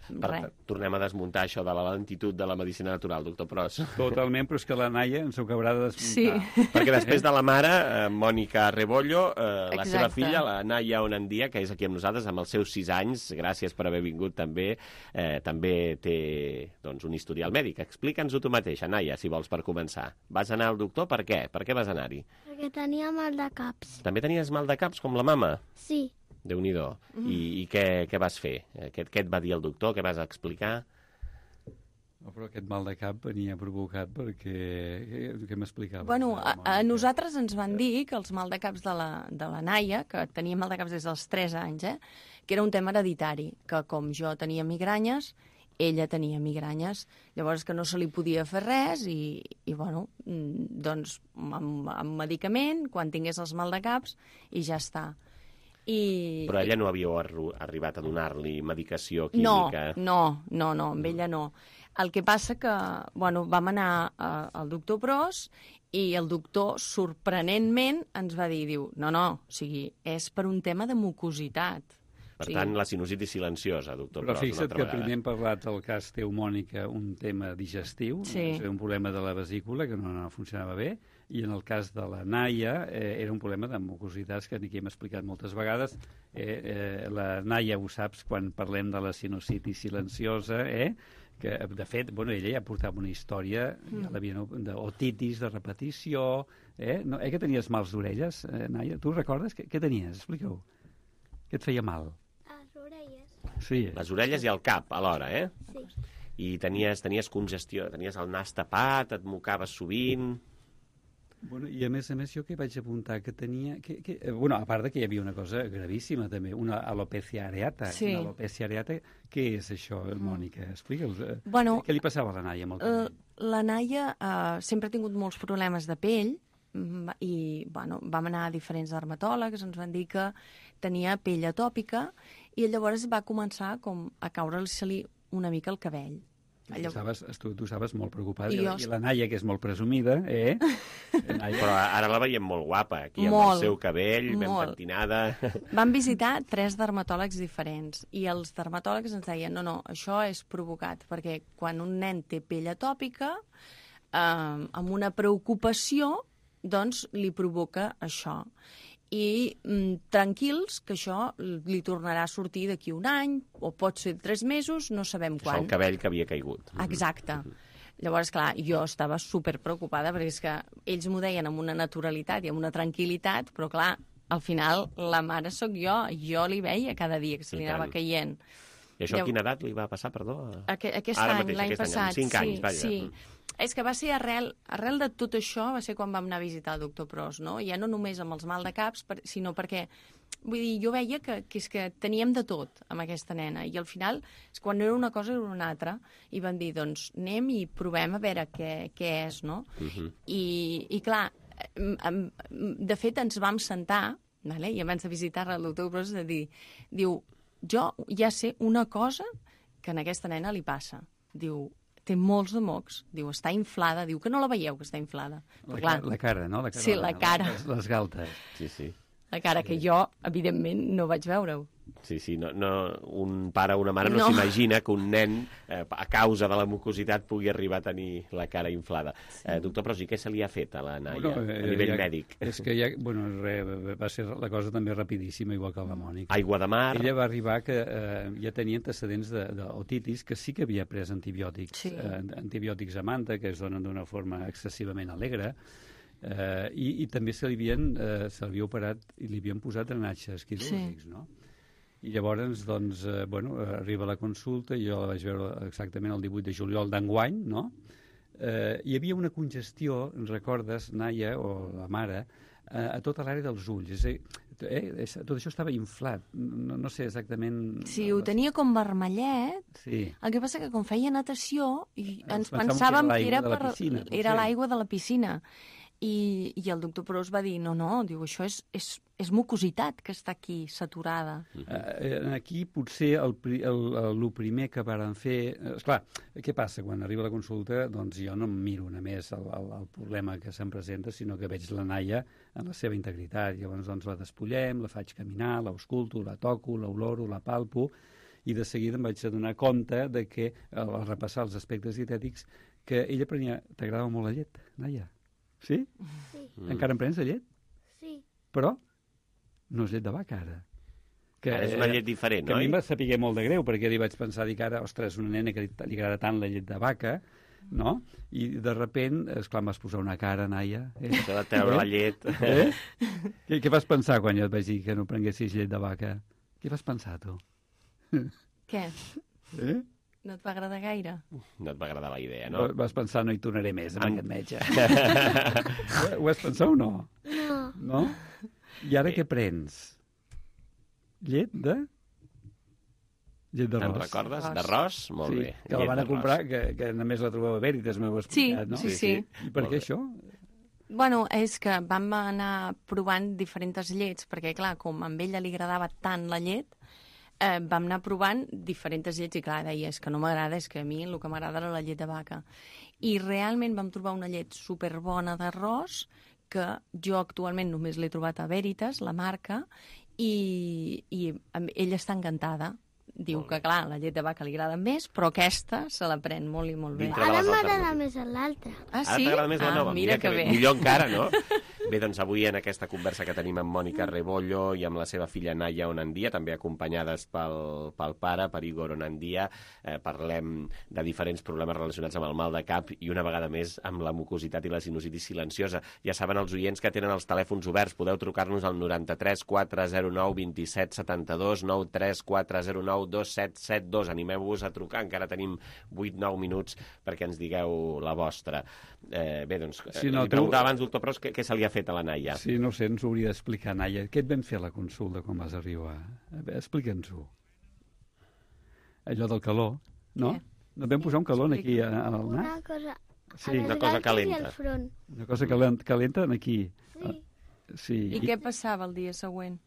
Per, tornem a desmuntar això de la lentitud de la medicina natural, doctor Pros. Totalment, però és que la Naia ens ho acabarà de desmuntar. Sí. Perquè després de la mare, eh, Mònica Rebollo, eh, la Exacte. seva filla, la Naia Onandia, que és aquí amb nosaltres, amb els seus sis anys, gràcies per haver vingut també, eh, també té doncs, un historial mèdic. Explica'ns-ho tu mateixa, Naia, si vols, per començar. Vas anar al doctor? Per què? Per què vas anar-hi? Perquè tenia mal de caps. També tenies mal de caps, com la mama? Sí. Déu-n'hi-do. Mm. I, i què, què vas fer? Què, què et va dir el doctor? Què vas explicar? No, però aquest mal de cap venia provocat perquè... Què m'explicava? Bueno, a, a nosaltres ens van dir que els mal de caps de la, de la Naia, que tenia mal de caps des dels tres anys, eh, que era un tema hereditari, que com jo tenia migranyes, ella tenia migranyes, llavors que no se li podia fer res i, i bueno, doncs amb, amb medicament, quan tingués els mal de caps, i ja està. I... Però ella no havíeu arribat a donar-li medicació química? No, no, no, no, amb ella no. El que passa que, bueno, vam anar a, al doctor Pros i el doctor, sorprenentment, ens va dir, diu, no, no, o sigui, és per un tema de mucositat. Per sí. tant, la sinusitis silenciosa, doctor Però Pros, una fixa't altra que vegada. primer hem parlat del cas teu, Mònica, un tema digestiu, sí. un problema de la vesícula que no, no funcionava bé, i en el cas de la Naia eh, era un problema de mucositats que aquí hem explicat moltes vegades. Eh, eh, la Naia, ho saps, quan parlem de la sinusitis silenciosa, eh, que de fet, bueno, ella ja portava una història mm. ja l'havia d'otitis, de repetició, eh? No, eh, que tenies mals d'orelles, eh, Naia? Tu recordes? Què, què tenies? Explica-ho. Què et feia mal? Les orelles. Sí. Les orelles i el cap, alhora, eh? Sí. I tenies, tenies congestió, tenies el nas tapat, et mocaves sovint... Bueno, i a més a més jo que vaig apuntar que tenia... Que, que, eh, bueno, a part de que hi havia una cosa gravíssima també, una alopecia areata. Sí. Una alopecia areata, què és això, Mònica? Explica'ls. Eh, bueno, què li passava a la Naia amb el cabell? La Naia uh, sempre ha tingut molts problemes de pell i bueno, vam anar a diferents dermatòlegs, ens van dir que tenia pell atòpica i llavors va començar com a caure-se-li una mica el cabell. Allò... Tu, estaves, tu, tu estaves molt preocupada, I, jo... i la Naia, que és molt presumida, eh? Naia... Però ara la veiem molt guapa, aquí amb molt, el seu cabell, ben molt. pentinada... Vam visitar tres dermatòlegs diferents, i els dermatòlegs ens deien, no, no, això és provocat, perquè quan un nen té pell atòpica, eh, amb una preocupació, doncs li provoca això. I mm, tranquils, que això li tornarà a sortir d'aquí un any, o pot ser tres mesos, no sabem quan. Això el cabell que havia caigut. Exacte. Llavors, clar, jo estava super preocupada, perquè és que ells m'ho deien amb una naturalitat i amb una tranquil·litat, però clar, al final la mare sóc jo, jo li veia cada dia que se li anava caient. I això a quina edat li va passar, perdó? Aquest, aquest any, l'any passat. Cinc sí, anys, vaja. Sí. És que va ser arrel, arrel de tot això, va ser quan vam anar a visitar el doctor Pros, no? Ja no només amb els mal de caps, per, sinó perquè, vull dir, jo veia que, que, és que teníem de tot amb aquesta nena, i al final, és quan no era una cosa era una altra, i vam dir, doncs, anem i provem a veure què, què és, no? Uh-huh. I, I clar, de fet ens vam sentar, vale? I abans de visitar el doctor Pros, de dir, diu, jo ja sé una cosa que a aquesta nena li passa. diu, té molts de mocs, diu, està inflada, diu que no la veieu, que està inflada. La, Però, clar, la cara, no? La cara, sí, la cara. Les, les galtes. Sí, sí. La cara que jo, evidentment, no vaig veure-ho. Sí, sí, no, no, un pare o una mare no, No. s'imagina que un nen, eh, a causa de la mucositat, pugui arribar a tenir la cara inflada. Sí. Eh, doctor Pros, i què se li ha fet a la Naia, Bueno, eh, a nivell ja, mèdic? És que ja, bueno, re, va ser la cosa també rapidíssima, igual que la Mònica. Aigua de mar. Ella va arribar que eh, ja tenia antecedents d'otitis, que sí que havia pres antibiòtics, Sí. eh, antibiòtics a manta, que es donen d'una forma excessivament alegre, eh, i, i també se li havien, eh, se l'havia operat i li havien posat drenatges quirúrgics, Sí. no? I llavors, doncs, eh, bueno, arriba la consulta, jo la vaig veure exactament el divuit de juliol d'enguany, no? Eh, hi havia una congestió, recordes, Naia, o la mare, eh, a tota l'àrea dels ulls. És a dir, eh, tot això estava inflat. No, no sé exactament... Sí, ho tenia com vermellet. Sí. El que passa que com feia natació i ens pensàvem pensàvem que que era era, l'aigua de la per, piscina, potser. era l'aigua de la piscina. I, I el doctor Pros va dir, no, no, diu, això és, és, és mucositat que està aquí, saturada. Eh, aquí potser el, pri- el, el, el primer que varen fer... Eh, esclar, què passa? Quan arriba la consulta, doncs jo no em miro només el, el, el problema que se'm presenta, sinó que veig la Naia en la seva integritat. Llavors doncs, la despullem, la faig caminar, l'ausculto, la toco, l'oloro, la palpo, i de seguida em vaig adonar compte de que, al, al repassar els aspectes dietètics, que ella prenia... T'agradava molt la llet, Naia? Sí? Sí. Encara en prens de llet? Sí. Però no és llet de vaca, ara. Que, ara és una llet diferent, que oi? a mi em va saber molt de greu, perquè li vaig pensar, dic ara, ostres, una nena que li, li agrada tant la llet de vaca, no? I de repent, esclar, em vas posar una cara, Naia. Eh? S'ha de treure eh? la llet. Eh? Què, què vas pensar quan jo et vaig dir que no prenguessis llet de vaca? Què vas pensar, tu? Què? Eh? No et va agradar gaire? No et va agradar la idea, no? Vas pensar, no hi tornaré més amb Am- aquest metge. ho, ho has pensat o no? No. No? I ara què prens? Llet de... Llet Te'n d'arròs. recordes? D'arròs? Molt sí, bé. que la Llet van a d'arròs. comprar, que, que només la trobeu a Veritas, m'heu explicat, Sí, no? sí, sí. I per Molt què bé. això? Bueno, és que vam anar provant diferents llets, perquè, clar, com a ella li agradava tant la llet, eh, vam anar provant diferents llets i, clar, deia, és que no m'agrada, és que a mi el que m'agrada era la llet de vaca. I realment vam trobar una llet superbona d'arròs, que jo actualment només l'he trobat a Veritas, la marca, i, i amb- ella està encantada. Diu que, clar, la llet de vaca li agrada més, però aquesta se la pren molt i molt bé. Dintre de Ara les m'agrada alternatives. més l'altra. Ah, Ara sí? t'agrada més la Ah, nova? mira que bé. Millor encara, no? Bé, doncs avui en aquesta conversa que tenim amb Mònica Rebollo i amb la seva filla Naia Onandia, també acompanyades pel, pel pare, per Igor Onandia, eh, parlem de diferents problemes relacionats amb el mal de cap i una vegada més amb la mucositat i la sinusitis silenciosa. Ja saben els oients que tenen els telèfons oberts, podeu trucar-nos al noranta-tres quatre zero nou dos set set dos, nou tres quatre zero nou dos set set dos. Animeu-vos a trucar, encara tenim vuit nou minuts perquè ens digueu la vostra. Eh, bé, doncs, eh, Sí, no, li tu- preguntava abans, doctor Pros, què, què se li ha fet a la Naia? Sí, no sé, ens ho hauria d'explicar, Naia. Què et vam fer a la consulta quan vas arribar? A veure, explica'ns-ho. Allò del calor, no? Què? No et vam posar un calor aquí a- al nas? Una cosa... Sí, a les una cosa galtes calenta. I al front. Una cosa calent, calenta aquí. Sí. Sí. I què passava el dia següent?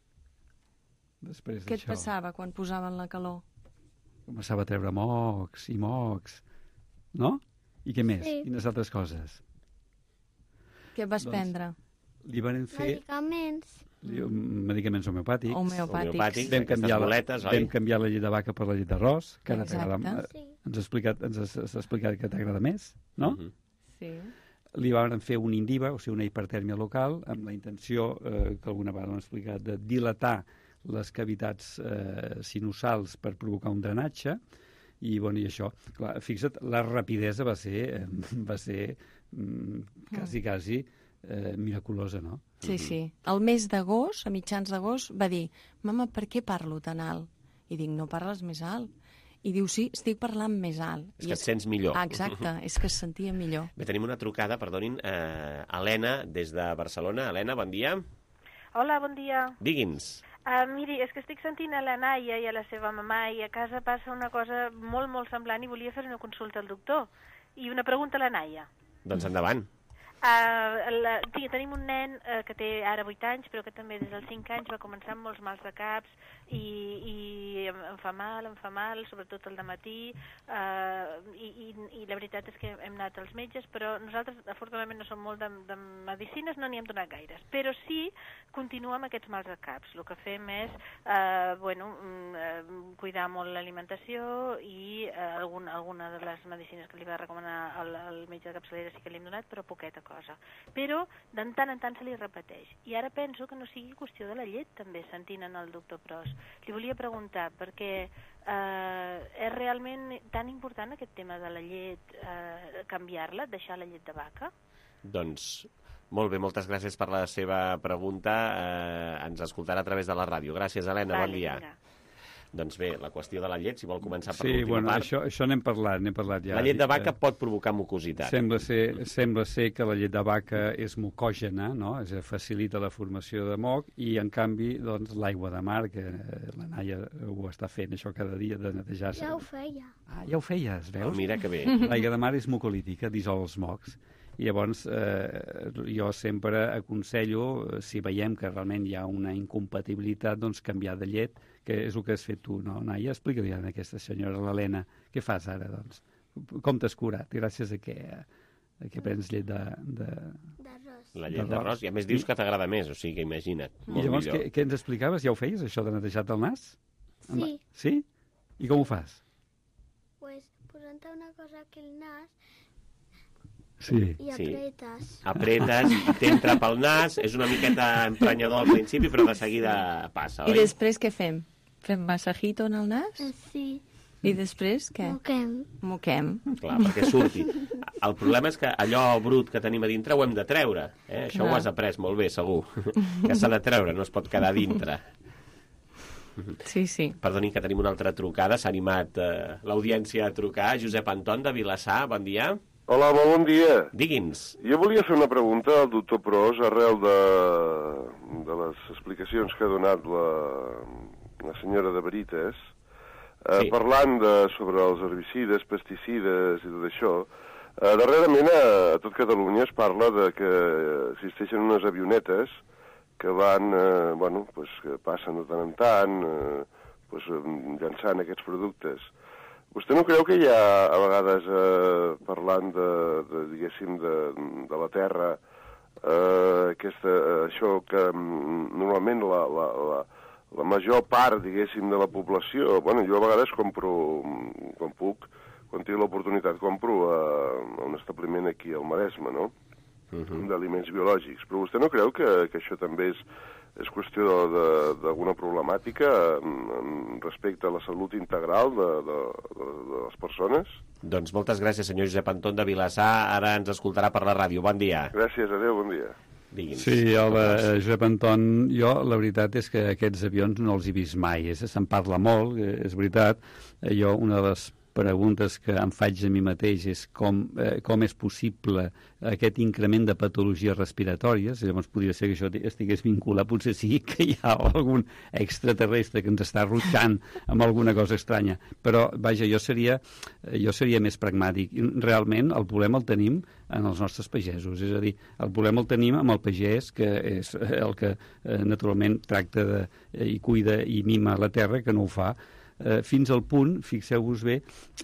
Després Què et d'això? passava quan posaven la calor? Començava a treure mocs i mocs, no? I què més? Sí. Quines altres coses? Què vas Doncs- prendre? Li van fer Medicaments. li- medicaments homeopàtics. Homeopàtics. Homeopàtics, Vam aquestes canviar, la, boletes, oi? vam canviar la llet de vaca per la llet d'arròs, que ara Exacte. t'agrada. Sí. Ens ha explicat, ens has, has explicat que t'agrada més, no? Mhm. Sí. Li van fer un indiva, o sigui, una hipertèrmia local, amb la intenció, eh, que alguna vegada hem explicat, de dilatar les cavitats eh, sinusals per provocar un drenatge, i, bueno, i això, clar, fixa't, la rapidesa va ser, eh, va ser mm, quasi, quasi eh, miraculosa, no? Sí, sí. El mes d'agost, a mitjans d'agost, va dir, mama, per què parlo tan alt? I dic, no parles més alt. I diu, sí, estic parlant més alt. És I que et sents millor. Ah, exacte, és que es sentia millor. Bé, tenim una trucada, perdonin, eh, Helena, des de Barcelona. Helena, bon dia. Hola, bon dia. Digui'ns. Uh, miri, és que estic sentint a la Naia i a la seva mamà i a casa passa una cosa molt, molt semblant i volia fer una consulta al doctor. I una pregunta a la Naia. Doncs endavant. Uh, la, tenim un nen uh, que té ara vuit anys, però que també des dels cinc anys va començar amb molts mals de caps i, i em, em fa mal, em fa mal, sobretot al dematí, uh, i, i i la veritat és que hem anat als metges, però nosaltres afortunadament no som molt de, de medicines, no n'hi hem donat gaires, però sí continua amb aquests mals de caps. El que fem és eh, bueno, eh, cuidar molt l'alimentació i eh, alguna, alguna de les medicines que li va recomanar el, el metge de capçalera sí que li hem donat, però poqueta cosa. Però de tant en tant se li repeteix. I ara penso que no sigui qüestió de la llet, també, sentint en el doctor Pros. Li volia preguntar, perquè eh, és realment tan important aquest tema de la llet, eh, canviar-la, deixar la llet de vaca? Doncs molt bé, moltes gràcies per la seva pregunta. Eh, ens escoltarà a través de la ràdio. Gràcies, Helena, Vale, bon dia. Vinga. Doncs bé, la qüestió de la llet, si vol començar per sí, l'última bueno, part. Això, això n'hem parlat, n'hem parlat ja. La llet de vaca pot provocar mucositat. Sembla ser, sembla ser que la llet de vaca és mucògena, no? És a dir, facilita la formació de moc, i en canvi doncs, l'aigua de mar, que la Naia ho està fent això cada dia, de netejar-se. Ja ho feia. Ah, ja ho feies, veus? Oh, mira que bé. L'aigua de mar és mucolítica, dissol els mocs. I llavors eh, jo sempre aconsello, si veiem que realment hi ha una incompatibilitat, doncs canviar de llet, que és el que has fet tu, no, Naia? Explica-li a aquesta senyora, l'Helena, què fas ara, doncs? Com t'has curat? Gràcies a què, a què prens llet de... de... D'arròs. La llet d'arròs, i a més dius que t'agrada més, o sigui que imagina't, molt I llavors, millor. què, què ens explicaves? Ja ho feies, això de netejar-te el nas? Sí. Sí? I com ho fas? Pues posant una cosa aquí al nas sí. i apretes. Sí. Apretes, t'entra pel nas, és una miqueta emprenyador al principi, però de seguida passa, I oi? després què fem? Fem massajito en el nas? Sí. I després què? Moquem. Moquem. Clar, perquè surti. El problema és que allò brut que tenim a dintre ho hem de treure. Eh? Això Clar. ho has après molt bé, segur. Que s'ha de treure, no es pot quedar a dintre. Sí, sí. Perdoni, que tenim una altra trucada. S'ha animat eh, l'audiència a trucar. Josep Anton, de Vilassar, bon dia. Hola, molt bon dia. Digui'ns. Jo volia fer una pregunta al doctor Pros arrel de, de les explicacions que ha donat la, la senyora de Veritas, eh, sí. parlant de, sobre els herbicides, pesticides i tot això. Eh, darrerament a, a tot Catalunya es parla de que existeixen unes avionetes que van, eh, bueno, pues, que passen de tant en tant, eh, pues, llançant aquests productes. Vostè no creu que hi ha, a vegades, eh, parlant de, de diguéssim, de, de la Terra, eh, aquesta, això que mm, normalment la, la, la, la major part, diguéssim, de la població... Bueno, jo a vegades compro, quan puc, quan tinc l'oportunitat, compro a, a un establiment aquí al Maresme, no?, uh-huh. d'aliments biològics. Però vostè no creu que, que això també és... és qüestió d'alguna problemàtica respecte a la salut integral de, de, de, de les persones? Doncs moltes gràcies, senyor Josep Anton de Vilassar. Ara ens escoltarà per la ràdio. Bon dia. Gràcies, adéu, bon dia. Digui'ns. Sí, hola, Josep Anton. Jo, la veritat és que aquests avions no els he vist mai. Se'n parla molt, és veritat. Jo, una de les preguntes que em faig a mi mateix és com, eh, com és possible aquest increment de patologies respiratòries. Llavors podria ser que això estigués vinculat, potser sí que hi ha algun extraterrestre que ens està rutxant amb alguna cosa estranya, però vaja, jo seria, jo seria més pragmàtic. Realment el problema el tenim en els nostres pagesos, és a dir, el problema el tenim amb el pagès, que és el que eh, naturalment tracta de, eh, i cuida i mima la terra, que no ho fa. Eh, fins al punt, fixeu-vos bé,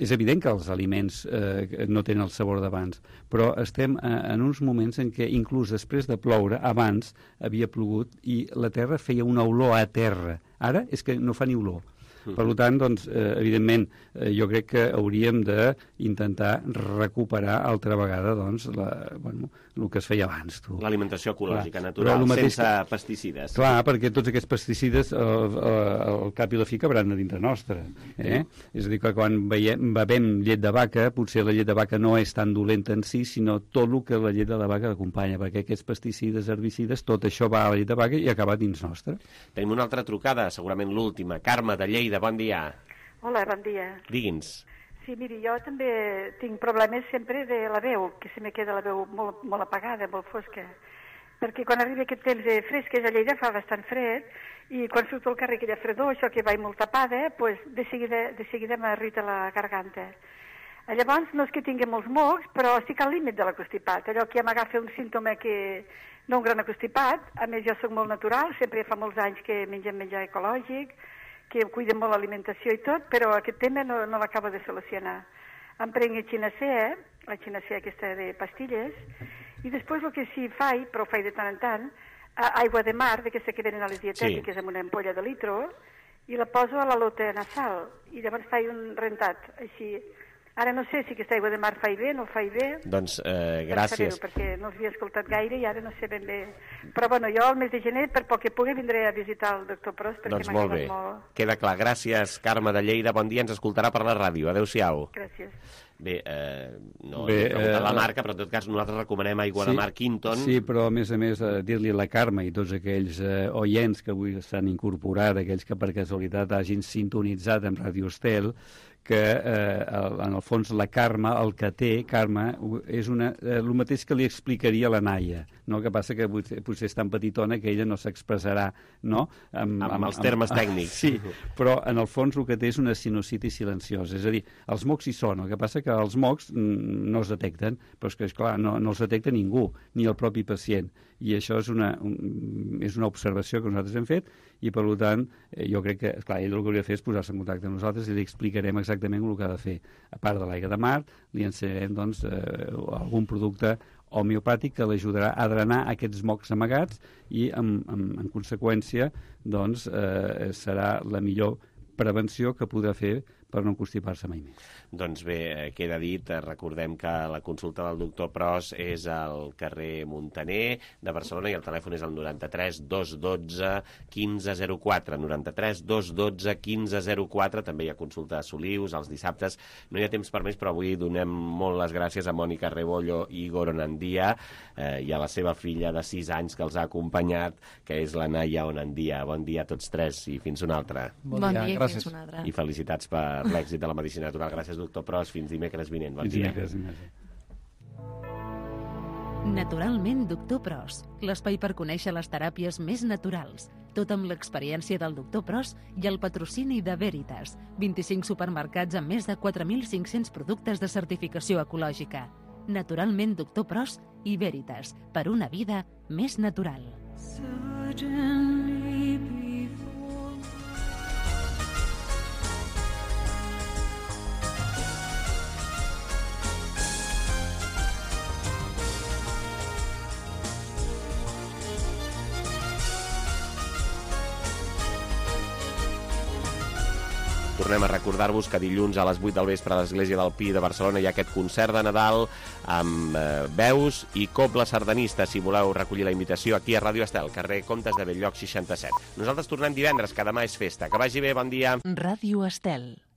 és evident que els aliments eh, no tenen el sabor d'abans, però estem eh, en uns moments en què inclús després de ploure, abans havia plogut i la terra feia una olor a terra. Ara és que no fa ni olor. Per tant, doncs, eh, evidentment, eh, jo crec que hauríem d'intentar recuperar altra vegada doncs, la, bueno, el que es feia abans. L'alimentació ecològica, clar, natural, sense que, pesticides. Clar, perquè tots aquests pesticides al eh, cap i la fi cabran a dintre nostre. Eh? Sí. És a dir, que quan veiem, bevem llet de vaca, potser la llet de vaca no és tan dolenta en si, sinó tot el que la llet de la vaca acompanya, perquè aquests pesticides, herbicides, tot això va a la llet de vaca i acaba dins nostre. Tenim una altra trucada, segurament l'última. Carme, de Lleida. Bon dia. Hola, bon dia. Digui'ns. Sí, miri, jo també tinc problemes sempre de la veu, que se me queda la veu molt, molt apagada, molt fosca. Perquè quan arriba aquest temps de fresques a Lleida fa bastant fred, i quan surto al carrer aquella fredor, això que vaig molt tapada, pues de seguida, de seguida m'irrita la garganta. Llavors, no és que tingui molts mocs, però estic al límit de l'acostipat. Allò que ja m'agafa un símptoma que no un gran acostipat, a més jo soc molt natural, sempre fa molts anys que mengem menjar ecològic, que cuida molt l'alimentació i tot, però aquest tema no, no l'acabo de solucionar. em prenc el xinacè, la xinacè aquesta de pastilles, i després el que sí faig, però ho faig de tant en tant, aigua de mar, d'aquesta que venen a les dietètiques, sí, amb una ampolla de litro, i la poso a la lota nasal, i llavors faig un rentat, així. Ara no sé si aquesta aigua de mar fa bé, no fa bé. Doncs eh, gràcies. Per perquè no els havia escoltat gaire i ara no sé ben bé. Però bueno, jo el mes de gener, per poc que pugui, vindré a visitar el doctor Pros, perquè doncs m'ha molt bé. molt... Queda clar. Gràcies, Carme de Lleida. Bon dia, ens escoltarà per la ràdio. Adéu-siau. Gràcies. Bé, eh, no Bé, he preguntat eh, la marca, però en tot cas nosaltres recomanem aigua sí, de mar Quinton. Sí, però a més a més eh, dir-li a la Carme i tots aquells eh, oients que avui s'han incorporat, aquells que per casualitat hagin sintonitzat amb Radio Estel, que eh, en el fons la Carme, el que té, Carme, és una, eh, el mateix que li explicaria la Naia, no? Que passa que potser, potser és tan petitona que ella no s'expressarà, no? Amb, amb, amb els termes amb, tècnics. Sí, però en el fons el que té és una sinusitis silenciosa, és a dir, els mocs hi són, el que passa que els mocs no es detecten, però és que, esclar, no, no els detecta ningú, ni el propi pacient, i això és una, un, és una observació que nosaltres hem fet, i per tant, jo crec que, esclar, ell el que hauria de fer és posar-se en contacte amb nosaltres i li explicarem exactament el que ha de fer. A part de l'aigua de mar, li ensenyarem doncs, eh, algun producte homeopàtic que l'ajudarà a drenar aquests mocs amagats i, en, en, en conseqüència, doncs, eh, serà la millor prevenció que podrà fer per no constipar-se mai més. Doncs bé, queda dit, recordem que la consulta del doctor Pros és al carrer Muntaner de Barcelona i el telèfon és el noranta-tres dos dotze quinze zero quatre, noranta-tres dos dotze quinze zero quatre, també hi ha consulta a Solius els dissabtes. No hi ha temps per més, però avui donem molt les gràcies a Mònica Rebollo i Igor Onandia eh, i a la seva filla de sis anys que els ha acompanyat, que és la Naia Onandia. Bon dia a tots tres i fins una altra. Bon, bon dia, dia fins una altra. I felicitats per l'èxit de la medicina natural. Gràcies, doctor Pros. Fins dimecres vinent. Bon fins dia. Dimecres, dimecres. Naturalment, doctor Pros. L'espai per conèixer les teràpies més naturals. Tot amb l'experiència del doctor Pros i el patrocini de Veritas. vint-i-cinc supermercats amb més de quatre mil cinc-cents productes de certificació ecològica. Naturalment, doctor Pros i Veritas. Per una vida més natural. Tornem a recordar-vos que dilluns a les vuit del vespre a l'Església del Pi de Barcelona hi ha aquest concert de Nadal amb eh, veus i cobla sardanista. Si voleu recollir la invitació aquí a Ràdio Estel, carrer Comtes de Belllloc seixanta-set. Nosaltres tornem divendres, que demà és festa. Que vagi bé, bon dia. Ràdio Estel.